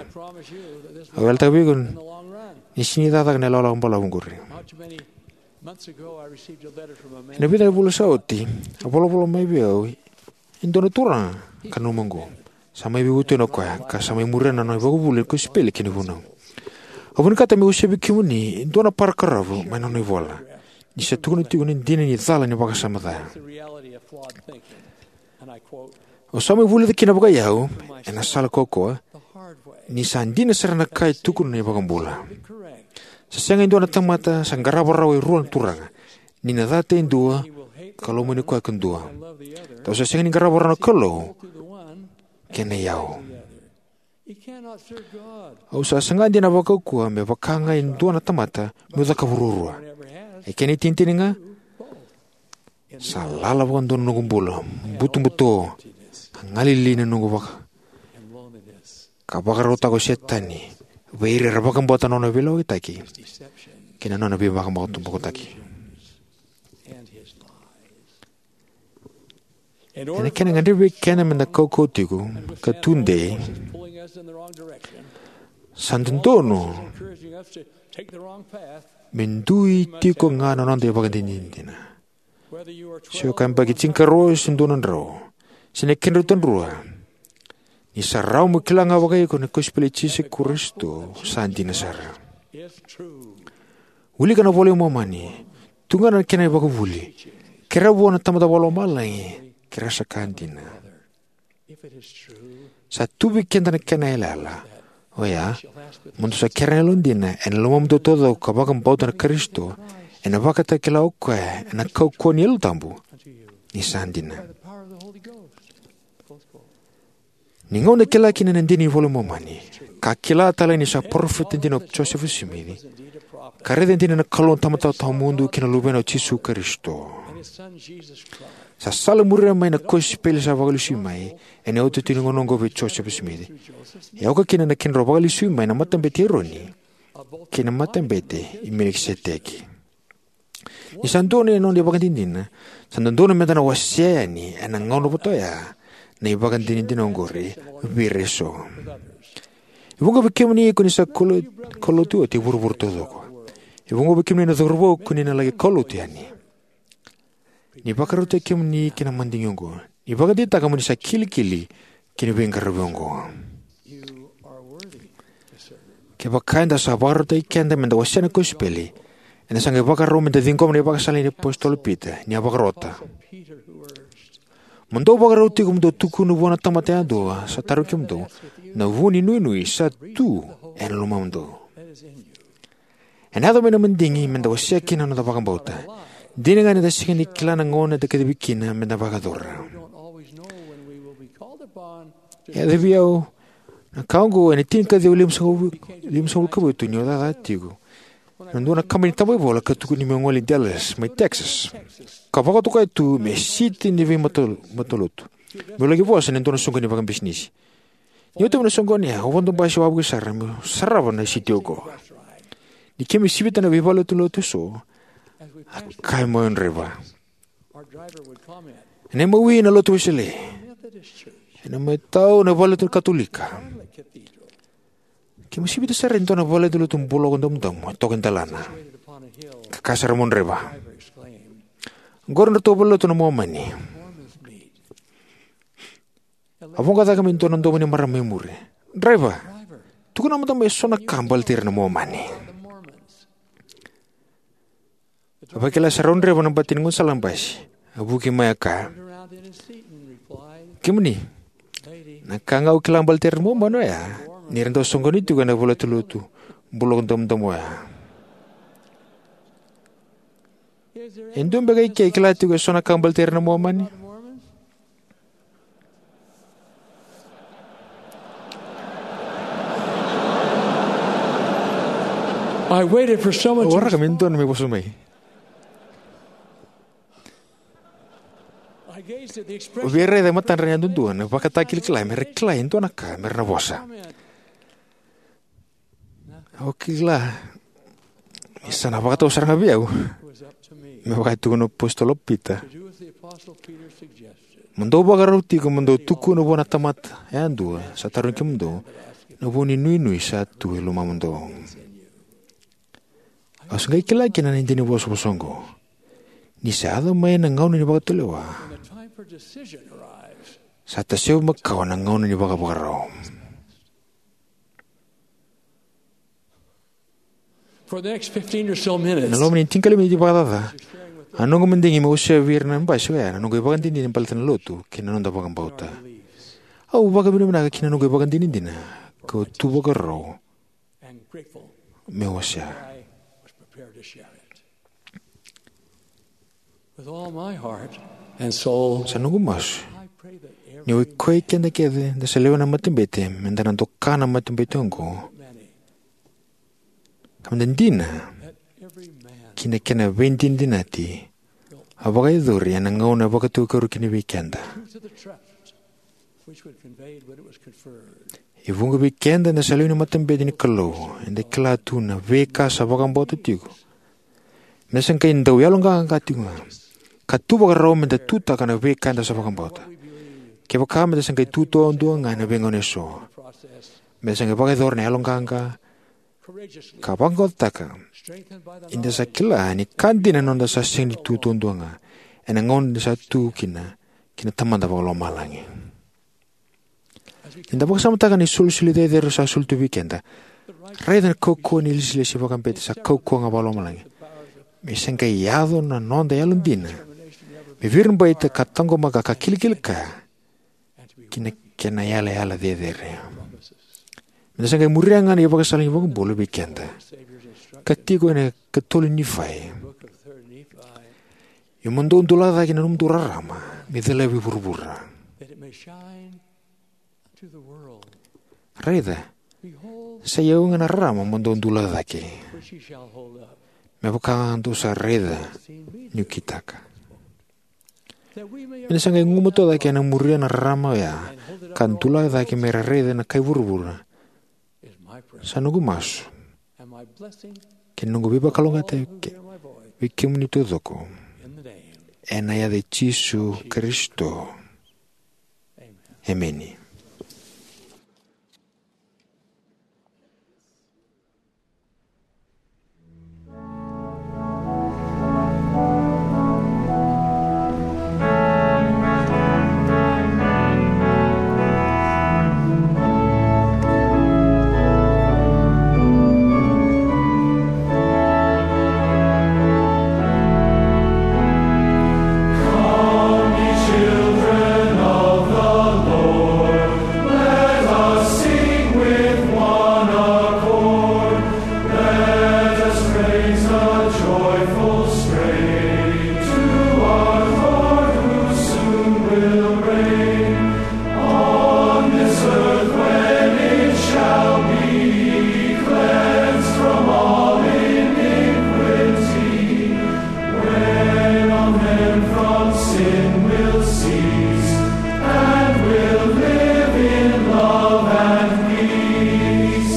Au yalataka vei iko ni sega ni cakacaka na ilakolako balavu oqori. Ena vica na vula sa oti, a volavola mai vei au e dua na turaga ka nanuma oqo. Sa mai veivutuni o koya ka sa mai muria na nona ivakavuvuli ni kosipeli kei na vunau. Au vinakata meu wasea vei kemuni e dua na parakaravu mai na nona ivola, ni sa tukuna tiko na dina ni cala ni vakasama ca. Au sa mai vulica kina vakaiyau ena sala kaukauwa ni sa dina sara na ka e tukuna na iVakabula. Sa sega e dua na tamata sa qarava rawa e rua na turaga, ni na cata e dua ka lomani koya ka dua. Dou sa sega ni qarava rawa na Kalou kei na iyau. Au sa saga dina vakaukauwa me vaka ga e dua na tamata meu cakava ruarua. E kena itinitini ga, sa lala vakadua na noqu bula, butobuto, ka galili na noqu vaka, ka vakarautaka o Setani vei ira era vakabauta na nona veilewayaki kei na nona veivakabauta bokotaki. Ena kena gadrevi vei keda meda kaukauwa tiko ka tudei, Sa dodonu me dui tiko ga na noda ivakadinadina. Se o ka yabaki tinikarua se dua na drau, se na kedrau tadrua, ni sa rawa mo kila ga vakaiko na kosipeli i Jisu Karisito sa dina sara. Wilika na iVola i Momani, tu ga na kena ivakavuvuli, kerea vua na Tamada Vakalomalagi, ke ra sa ka dina. Sa tu vei keda na kena yalayala oya, mo dou sa kerea na yalodina ena lomamudou taucoko ka vakabauta na Karisito, ena vakatakila o koya ena kaukauwa ni Yalo Tabu, ni sa dina. Ni gauna e kila kina na dina ni iVola i Momani, ka kila tale ni sa parofita dina o Josefa Simici, ka raica dina na Kalou na Tamada Tawamudu kei na Luvena o Jisu Karisito. Sa salamuria mai na kosipeli sa vakalesui mai ena iotioti ni gauna oqo vei Josefa Simici. E oka kina na kedrau vakalesui mai na Matabete i Eroni kei na Matabete i Melikiseteki. Ni sa donu na noda ivakadinadina, sa dodonu meda na wasea yani ena gauna vata oya na ivakadinadina oqori vei ira eso. E vuqa vei kemuni ko ni sa kalo-, kaulotu oti e vuravura taucoko. E vuqa vei kemuni na cauravou ko ni na laki kaulotu yani. Ni vakarautaki kemuni ki na madigi oqo. Ni vakadeitaka mo ni sa kilikili ki na veiqaravi oqo. Kevaka eda sa vakarautaki keda meda wasea na kosipeli, eda sa qai vakarau meda ciqoma na ivakasala nei apositolo Pita, ni a vakarota: Mo dou vakarau tiko mo dou tukuna vua na tamata yadua sa tarogi kemudou na vu ni nuinui sa tu ena lomamudou. Ena yaco mai na madigi meda wasea kina na noda vakabauta. Dina ga ni da sega ni kila na gauna eda kacivi kina meda vakayacora. E yaco vei au na ka oqo ena tinikaciwa limasagavulu, limasagavulu ka vitu, niu cakacaka tiko ena dua na kabani ni tabaivola ka tukuni meu gole i Dallas mai Texas, ka vakatokai tu me siti ni veimatalotu, meu laki vosa ena dua na soqoni vakabisinisi. Niu tauvi na soqoni ya, au vodo basi wavoki sara meu sarava na siti oqo. Ni keimami sivita na veivalenilotu eso, a kaya mai o draiva: Ena imawi na Lotu Wesele, ena imatau na valelotu Katolika. Keimami sivita sara e dua na valenilotu buloko domodomo e toka e delana. Ka kaya sara mai o draiva: Oqori nodratou valelotu na Momani. A voqa cake mai e dua na domo ni marama mai muri: Draiva, tukuna mada mai eso na ka baleti ira na Momani. A vakila sara o draiva na bati ni gaunisala basi. A vuki mai, a kaya: Kemuni, na ka ga au kila baleti ira na Momani oya ni ra dau soqoni tiko ena valenilotu buloko domodomo oya. E dua beka ike e kila tiko eso na ka baleti ira na Momani? I waited for someone to... Au waraka me dua me vosa mai. I gazed at the expression. Au via raica e matadra yadudua na ivakatakilakila me ra kila e dua na ka me ra na vosa. Au kila ni sa na vakatau sara ga vei au, me vaka e tukuna na apositolo Pita, mo dou vakarau tiko mo dou tukuna vua na tamata yadua sa tarogi kemudou na vu ni nuinui sa tu e lomamudou. Au se qai kila kina na dina ni vosavosa oqo. Ni sa yaco mai na gauna ni vakatulewa, sa tasevi makawa na gauna ni vakavakarau. For the next fifteen or so minutes, na loma ni tinikalima ni miniti vakacaca, a noqu madigi me wasea vei ira na basi oya na noqu ivakadinadina baleta na lotu kei na noda vakabauta. Au vakavinavinaka ki na noqu ivakadinadina, kau tu vakarau me wasea. With all my heart and soul, sa noqu masu ni o iko kei keda kece da sa lewena na matabete, me da na doka na matabete oqo, ka me da dina ki na kena veidinadinati a vakayacori ena gauna e vakatukaruka kina vei keda. E vuqa vei keda eda sa lewe ni matabete ni Kalou, eda kila tu na veika sa vakabauta tiko, me da sa qai dau yaloqaqa tiko ga, ka tu vakarau me da tutaka na veika eda sa vakabauta. Kevaka me da sa qai tu taudua ga ena veigauna eso, Me da sa qai vakayacora na yaloqaqa ka vaqaqacotaka ni da sa kila ni ka dina na noda sa sega ni tu taudua ga ena gauna da sa tu kina ki na Tamada Vakalomalagi. Ni da vakasamataka na isolisoli cecere sa soli tu vei keda, raica na kaukauwa ni ilesilesi vakabete sa kaukauwa ga vakalomalagi, me sa qai yaco na noda yalodina me viribaita ka taqomaka ka kilikili kaya ki na kena yalayala cecere. Me da sa qai muria ga na ivakasala ni iVakabula vei keda ka tiko ena ikatolu ni Nifai: Ia mo dou dulaka cake na nomudou rarama me calavi vuravura. Raica, sa i au ga na rarama mo dou dulaka cake, me vaka ga dou sa raica niu kitaka. Me da sa qai gumatua cake ena muria na rarama oya ka dulaka cake me ra raica na kai vuravura, sa noqu masu kei na noqu veivakalougatataki vei kemuni taucoko, ena yaca i Jisu Karisito, emeni. Let us raise a joyful strain to our Lord who soon will reign. On this earth when it shall be cleansed from all iniquity, when all men from sin will cease and will live in love and peace.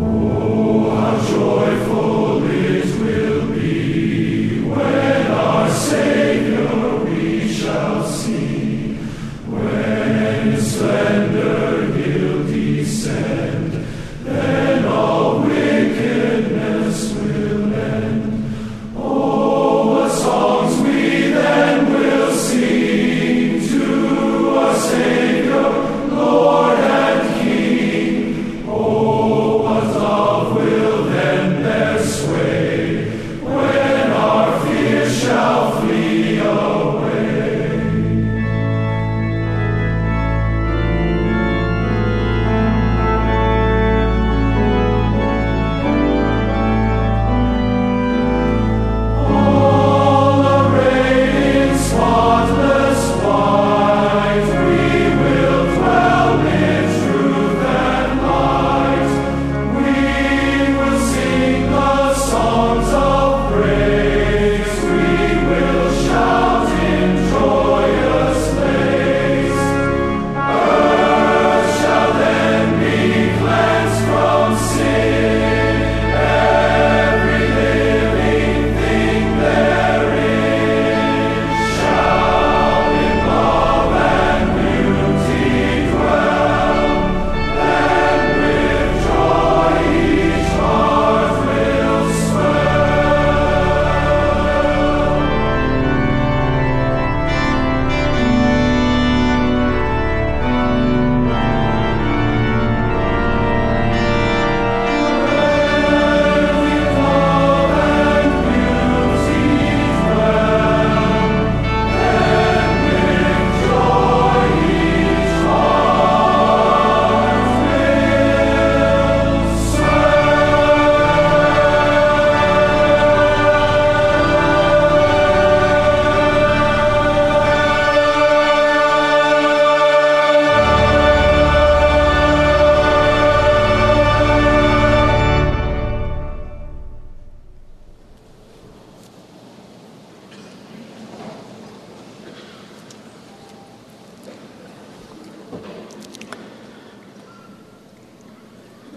Oh, how joyful it will be when our Savior we shall see. When in splendor he'll descend, then all wickedness will end. Oh, what songs we then will sing to our Savior, Lord and King. Oh, what love will then bear sway when our fears shall flee away. All arrayed in spotless white, we will dwell in truth and light. We will sing the songs of praise. We will shout in joyous lays. Earth shall then be cleansed from sin. Every living thing therein shall in love and beauty dwell.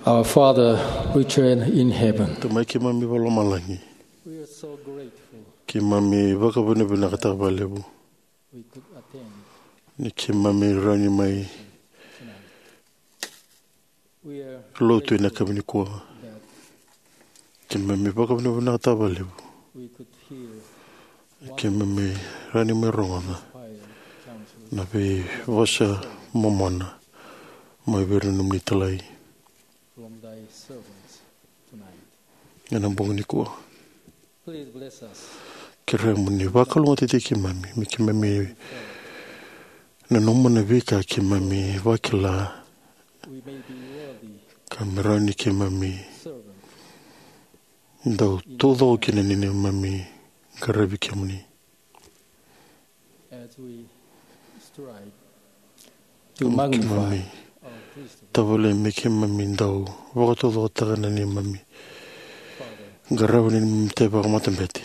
Our Father, which art in heaven. Tamai keimami vakalomalagi. We are so grateful Keimami vakavinavinakataka vakalevu ni keimami rawa ni mai lotu ena yakavi nikua. Keimami vakavinavinakataka vakalevu ni keimami rawa ni mai rogoca na veivosa momona mai vei ira na nomuni talai ena bogi nikua. Kerea mo ni vakalougatataki keimami me keimami nanuma na veika keimami vakila, ka me rawa ni keimami dau taucoko kina ni neimami qaravi kemuni. Keimami tavale me keimami dau vakataucokotaka na neimami qaravi na neimami itavi vakamatabete.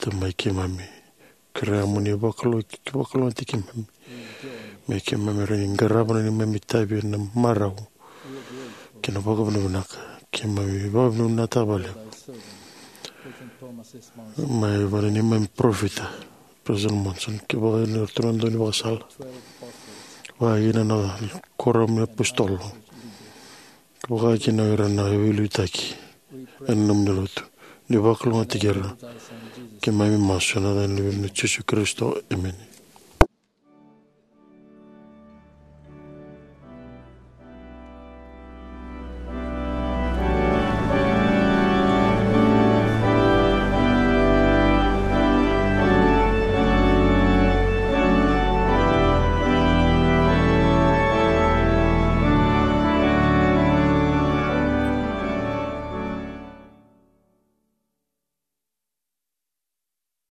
Tamai keimami, kerea mo ni vakalougatataki keimami me keimami rawa ni qarava na neimami itavi ena marau kei na vakavinavinaka. Keimami vakavinavinakataka vakalevu mai vei ira na neimami parofita, President Monson, kei vaka ira na ratou na daunivakasala, vaka kina na kuoramu ni apositolo, vaka kina ira na veiliutaki ena nomuni lotu. Ni vakalougatataki ira. Keimami masu ena yaca ni Luvena o Jisu Karisito, emeni.